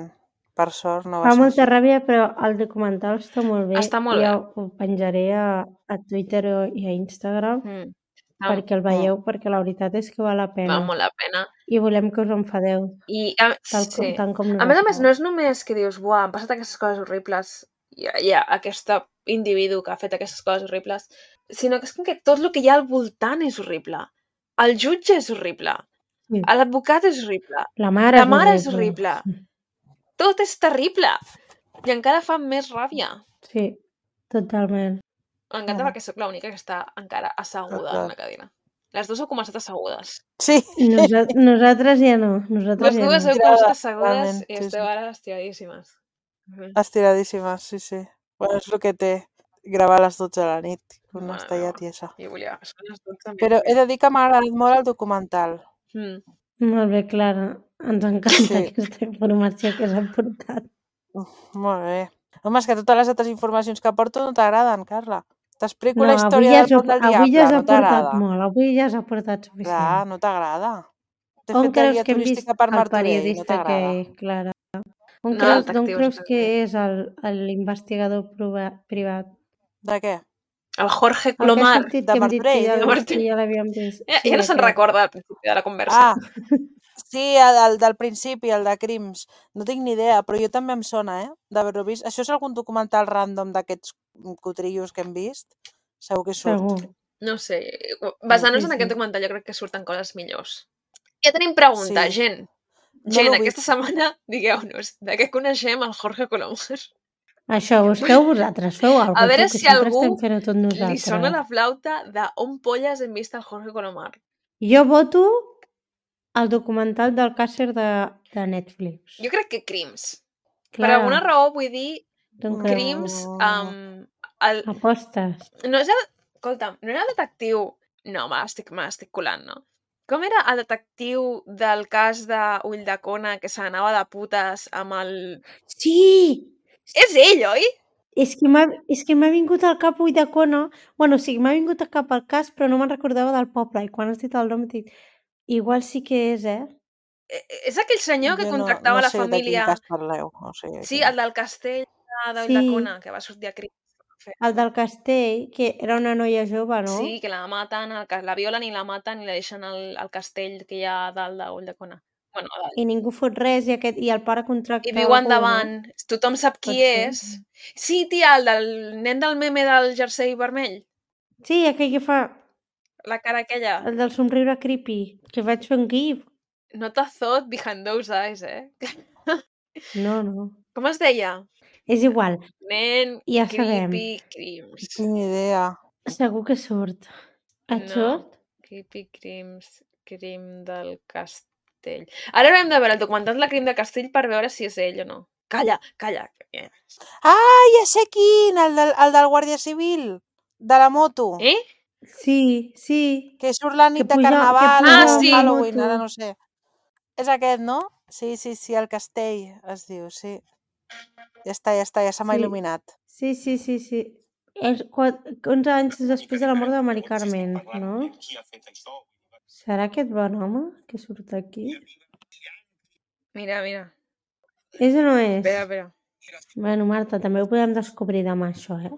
Speaker 3: per sort no va
Speaker 2: Fa
Speaker 3: ser
Speaker 2: molta
Speaker 3: així.
Speaker 2: ràbia, però el documental està molt bé.
Speaker 1: Està molt
Speaker 2: I
Speaker 1: bé.
Speaker 2: ho penjaré a, a Twitter i a Instagram
Speaker 1: Mm. Està,
Speaker 2: perquè el veieu, perquè la veritat és que val la
Speaker 1: val
Speaker 2: pena.
Speaker 1: molt la pena.
Speaker 2: I volem que us enfadeu,
Speaker 1: I, a,
Speaker 2: tal com,
Speaker 1: sí.
Speaker 2: tant com
Speaker 1: A més a més,
Speaker 2: nosaltres.
Speaker 1: no és només que dius, buah, han passat aquestes coses horribles, hi ha, hi ha aquest individu que ha fet aquestes coses horribles, sinó que és com que tot el que hi ha al voltant és horrible. El jutge és horrible.
Speaker 2: Sí.
Speaker 1: L'advocat és horrible.
Speaker 2: La mare,
Speaker 1: La mare és
Speaker 2: és
Speaker 1: horrible. Tot és terrible. I encara fa més ràbia.
Speaker 2: Sí, totalment.
Speaker 1: M'encanta
Speaker 3: Mm.
Speaker 1: perquè sóc l'única que està encara asseguda
Speaker 3: Total.
Speaker 1: en la cadira. Les dues heu començat assegudes.
Speaker 3: Sí,
Speaker 2: Nosa nosaltres ja no. Nosaltres
Speaker 1: Les
Speaker 2: ja
Speaker 1: dues
Speaker 2: no.
Speaker 1: heu
Speaker 3: Tirada,
Speaker 1: començat assegudes
Speaker 3: realment,
Speaker 1: i
Speaker 3: sí,
Speaker 1: esteu
Speaker 3: sí.
Speaker 1: ara estiradíssimes. Mhm.
Speaker 3: Estiradíssimes, sí, sí. Bueno, és el que té gravar a les dotze de la nit, que una
Speaker 1: Mare
Speaker 3: està ja
Speaker 1: meva.
Speaker 3: tiesa.
Speaker 1: Jo volia... Són les dotze
Speaker 3: Però he de dir que m'ha agradat molt el documental.
Speaker 1: Mm.
Speaker 2: Molt bé, Clara. Ens encanta
Speaker 3: Sí.
Speaker 2: aquesta informació que s'ha portat.
Speaker 3: Uf, molt bé. Home, és que totes les altres informacions que porto no t'agraden, Carla. T'explico
Speaker 2: No,
Speaker 3: la
Speaker 2: avui
Speaker 3: història
Speaker 2: ja,
Speaker 3: del
Speaker 2: s'ho-
Speaker 3: pont del
Speaker 2: avui ja
Speaker 3: diable,
Speaker 2: s'ha
Speaker 3: no
Speaker 2: portat
Speaker 3: t'agrada.
Speaker 2: molt. Avui ja s'ha portat
Speaker 3: Clar,
Speaker 2: suficient.
Speaker 3: no t'agrada. T'he
Speaker 2: On
Speaker 3: fet de
Speaker 2: creus
Speaker 3: guia
Speaker 2: que hem vist
Speaker 3: turística per
Speaker 2: el
Speaker 3: Martorell, no
Speaker 2: periodista
Speaker 3: t'agrada.
Speaker 2: que... Clara? On
Speaker 1: No,
Speaker 2: creus, d'on
Speaker 1: detectius,
Speaker 2: creus que
Speaker 1: detectius.
Speaker 2: és el- l'investigador prova- privat?
Speaker 3: De què?
Speaker 1: El Jorge
Speaker 2: El que ha
Speaker 1: Colomar.
Speaker 2: sortit
Speaker 3: De
Speaker 2: que hem dit que
Speaker 3: Martorell,
Speaker 2: ja,
Speaker 1: De
Speaker 3: dius?
Speaker 1: Martorell.
Speaker 2: que ja l'havíem vist.
Speaker 1: Ja,
Speaker 2: Sí,
Speaker 1: ja no se'n
Speaker 2: aquest.
Speaker 1: recorda al principi de la conversa.
Speaker 3: Ah, sí, el, el del principi, el de crims. No tinc ni idea, però jo també em sona, eh, d'haver-ho vist. Això és algun documental random d'aquests cotrillos que hem vist? Segur que surt.
Speaker 2: Segur.
Speaker 1: No sé, basant-nos
Speaker 2: Sí,
Speaker 1: en
Speaker 2: sí.
Speaker 1: aquest documental jo crec que surten coses millors. Ja tenim pregunta,
Speaker 3: Sí.
Speaker 1: gent.
Speaker 3: No
Speaker 1: Gent,
Speaker 3: l'ho
Speaker 1: aquesta
Speaker 3: vist.
Speaker 1: setmana, digueu-nos, de què coneixem el Jorge Colomar?
Speaker 2: Això, busqueu vosaltres, feu alguna
Speaker 1: A
Speaker 2: cosa,
Speaker 1: veure
Speaker 2: tu, que
Speaker 1: si
Speaker 2: sempre
Speaker 1: algú
Speaker 2: estem fent-ho tot
Speaker 1: li
Speaker 2: nosaltres.
Speaker 1: sona la flauta d'on polles hem vist el Jorge Colomar.
Speaker 2: Jo voto el documental del càcer de, de Netflix.
Speaker 1: Jo crec que crims. Per
Speaker 2: Clara,
Speaker 1: alguna raó vull dir
Speaker 2: d'on
Speaker 3: No.
Speaker 2: creus?
Speaker 1: crims... Um, el,
Speaker 2: Apostes.
Speaker 1: no és el... Escolta'm, no era el detectiu... No, me l'estic me l'estic colant, no? Com era el detectiu del cas de Ulldecona que se n'anava de putes amb el...
Speaker 2: Sí!
Speaker 1: És ell, oi?
Speaker 2: És que m'ha és que m'ha vingut al cap Ulldecona. Bueno, o sigui, m'ha vingut al cap el cas, però no me'n recordava del poble. I quan has dit el nom, he dit, igual sí que és, eh?
Speaker 1: Eh, És aquell senyor que
Speaker 3: Jo no,
Speaker 1: contractava
Speaker 3: no
Speaker 1: la
Speaker 3: sé de quin
Speaker 1: família...
Speaker 3: cas parleu. O sigui,
Speaker 1: Sí,
Speaker 3: que...
Speaker 1: el del castell de-
Speaker 2: Sí.
Speaker 1: d'Ulldecona, que va sortir a crims.
Speaker 2: El del castell, que era una noia jove, no?
Speaker 1: Sí, que la maten, el ca- la violen i la maten i la deixen al, al castell que hi ha a dalt d'Ulldecona. Bueno, a dalt.
Speaker 2: I ningú fot res i, aquest, i el pare contracta
Speaker 1: I viu
Speaker 2: algú,
Speaker 1: endavant.
Speaker 2: no?
Speaker 1: Tothom sap qui
Speaker 2: Pot ser.
Speaker 1: és. Sí, tia, el del nen del meme del jersei vermell.
Speaker 2: Sí, aquell que fa
Speaker 1: La cara aquella.
Speaker 2: el del somriure creepy, que vaig fer un gif.
Speaker 1: Not a thought behind those eyes, eh?
Speaker 2: No, no.
Speaker 1: Com es deia?
Speaker 2: És igual,
Speaker 1: Nen
Speaker 2: ja sabem.
Speaker 1: creepy crims.
Speaker 3: No tinc ni idea.
Speaker 2: Segur que surt. Et
Speaker 1: No.
Speaker 2: surt?
Speaker 1: Creepy crims, crim del castell. Ara haurem de veure el documental de la crim del castell per veure si és ell o no. Calla, calla.
Speaker 3: Ah, ja sé quin! El del, el del Guàrdia Civil, de la moto.
Speaker 1: Eh?
Speaker 2: Sí, sí.
Speaker 3: Que surt la nit
Speaker 2: Que
Speaker 3: de
Speaker 2: puja- que
Speaker 3: Carnaval
Speaker 1: puja
Speaker 3: o
Speaker 1: amb
Speaker 3: Halloween,
Speaker 2: moto.
Speaker 3: ara no sé. És aquest, no? Sí, sí, sí, el castell es diu, sí. Ja està, ja està, ja se m'ha
Speaker 2: Sí.
Speaker 3: il·luminat.
Speaker 2: Sí, sí, sí, sí. És quat- onze anys després de la mort de Mari Carmen, no? Serà aquest bon home que surt aquí?
Speaker 1: Mira, mira.
Speaker 2: És o no és?
Speaker 1: Espera, espera.
Speaker 2: Bueno, Marta, també ho podem descobrir demà, això, eh?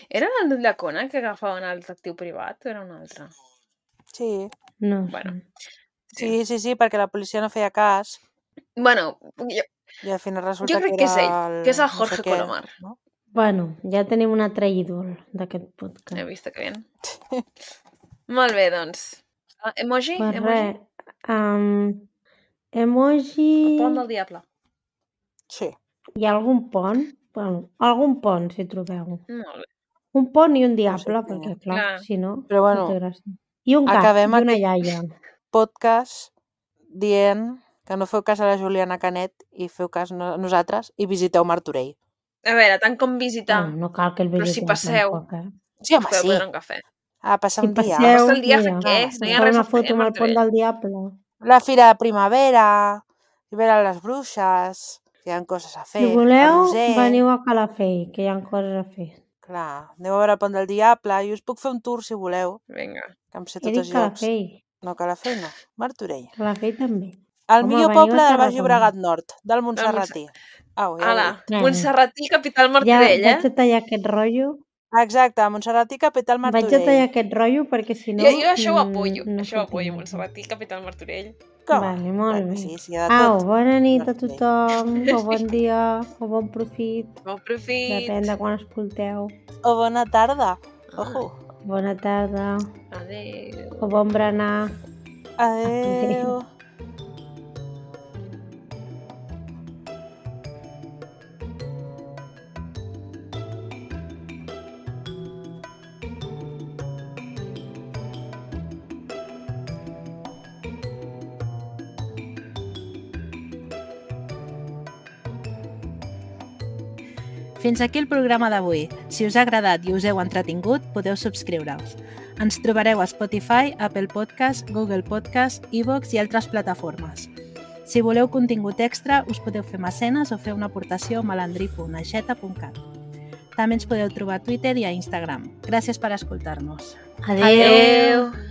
Speaker 1: Era el d'Ulldecona que agafaven el detectiu privat o era un altre?
Speaker 3: Sí,
Speaker 2: No sé.
Speaker 1: Bueno.
Speaker 3: sí, sí, sí, perquè la policia no feia cas.
Speaker 1: Bueno, jo,
Speaker 3: I al final resulta
Speaker 1: Jo crec
Speaker 3: que
Speaker 1: que és
Speaker 3: era
Speaker 1: ell,
Speaker 3: el...
Speaker 1: que és el
Speaker 3: no sé
Speaker 1: Jorge
Speaker 3: què,
Speaker 1: Colomar.
Speaker 3: no?
Speaker 2: Bueno, ja tenim un altre ídol d'aquest
Speaker 1: He
Speaker 2: podcast.
Speaker 1: vist que bien. Molt bé, doncs. Ah, Emoji?
Speaker 2: Pues
Speaker 1: Emoji?
Speaker 2: res, um, emoji...
Speaker 1: El pont del diable.
Speaker 3: Sí.
Speaker 2: Hi ha algun pont? Bueno, algun pont, si trobeu.
Speaker 1: Molt bé.
Speaker 2: Un pont i un
Speaker 3: No sé
Speaker 2: diable,
Speaker 3: quin
Speaker 2: perquè,
Speaker 3: és.
Speaker 2: clar,
Speaker 1: Clar.
Speaker 2: si no,
Speaker 3: Però bueno,
Speaker 2: no té gràcia. I un gat,
Speaker 3: acabem
Speaker 2: i una
Speaker 3: aquest-
Speaker 2: iaia.
Speaker 3: Podcast dient que no feu cas a la Juliana Canet i feu cas a nosaltres i visiteu Martorell.
Speaker 1: A veure, tant com visitar,
Speaker 2: Bueno, no cal que el
Speaker 1: però si
Speaker 2: visiteu
Speaker 1: passeu,
Speaker 2: tampoc, eh?
Speaker 3: Sí,
Speaker 1: us
Speaker 3: home,
Speaker 1: podeu
Speaker 3: sí.
Speaker 1: prendre un cafè.
Speaker 3: A passar
Speaker 2: Si
Speaker 3: un dia.
Speaker 2: passeu,
Speaker 1: Passa el dia a fer
Speaker 2: mira,
Speaker 1: què?
Speaker 3: Ah,
Speaker 1: No hi
Speaker 2: us
Speaker 1: ha
Speaker 2: fa
Speaker 1: res
Speaker 2: una
Speaker 1: a fer
Speaker 2: foto
Speaker 1: a
Speaker 2: amb el pont
Speaker 1: Martorell.
Speaker 2: del diable.
Speaker 3: La fira de primavera, i veure les bruixes, que hi ha coses a fer.
Speaker 2: Si voleu,
Speaker 3: el Roser.
Speaker 2: veniu a Calafell, que hi ha coses a fer.
Speaker 3: Clar, aneu a veure el pont del diable. Jo us puc fer un tour, si voleu,
Speaker 1: Vinga.
Speaker 3: que em sé
Speaker 2: He
Speaker 3: tots
Speaker 2: dit
Speaker 3: els llocs.
Speaker 2: Calafell.
Speaker 3: No, Calafell no. Martorell.
Speaker 2: Calafell també.
Speaker 3: El
Speaker 2: Home,
Speaker 3: millor
Speaker 2: veniu
Speaker 3: poble
Speaker 2: a
Speaker 3: del Baix
Speaker 2: Tarragona.
Speaker 3: Llobregat Nord, del Montserratí. Au, ja ho he
Speaker 1: Ala,
Speaker 3: dit.
Speaker 2: Vinga.
Speaker 1: Montserratí, capital
Speaker 2: Ja
Speaker 1: Martorell,
Speaker 2: vaig
Speaker 1: eh?
Speaker 2: a tallar aquest rotllo.
Speaker 3: Exacte, Montserratí, capital
Speaker 2: Vaig a tallar
Speaker 3: Martorell.
Speaker 2: aquest rotllo perquè si no...
Speaker 1: Jo, jo això ho
Speaker 2: mm,
Speaker 1: apoyo,
Speaker 2: no
Speaker 1: això ho
Speaker 2: sortim
Speaker 1: apoyo,
Speaker 2: aquí.
Speaker 1: Montserratí, capital Martorell.
Speaker 3: Com?
Speaker 2: Vale, molt
Speaker 3: Bueno,
Speaker 2: bé.
Speaker 3: sí, sí, hi ha de
Speaker 2: Au,
Speaker 3: tot.
Speaker 2: bona nit a
Speaker 3: Martorell.
Speaker 2: tothom, o bon dia, o bon profit,
Speaker 1: Bon profit.
Speaker 2: depèn de quan escolteu.
Speaker 3: O bona tarda. Ojo.
Speaker 2: Bona tarda,
Speaker 1: Adéu.
Speaker 2: o bon berenar.
Speaker 3: Adéu.
Speaker 4: Fins aquí el programa d'avui. Si us ha agradat i us heu entretingut, podeu subscriure-us. Ens trobareu a Spotify, Apple Podcast, Google Podcast, iVoox i altres plataformes. Si voleu contingut extra, us podeu fer mecenes o fer una aportació a malandrí punt aixeta punt cat. També ens podeu trobar a Twitter i a Instagram. Gràcies per escoltar-nos.
Speaker 2: Adéu.
Speaker 1: Adéu.